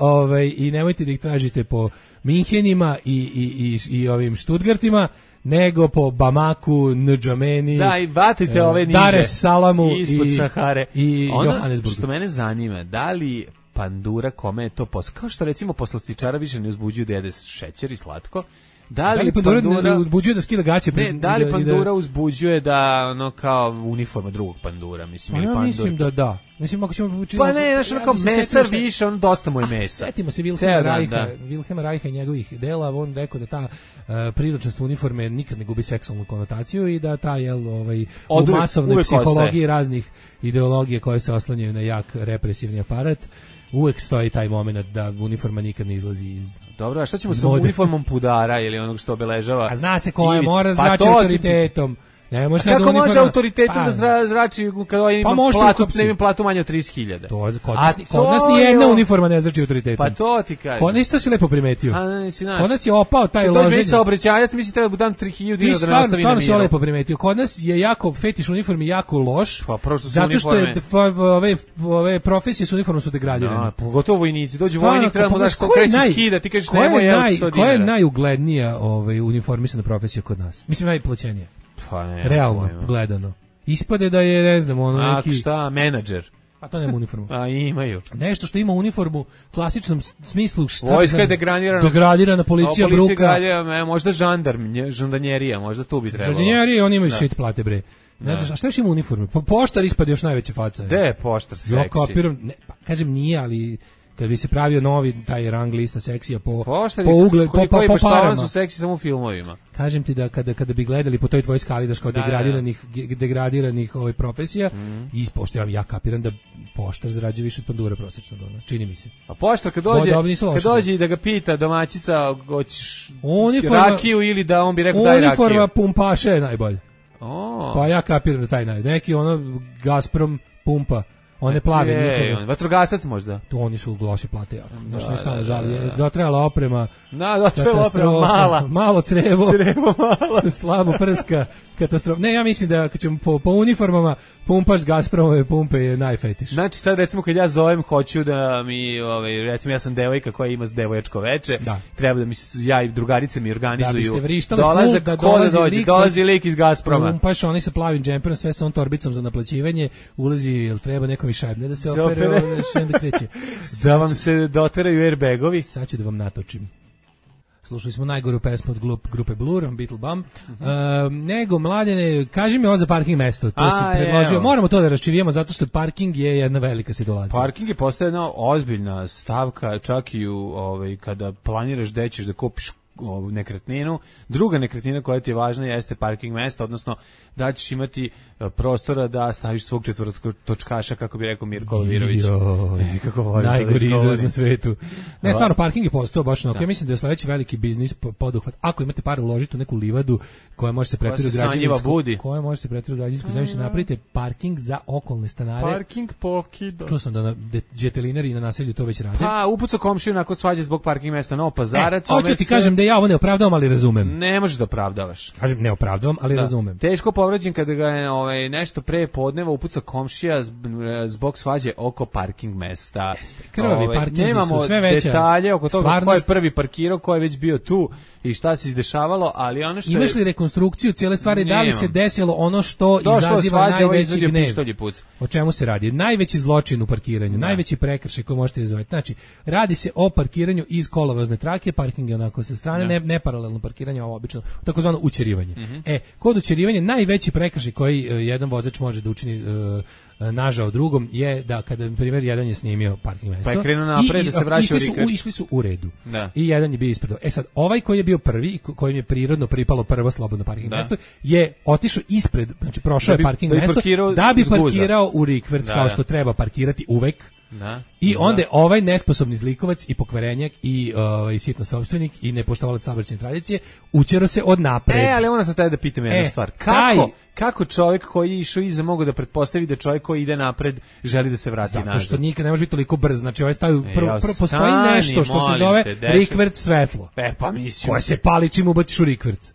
Speaker 6: i nemojte da ih tražite po Minhenima i ovim Stuttgartima, nego po Bamaku, Ndžameni,
Speaker 5: da, i vatite ove niže,
Speaker 6: Dar es Salamu
Speaker 5: ispod Sahare
Speaker 6: i Johannesburgu.
Speaker 5: Što mene zanima, da li pandura kome je to posao, kao što recimo poslastičara više ne uzbuđuju da jede šećer i slatko, da li pandura
Speaker 6: uzbuđuje da skida gaće?
Speaker 5: Da li pandura uzbuđuje da kao uniforma drugog pandura, mislim, ili pandura?
Speaker 6: Mislim da da. Mislim, ako ćemo
Speaker 5: pa ne, znaš, kao mesar više, dosta mu je mesa.
Speaker 6: Setimo se Wilhelma Reicha i njegovih dela, on rekao da ta priličnost uniforme nikad ne gubi seksualnu konotaciju i da ta u masovnoj psihologiji raznih ideologije koje se oslanjaju na jak represivni aparat, uvek stoji taj moment da uniforma nikad ne izlazi iz...
Speaker 5: Dobro, a šta ćemo sa uniformom pudara ili onog što obeležava?
Speaker 6: A zna se koja mora zrači autoritetom. Ne može
Speaker 5: kako može autoritetom da zrači kada ima platu manje od 30.000?
Speaker 6: Kod nas ni jedna uniforma ne zrači autoritetom.
Speaker 5: Pa to ti kažem.
Speaker 6: Kod nas to si lepo primetio. Kod nas je opao taj loženje.
Speaker 5: To je saobraćajac, mislim treba da dam 3.000 dinara da nastavi na miru.
Speaker 6: Stvarno si lepo primetio. Kod nas je jako fetiš uniformi jako loš.
Speaker 5: Pa prosto su
Speaker 6: zato što ove profesije su uniformno su degradirane.
Speaker 5: Pogotovo vojnici. Dođe vojnik, treba mu daš konkretno skida, ti kažeš nemoj je 100 dinara.
Speaker 6: Koja je najuglednija uniformisana profesija kod nas? Mislim najplaćenija. Realno gledano. Ispade da je, ne znam, neki...
Speaker 5: šta, menadžer?
Speaker 6: A to nema uniformu.
Speaker 5: A imaju.
Speaker 6: Nešto što ima uniformu u klasičnom smislu.
Speaker 5: Vojska je
Speaker 6: degradirana, policija bruka.
Speaker 5: Možda žandarmerija, možda tu bi trebalo.
Speaker 6: Žandarmerija, oni imaju shit plate, bre. Ne znaš, a šta još ima uniformu? Poštar ispade još najveća faca.
Speaker 5: Gde je poštar seksi?
Speaker 6: Ja kapiram, kažem nije, ali... kad bi se pravio novi taj rang lista seksija po
Speaker 5: ugled, po parama.
Speaker 6: Su
Speaker 5: seksi samo u filmovima.
Speaker 6: Kažem ti da kada bi gledali po toj tvojoj skali daš kao degradiranih profesija, i pošto ja kapiram da poštar zarađuje više od pandura prosečno, čini mi se.
Speaker 5: A poštar kad dođe i da ga pita domaćica hoćeš rakiju ili da on bi rekao daj rakiju.
Speaker 6: Uniforma pumpaša je najbolje. Pa ja kapiram da taj neki Gazprom pumpa. One plave
Speaker 5: vatrogasac možda.
Speaker 6: To oni su loše plate. Znači ne stalno žali. Dotrajala oprema.
Speaker 5: Dotrajala oprema
Speaker 6: malo crevo
Speaker 5: malo.
Speaker 6: Slabo prska. Katastrofa. Ne, ja mislim da kad ćemo po uniformama pumpaš Gazpromove pumpe je najfetiš.
Speaker 5: Znači sad recimo kad ja zovem hoću da mi recimo ja sam devojka koja ima devojačko veče, treba da mi ja i drugarice mi organizuju.
Speaker 6: Da biste vrištali full da
Speaker 5: dolazi lik iz Gazproma.
Speaker 6: Pumpaš oni sa plavim džemperom, sve sa on torbicom za naplaćivanje, ulazi, jel treba nekom i šajbne da se ofere, da kreće.
Speaker 5: Da vam se doteraju airbagovi.
Speaker 6: Sad ću da vam natočim. Slušali smo najgoru pesmu od grupe Blur, Beatle Bum. Nego, Mladene, kaži mi ovo za parking mesto. To si predložio. Moramo to da raščivijemo, zato što parking je jedna velika situacija.
Speaker 5: Parking je postaje jedna ozbiljna stavka, čak i kada planiraš gde ćeš da kupiš nekretninu. Druga nekretnina koja ti je važna jeste parking mesto, odnosno da ćeš imati prostora da staviš svog četvrtotočkaša, kako bi rekao Mirko Lovirović.
Speaker 6: Najgori izraz na svetu. Ne, stvarno, parking je postao baš onako. Ja mislim da je sledeći veliki biznis poduhvat. Ako imate para uložiti u neku livadu koja može se pretvori u građevinsku zemljište, napravite parking za okolne stanare.
Speaker 5: Parking pokido.
Speaker 6: Čuo sam da džetelinari na naselju to već rade.
Speaker 5: Pa, upucao komšiju nakon svađe zbog parking mesta Novo Pazarac.
Speaker 6: Hoću ti kažem da ja ovo ne opravdavam, ali razumem.
Speaker 5: Ne možeš da opravdavaš.
Speaker 6: Kažem, ne opravdavam, ali razumem.
Speaker 5: Teško povređen kada ga je nešto pre podneva upucao komšija zbog svađe oko parking mesta.
Speaker 6: Krvavi parkinzi su sve veća.
Speaker 5: Nemamo detalje oko toga ko je prvi parkirao, ko je već bio tu i šta se izdešavalo, ali ono što
Speaker 6: imaš li rekonstrukciju cijele stvari, da li se desilo ono što izaziva najveći gnev? O čemu se radi? Najveći zločin u parkiranju, najveći prekršaj koji možete izazvati. Znači, radi se o parkiranju iz kolovozne trake, parking je onako sa strane, ne paralelno parkiranje, ovo obično, takozvano ućerivanje. Kod ućerivanja najveći prekršaj koji jedan vozač može da učini nažao drugom je da kada na primjer jedan je snimio parking mesto,
Speaker 5: pa je krenuo napred da se vraća u rikverc,
Speaker 6: išli su u redu i jedan je bio ispred. Sad ovaj koji je bio prvi i kojem je prirodno pripalo prvo slobodno parking mesto je otišao ispred, znači prošao je parking mesto da bi parkirao u rikverc kao što treba parkirati uvek. I onda ovaj nesposobni zlikovac i pokvarenjak i sitno sopstvenik i nepoštovalac saobraćajne tradicije učero se od napred.
Speaker 5: Ali ona sad da pitam jednu stvar. Kako čovjek koji je išao iza mogu da pretpostavi da čovjek koji ide napred želi da se vrati nazad?
Speaker 6: Zato što nikad ne može biti toliko brz. Znači ovaj stavio postoji nešto što se zove rikverc svetlo.
Speaker 5: Pa mislim.
Speaker 6: Koje se pali čim ubaciš u rikverc.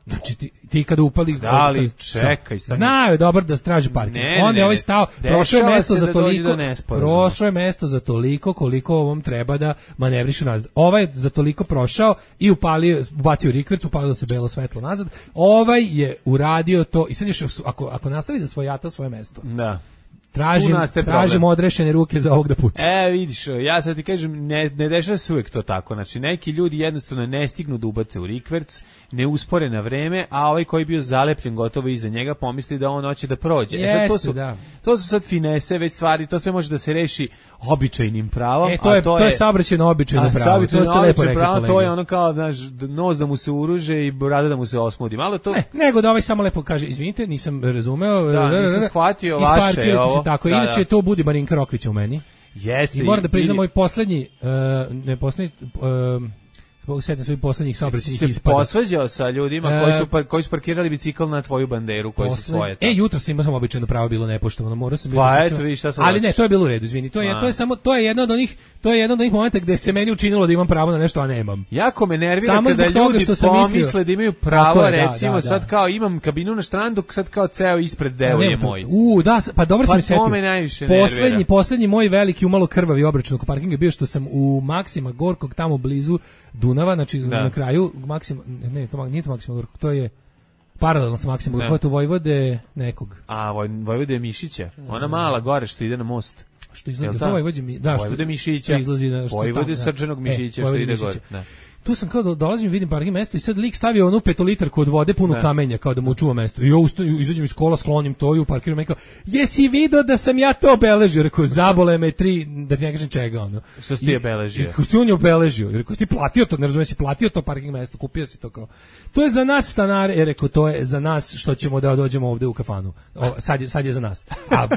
Speaker 6: Znači ti kada upali
Speaker 5: ali čekaj,
Speaker 6: znaju dobro da straži parking. On je ovaj stao, prošao je mesto za toliko koliko ovom treba da manevrišu nazad. Ovaj je za toliko prošao i ubacio rikverc, upalilo se belo svetlo nazad. Ovaj je uradio to i sad još ako nastavi da svojata svoje mesto.
Speaker 5: Da.
Speaker 6: Tražim odrešene ruke za ovog da puca.
Speaker 5: Vidiš, ja sad ti kažem, ne dešava se uvijek to tako. Znači, neki ljudi jednostavno ne stignu da ubace u rikverc, ne uspore na vreme, a ovaj koji je bio zalepljen gotovo iza njega pomisli da on hoće da prođe. To su sad finese, već stvari, to sve može da se reši običajnim pravom.
Speaker 6: To je saobraćajno običajno pravo.
Speaker 5: To je ono kao, znaš, nos da mu se uruže i brada da mu se osmudi. Malo to...
Speaker 6: Nego da ovaj samo lepo kaže, izvinite, nisam razumeo.
Speaker 5: Nisam shvatio vaše ovo.
Speaker 6: Tako, inače to budi Marinka Rokvića u meni.
Speaker 5: Jeste.
Speaker 6: I moram da priznam moj poslednji, zbog sveta svojih poslednjih saobraćajnih ispada.
Speaker 5: Si se posvađao sa ljudima koji su parkirali bicikl na tvoju banderu, koji su svoje.
Speaker 6: Jutro sam imao običajno pravo, bilo nepoštovano, morao sam
Speaker 5: bilo. Pa eto, vidiš šta sad.
Speaker 6: Ali ne, to je bilo u redu, izvini. To je jedan od onih momenta gde se meni učinilo da imam pravo na nešto, a nemam.
Speaker 5: Jako me nervira kada ljudi pomisle da imaju pravo, recimo sad kao imam kabinu na štrandu, sad kao ceo ispred deo je moj.
Speaker 6: Pa dobro sam se
Speaker 5: setio.
Speaker 6: Poslednji moj veliki umalo krvavi obračun oko parkinga bio što sam u Maksima Gorkog tamo blizu Dunava, znači na kraju nije to Maksima Gorkog, to je paralelno sa Maksimom Gorkog, to Vojvode nekog.
Speaker 5: A Vojvode Mišića, ona mala gore što ide na most.
Speaker 6: Što izlazi do Vojvode
Speaker 5: Mišića.
Speaker 6: Što izlazi
Speaker 5: Vojvode Srđanog Mišića što ide gore.
Speaker 6: tu sam kao dolazim, vidim parking mesto i sad lik stavio onu 5 litarku od vode punu kamenja kao da mu čuva mesto. I ja izađem iz kola, sklonim to i uparkiram i kao, jesi video da sam ja to obeležio? Rekao, zabole me 3, da ti ne kažem čega, ono.
Speaker 5: Što si ti obeležio?
Speaker 6: Što si on je obeležio? Rekao, ti platio to, ne razumijem, si platio to parking mesto, kupio si to kao. To je za nas stanare, rekao, to je za nas što ćemo da dođemo ovde u kafanu. Sad je za nas. A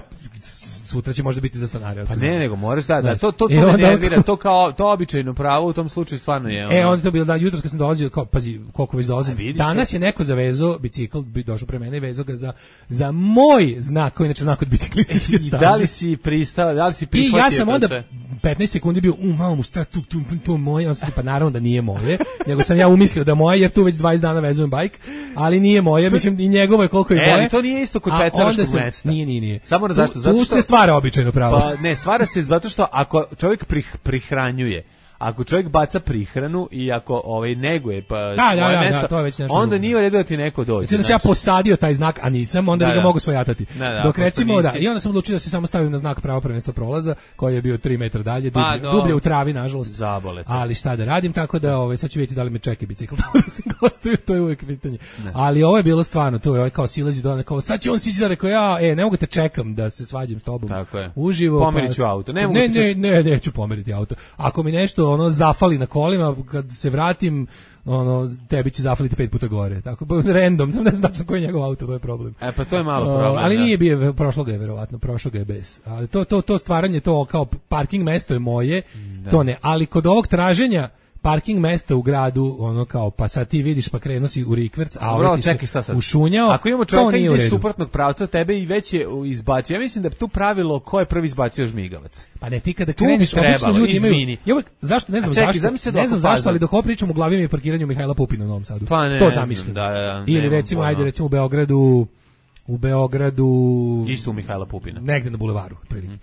Speaker 6: sutra će možda biti za stanare.
Speaker 5: Pa ne, nego moraš da to me nervira, to kao to običajno pravo u tom slučaju stvarno je.
Speaker 6: Onda to bilo da jutros kad sam dolazio, kao pazi koliko već dolazim. Danas je neko zavezao bicikl, došao pre mene i vezao ga za moj znak, koji inače znak od biciklističke staze.
Speaker 5: Da li si pristao, da li si prihvatio?
Speaker 6: I ja sam onda 15 sekundi bio, mamu, šta tu moje, on pa naravno da nije moje, nego sam ja umislio da moje, jer tu već 20 dana vezujem bajk, ali nije moje, mislim i njegovo je koliko je moje.
Speaker 5: Ali to nije isto kod pecaraškog mesta.
Speaker 6: Nije.
Speaker 5: Samo zašto? Zato
Speaker 6: što se stvara običajno pravo.
Speaker 5: Pa ne, stvara se zato što ako čovjek prihranjuje, ako čovjek baca prihranu i ako neguje pa svoje mesto,
Speaker 6: to je već nešto
Speaker 5: onda nije u redu da ti neko dođe.
Speaker 6: Znači da se ja posadio taj znak, a nisam, onda bi ga mogu svojatati. Dok recimo i onda sam odlučio da se samo stavim na znak pravo prvenstva prolaza, koji je bio 3 metra dalje, dublje u travi, nažalost.
Speaker 5: Zabole.
Speaker 6: Ali šta da radim, tako da sad ću vidjeti da li me čeka bicikl. To je uvijek pitanje. Ali ovo je bilo stvarno, to je kao silazi do kao sad će on sići, rekao ja, ne mogu te čekam da se svađam s tobom. Uživo.
Speaker 5: Pomeriću auto.
Speaker 6: Ne, neću pomeriti auto. Ako mi nešto zafali na kolima, kad se vratim, tebi će zafaliti 5 puta gore. Tako, random, ne znam koji je njegov auto, to je problem.
Speaker 5: Pa to je malo problem.
Speaker 6: Ali nije bio, prošlo ga je verovatno, prošlo ga je bez. Ali to stvaranje, to kao parking mesto je moje, to ne. Ali kod ovog traženja parking mesta u gradu, kao, pa sad ti vidiš pa krenuo si u rikverc, a ovaj ti se ušunjao.
Speaker 5: Ako imamo čovjeka iz suprotnog pravca, tebe i već je izbacio. Ja mislim da je tu pravilo ko je prvi izbacio žmigavac.
Speaker 6: Pa ne, ti kada kreneš, obično ljudi imaju. Zašto, ne znam zašto, ali dok ovo pričam u glavi mi je parkiranje u Mihajla Pupina u Novom Sadu.
Speaker 5: Pa ne,
Speaker 6: to zamišljam. Ili recimo, recimo u Beogradu
Speaker 5: isto u Mihajla Pupina.
Speaker 6: Negde na bulevaru, otprilike.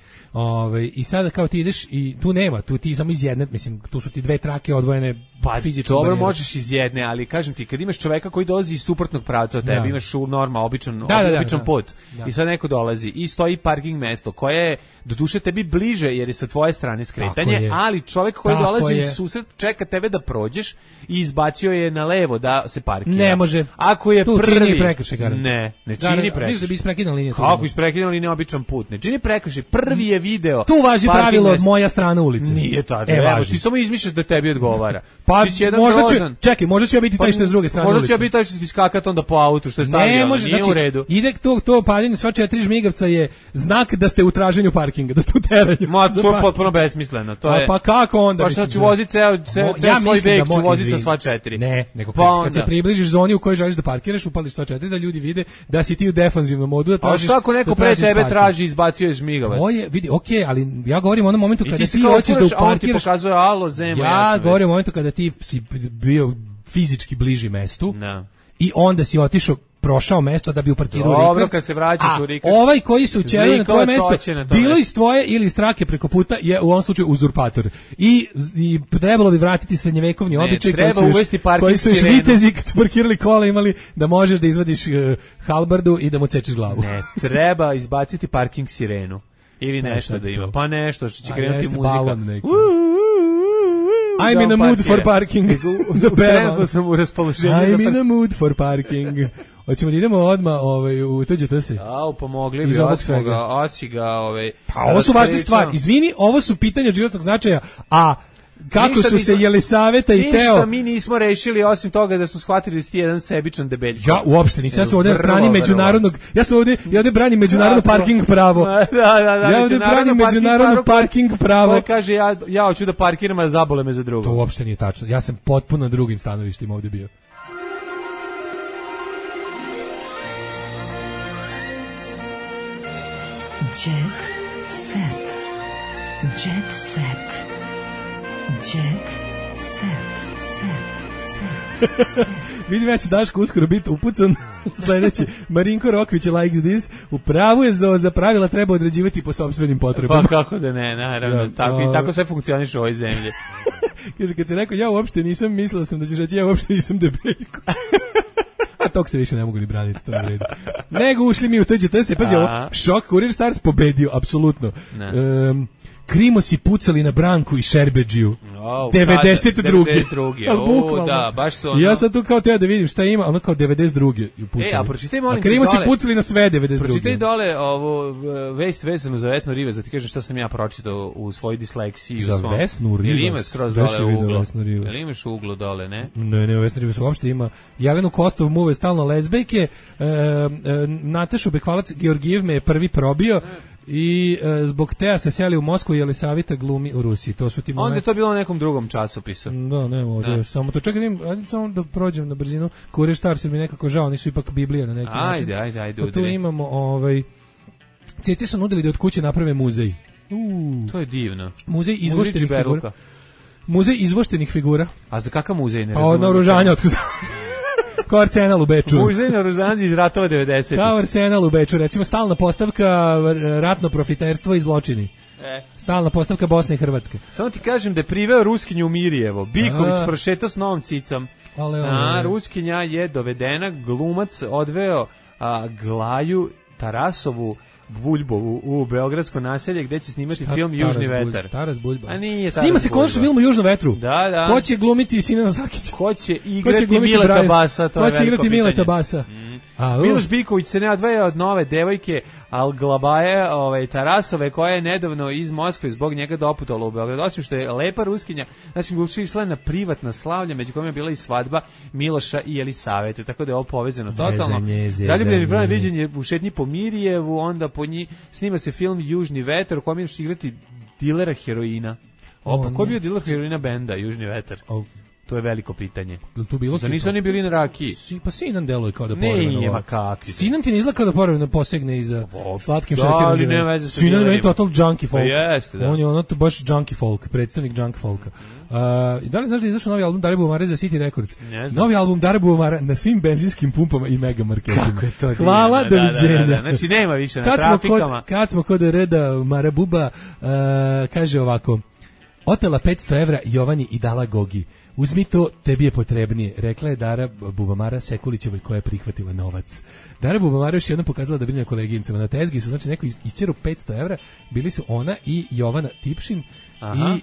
Speaker 6: I sada kao ti ideš i tu nema, tu ti samo iz jedne, mislim, tu su ti 2 trake odvojene fizički.
Speaker 5: Dobro, možeš iz jedne, ali kažem ti, kad imaš čoveka koji dolazi iz suprotnog pravca od tebe, imaš običan put. I sad neko dolazi i stoji parking mesto koje je doduše tebi bliže jer je sa tvoje strane skretanje, ali čovjek koji dolazi iz susret čeka tebe da prođeš i izbacio je na levo da se parkira.
Speaker 6: Ne može.
Speaker 5: Ako je
Speaker 6: tu
Speaker 5: prvi
Speaker 6: čini prekršaj,
Speaker 5: ne čini prekršaj.
Speaker 6: Mislim da bi isprekidala liniju.
Speaker 5: Kako isprekidala liniju običan put? Ne čini prekršaj. Prvi je video.
Speaker 6: Tu važi pravilo od moja strana ulice.
Speaker 5: Nije tako. Ti samo izmišljaš da tebi odgovara.
Speaker 6: Pa možda ću ja biti taj što je s druge strane ulice.
Speaker 5: Možda ću ja biti taj što ti skakat onda po autu što je stavio. Nije u redu.
Speaker 6: Ide to paljenje sva 4 žmigavca je znak da ste u traženju parkinga, da ste u teranju.
Speaker 5: To je potpuno besmisleno.
Speaker 6: Pa kako onda?
Speaker 5: Pa sad ću voziti ceo svoj vek, ću voziti sa sva 4.
Speaker 6: Ne, nego kad se približiš zoni u kojoj želiš da parkiraš, upališ sva 4 da ljudi vide da si ti u defanzivnom modu, da tražiš.
Speaker 5: A šta ako neko pre tebe traži, izbacio je žmigavac?
Speaker 6: Vidi, okej, ali ja govorim o onom momentu kada ti hoćeš da uparkiraš.
Speaker 5: Pokazuje alo zemlja.
Speaker 6: Ja govorim o momentu kada ti si bio fizički bliži mestu i onda si otišao, prošao mesto da bi uparkirao Rikverc.
Speaker 5: Dobro, kad se vraćaš u Rikverc.
Speaker 6: Ovaj koji se učelio na tvoje mesto, bilo iz tvoje ili iz trake preko puta, je u ovom slučaju uzurpator. I trebalo bi vratiti srednjevekovni običaj koji su još vitezi kad su parkirali kola imali da možeš da izvadiš halbardu i da mu cečeš glavu.
Speaker 5: Ne, treba izbaciti parking sirenu. Ili nešto da ima. Pa nešto što će krenuti muzika.
Speaker 6: I'm in a mood for parking.
Speaker 5: Trenutno sam u raspoloženju.
Speaker 6: I'm in a mood for parking. Hoćemo da idemo odmah u TGT se.
Speaker 5: Pomogli bi Osiga.
Speaker 6: Pa ovo su važne stvari. Izvini, ovo su pitanja životnog značaja, a kako su se Jelisaveta i Teo...
Speaker 5: Ništa mi nismo rešili, osim toga da smo shvatili da si ti jedan sebičan debeljko.
Speaker 6: Ja uopšte nisam, ja sam ovdje na strani međunarodnog... Ja ovdje branim međunarodno parking pravo. Ja ovdje branim međunarodno parking pravo.
Speaker 5: Ko kaže, ja hoću da parkiram, a zabole me za drugo.
Speaker 6: To uopšte nije tačno. Ja sam potpuno na drugim stanovištima ovdje bio.
Speaker 1: Jet set. Jet set. Jet set.
Speaker 6: Vidim ja će Daško uskoro biti upucan sljedeći. Marinko Rokvić likes this. U pravu je za pravila treba određivati po sopstvenim potrebama.
Speaker 5: Pa kako da ne, naravno. Tako sve funkcioniše u ovoj zemlji.
Speaker 6: Kaže, kad ti rekao, ja uopšte nisam, mislila sam da ćeš reći, ja uopšte nisam debeljko. A tog se više ne mogu ni braniti, to ne redu. Nego ušli mi u TGT se, pazi ovo, šok, Kurir Stars pobedio, apsolutno. Krimosi pucali na Branku i Šerbedžiju. 92.
Speaker 5: Da, baš su ono...
Speaker 6: Ja sam tu kao teo da vidim šta ima, ono kao 92. pucali.
Speaker 5: A pročitaj molim
Speaker 6: te dole... Krimosi pucali na sve 92.
Speaker 5: Pročitaj dole ovo vest vezano za Vesnu Rivez, da ti kažem šta sam ja pročitao u svojoj disleksiji.
Speaker 6: Za Vesnu Rivez?
Speaker 5: Jer ima skroz dole uglo. Jer imaš uglo dole, ne?
Speaker 6: Ne, Vesna Rivez uopšte ima. Jelenu Kostov muve stalno lezbejke, Natašu Bekvalac Georgijev me je prvi probio, i zbog Teja se seli u Moskvu i Jelisavita glumi u Rusiji. To su ti
Speaker 5: onda je to bilo na nekom drugom časopisu.
Speaker 6: Da, ne, ovdje, samo to. Čekaj, samo da prođem na brzinu. Kurir Stars mi nekako žao, nisu ipak Biblija na neki način.
Speaker 5: Ajde.
Speaker 6: Tu imamo, Ceci su nudili da od kuće naprave muzej.
Speaker 5: To je divno.
Speaker 6: Muzej izvoštenih figura. Muzej izvoštenih figura.
Speaker 5: A za kakav muzej? Ne
Speaker 6: pa od naoružanja, otkud kao Arsenal u Beču.
Speaker 5: Muzej naoružanja iz ratova 90.
Speaker 6: Kao Arsenal u Beču, recimo stalna postavka ratno profiterstvo i zločini. Stalna postavka Bosne i Hrvatske.
Speaker 5: Samo ti kažem da je priveo Ruskinju u Mirjevo. Biković prošetao s novom cicom. Ruskinja je dovedena, glumac odveo Glaju Tarasovu Buljbovu u beogradsko naselje gde će snimati film Južni vetar.
Speaker 6: Taras Buljba.
Speaker 5: A nije
Speaker 6: snima se konačno film o Južnom vetru.
Speaker 5: Da.
Speaker 6: Ko će glumiti Sinana Sakića?
Speaker 5: Ko će igrati Mileta Basa?
Speaker 6: Ko će igrati Mileta Basa?
Speaker 5: Miloš Biković se ne odvaja od nove devojke Alglabaje Tarasove, koja je nedavno iz Moskve zbog njega doputala u Beograd. Osim što je lepa Ruskinja, znači Gluši išla na privatna slavlja, među kojima je bila i svadba Miloša i Jelisavete, tako da je ovo povezano totalno. Zaljubljeni broj viđenje u šetnji po Mirjevu, onda po njih snima se film Južni vetar, u kojem će igrati dilera heroina. Ko je bio diler heroina benda Južni vetar? To je veliko pitanje.
Speaker 6: Tu bilo
Speaker 5: da nisu oni bili na rakiji.
Speaker 6: Pa Sinan deluje kao da povremeno.
Speaker 5: Ne, kakvi.
Speaker 6: Sinan ti ne izgleda kao da povremeno posegne iza slatkim
Speaker 5: šećerom.
Speaker 6: Sinan je total junkie folk.
Speaker 5: Jeste, da.
Speaker 6: On je ono baš junkie folk, predstavnik junkie folka. Da li znaš da je izašao novi album Dare Bubamare za City Records? Novi album Dare Bubamare na svim benzinskim pumpama i mega marketima.
Speaker 5: Kako je to?
Speaker 6: Hvala, doviđenja.
Speaker 5: Znači nema više na trafikama.
Speaker 6: Kad smo kod reda Marabuba, kaže ovako: otela 500 evra Jovani i dala Gogi. Uzmi to, tebi je potrebnije, rekla je Dara Bubamara Sekulićevoj koja je prihvatila novac. Dara Bubamara još jednom pokazala da brine koleginicama. Na tezgi su, znači, neko isčeru 500 evra, bili su ona i Jovana Tipšin. I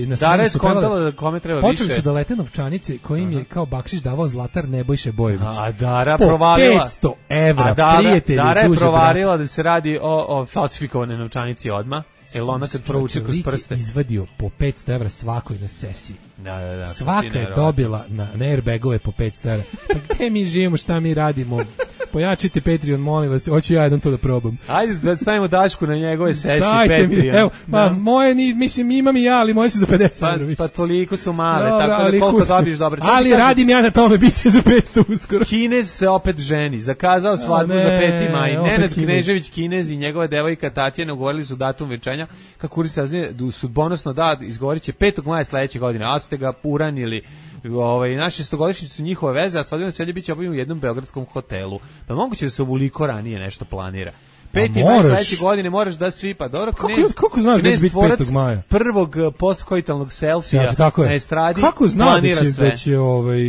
Speaker 6: na
Speaker 5: Dara je skontala da kome treba više.
Speaker 6: Počeli su da lete novčanice kojim je kao bakšiš davao zlatar Nebojše Bojević.
Speaker 5: A Dara provalila
Speaker 6: 500 evra, prijatelji.
Speaker 5: Dara je provalila da se radi o falsifikovane novčanici odmah. Jel ona kad provuče kroz prste?
Speaker 6: Izvadio po 500 evra svakoj na sesiji.
Speaker 5: Da.
Speaker 6: Svaka je dobila na airbagove po 500 evra. Pa gde mi živimo, šta mi radimo? Pojačite Patreon, molim vas, hoću ja jedan to da probam.
Speaker 5: Ajde da stavimo Dašku na njegove sesije
Speaker 6: Patreon. Evo, moje, mislim, imam i ja, ali moje su za 50 evra.
Speaker 5: Pa toliko su male, tako da koliko dobiješ dobro.
Speaker 6: Ali radim ja na tome, bit će za 500 uskoro.
Speaker 5: Kinez se opet ženi, zakazao svadbu za 5. maj. Nenad Knežević Kinez i njegova devojka Tatjana ugovorili su datum venčanja. Kako Kurir saznaje, sudbonosno izgovorit će 5. maja sledeće godine, a ste ga uranili. Na 6-godišnjicu su njihove veze, a svadbeno sredje biće obavljeno u jednom beogradskom hotelu. Pa moguće da se ovoliko ranije nešto planira. 5. maj sledeće godine moraš da svi, pa dobro,
Speaker 6: kako znaš da će biti 5. maja?
Speaker 5: Prvog postkoitalnog selfija na estradi.
Speaker 6: Kako znaš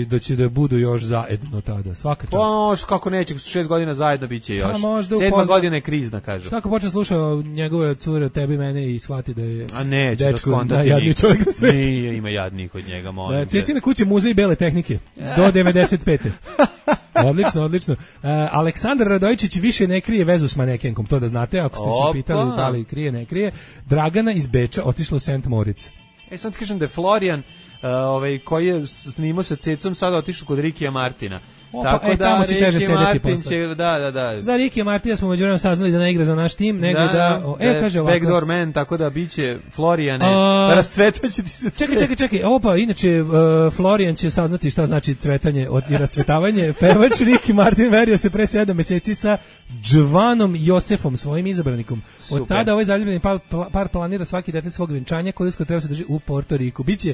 Speaker 6: da će da budu još zajedno tada, svaka čast?
Speaker 5: Pa kako neće, 6 godina zajedno biće još. 7. godina je krizna, kažu.
Speaker 6: Šta ako počne slušao njegove cure, tebi i mene i shvati da je
Speaker 5: dečko
Speaker 6: najjadniji čovjek na svijetu?
Speaker 5: Nije, ima jadnih od njega, molim.
Speaker 6: Cecina kuće muzej bele tehnike, do 95. Odlično. Aleksandar Radojičić više ne krije vezu s manekenkom, to da znate, ako ste se pitali da li krije, ne krije. Dragana iz Beča otišla u St. Moritz.
Speaker 5: Sam ti kažem da je Florian, koji je snimao sa Cecom, sada otišao kod Rikija Martina. Tako da
Speaker 6: tamo će teže sedeti
Speaker 5: posle. Da.
Speaker 6: Za Rikija Martina smo međuvremenu saznali da ne igra za naš tim, nego kaže ovako.
Speaker 5: Backdoor man, tako da biće Florijane, rascvetaće ti se.
Speaker 6: Čekaj, inače Florijan će saznati šta znači cvetanje i rascvetavanje. Pevač Riki Martin verio se pre 7 meseci sa Džvanom Josefom, svojim izabranikom. Od tada ovaj zaljubljeni par planira svaki detalj svog venčanja koji uskoro treba se drži u Porto Riku. Biće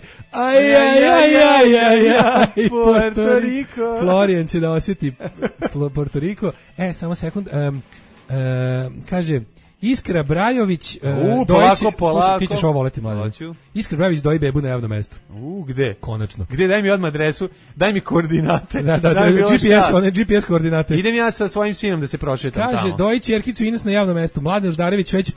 Speaker 6: Porto Riko. Florijan će da osjeti Porto Riko. Samo sekund. Kaže, Iskra Brajović,
Speaker 5: polako.
Speaker 6: Ti ćeš ovo voleti, mladen. Iskra Brajović doji bebu na javnom mestu.
Speaker 5: Gde?
Speaker 6: Konačno.
Speaker 5: Gde, daj mi odmah adresu, daj mi koordinate.
Speaker 6: Da, GPS koordinate.
Speaker 5: Idem ja sa svojim sinom da se prošetam tamo.
Speaker 6: Kaže, doji ćerkicu Ines na javnom mestu. Mladen Ždarević već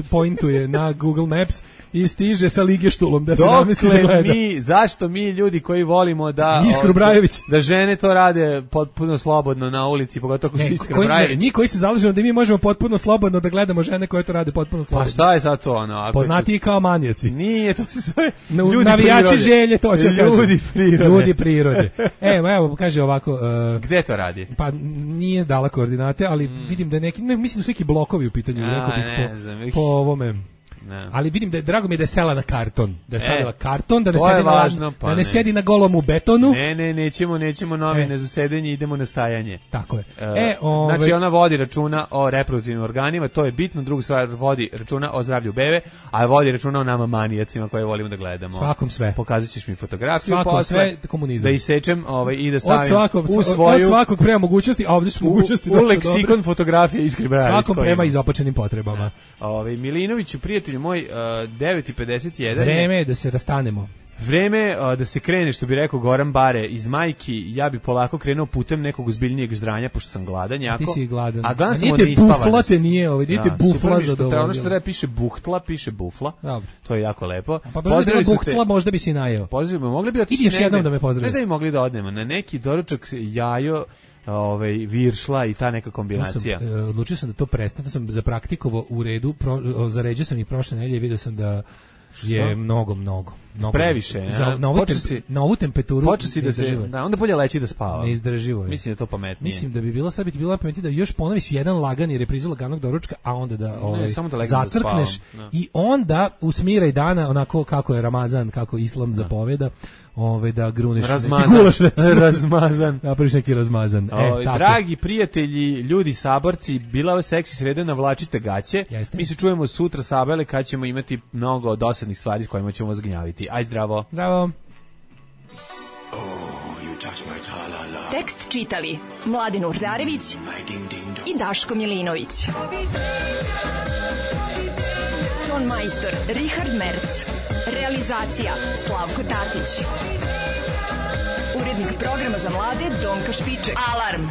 Speaker 6: pointuje na Google Maps i stiže sa ligeštulom da se namesti da gleda.
Speaker 5: Zašto mi ljudi koji volimo da
Speaker 6: Iskru Brajović,
Speaker 5: da žene to rade potpuno slobodno na ulici, pogotovo ako su Iskra Brajović.
Speaker 6: Mi koji se zalažemo da mi možemo potpuno slobodno da gledamo žene koje to rade potpuno slobodno.
Speaker 5: Pa šta je sad to ono?
Speaker 6: Poznati kao manijaci.
Speaker 5: Nije, to se zove
Speaker 6: navijači želje, to ću
Speaker 5: kažem.
Speaker 6: Ljudi prirode. Evo, kaže ovako.
Speaker 5: Gde to radi?
Speaker 6: Pa nije dala koordinate, ali vidim da je neki, mislim da su neki blokovi u pitanju. Po ovome. Ne. Ali vidim da je, drago mi je da je sela na karton, da je stavila karton, da ne sedi važno, da ne sedi na golom u betonu.
Speaker 5: Nećemo novine za sedenje, idemo na stajanje.
Speaker 6: Tako je.
Speaker 5: Znači ona vodi računa o reproduktivnim organima, to je bitno, drugu stvar vodi računa o zdravlju bebe, a vodi računa o nama manijacima koje volimo da gledamo.
Speaker 6: Svakom sve.
Speaker 5: Pokazat ćeš mi fotografiju,
Speaker 6: svakom sve komunizam.
Speaker 5: Da isečem i da stavim u svoju...
Speaker 6: Od svakog prema mogućnosti, a ovdje su mogućnosti
Speaker 5: u leksikon fotografije Iskre Brajović.
Speaker 6: Svakom prema izopačenim potrebama.
Speaker 5: Milinoviću, prijatelju moj, 9:51.
Speaker 6: Vreme je da se rastanemo.
Speaker 5: Vreme da se krene, što bi rekao Goran Bare iz Majki. Ja bi polako krenuo putem nekog ozbiljnijeg ždranja, pošto sam gladan jako.
Speaker 6: Ti si gladan.
Speaker 5: A gladan
Speaker 6: sam od neispavanosti. Nijete bufla za dovoljno.
Speaker 5: Ono što treba piše buhtla, piše bufla.
Speaker 6: Dobro.
Speaker 5: To je jako lepo.
Speaker 6: Pa pozdravi buhtla, možda bi si najeo.
Speaker 5: Pozdravimo, mogli bi otići
Speaker 6: još jednom da me pozdravi.
Speaker 5: Znaš da bi mogli da odnemo na neki doručak jajo, viršla i ta neka kombinacija.
Speaker 6: Odlučio sam da to prestane, da sam zapraktikovo u redu, zaređio sam ih prošle nedelje i vidio sam da je mnogo
Speaker 5: previše,
Speaker 6: na ovu temperaturu
Speaker 5: počeo si da se onda bolje leći da spava.
Speaker 6: Neizdrživo je.
Speaker 5: Mislim da je to pametnije.
Speaker 6: Mislim da bi bilo sad bilo pametnije da još ponoviš jedan lagani reprizu laganog doručka, a onda da zacrkneš i onda usmiraj dana onako kako je Ramazan, kako Islam zapoveda. Da gruneš
Speaker 5: razmazan.
Speaker 6: Napraviš neki razmazan.
Speaker 5: Dragi prijatelji, ljudi saborci, bila je seksi sreda, navlačite gaće. Mi se čujemo sutra sabele kad ćemo imati mnogo dosadnih stvari s kojima ćemo vas gnjaviti. Aj zdravo.
Speaker 6: Zdravo.
Speaker 4: Tekst čitali Mladen Urdarević i Daško Milinović. Ton majstor Richard Merc. Realizacija Slavko Tatić. Urednik programa za mlade Donka Špiček. Alarm!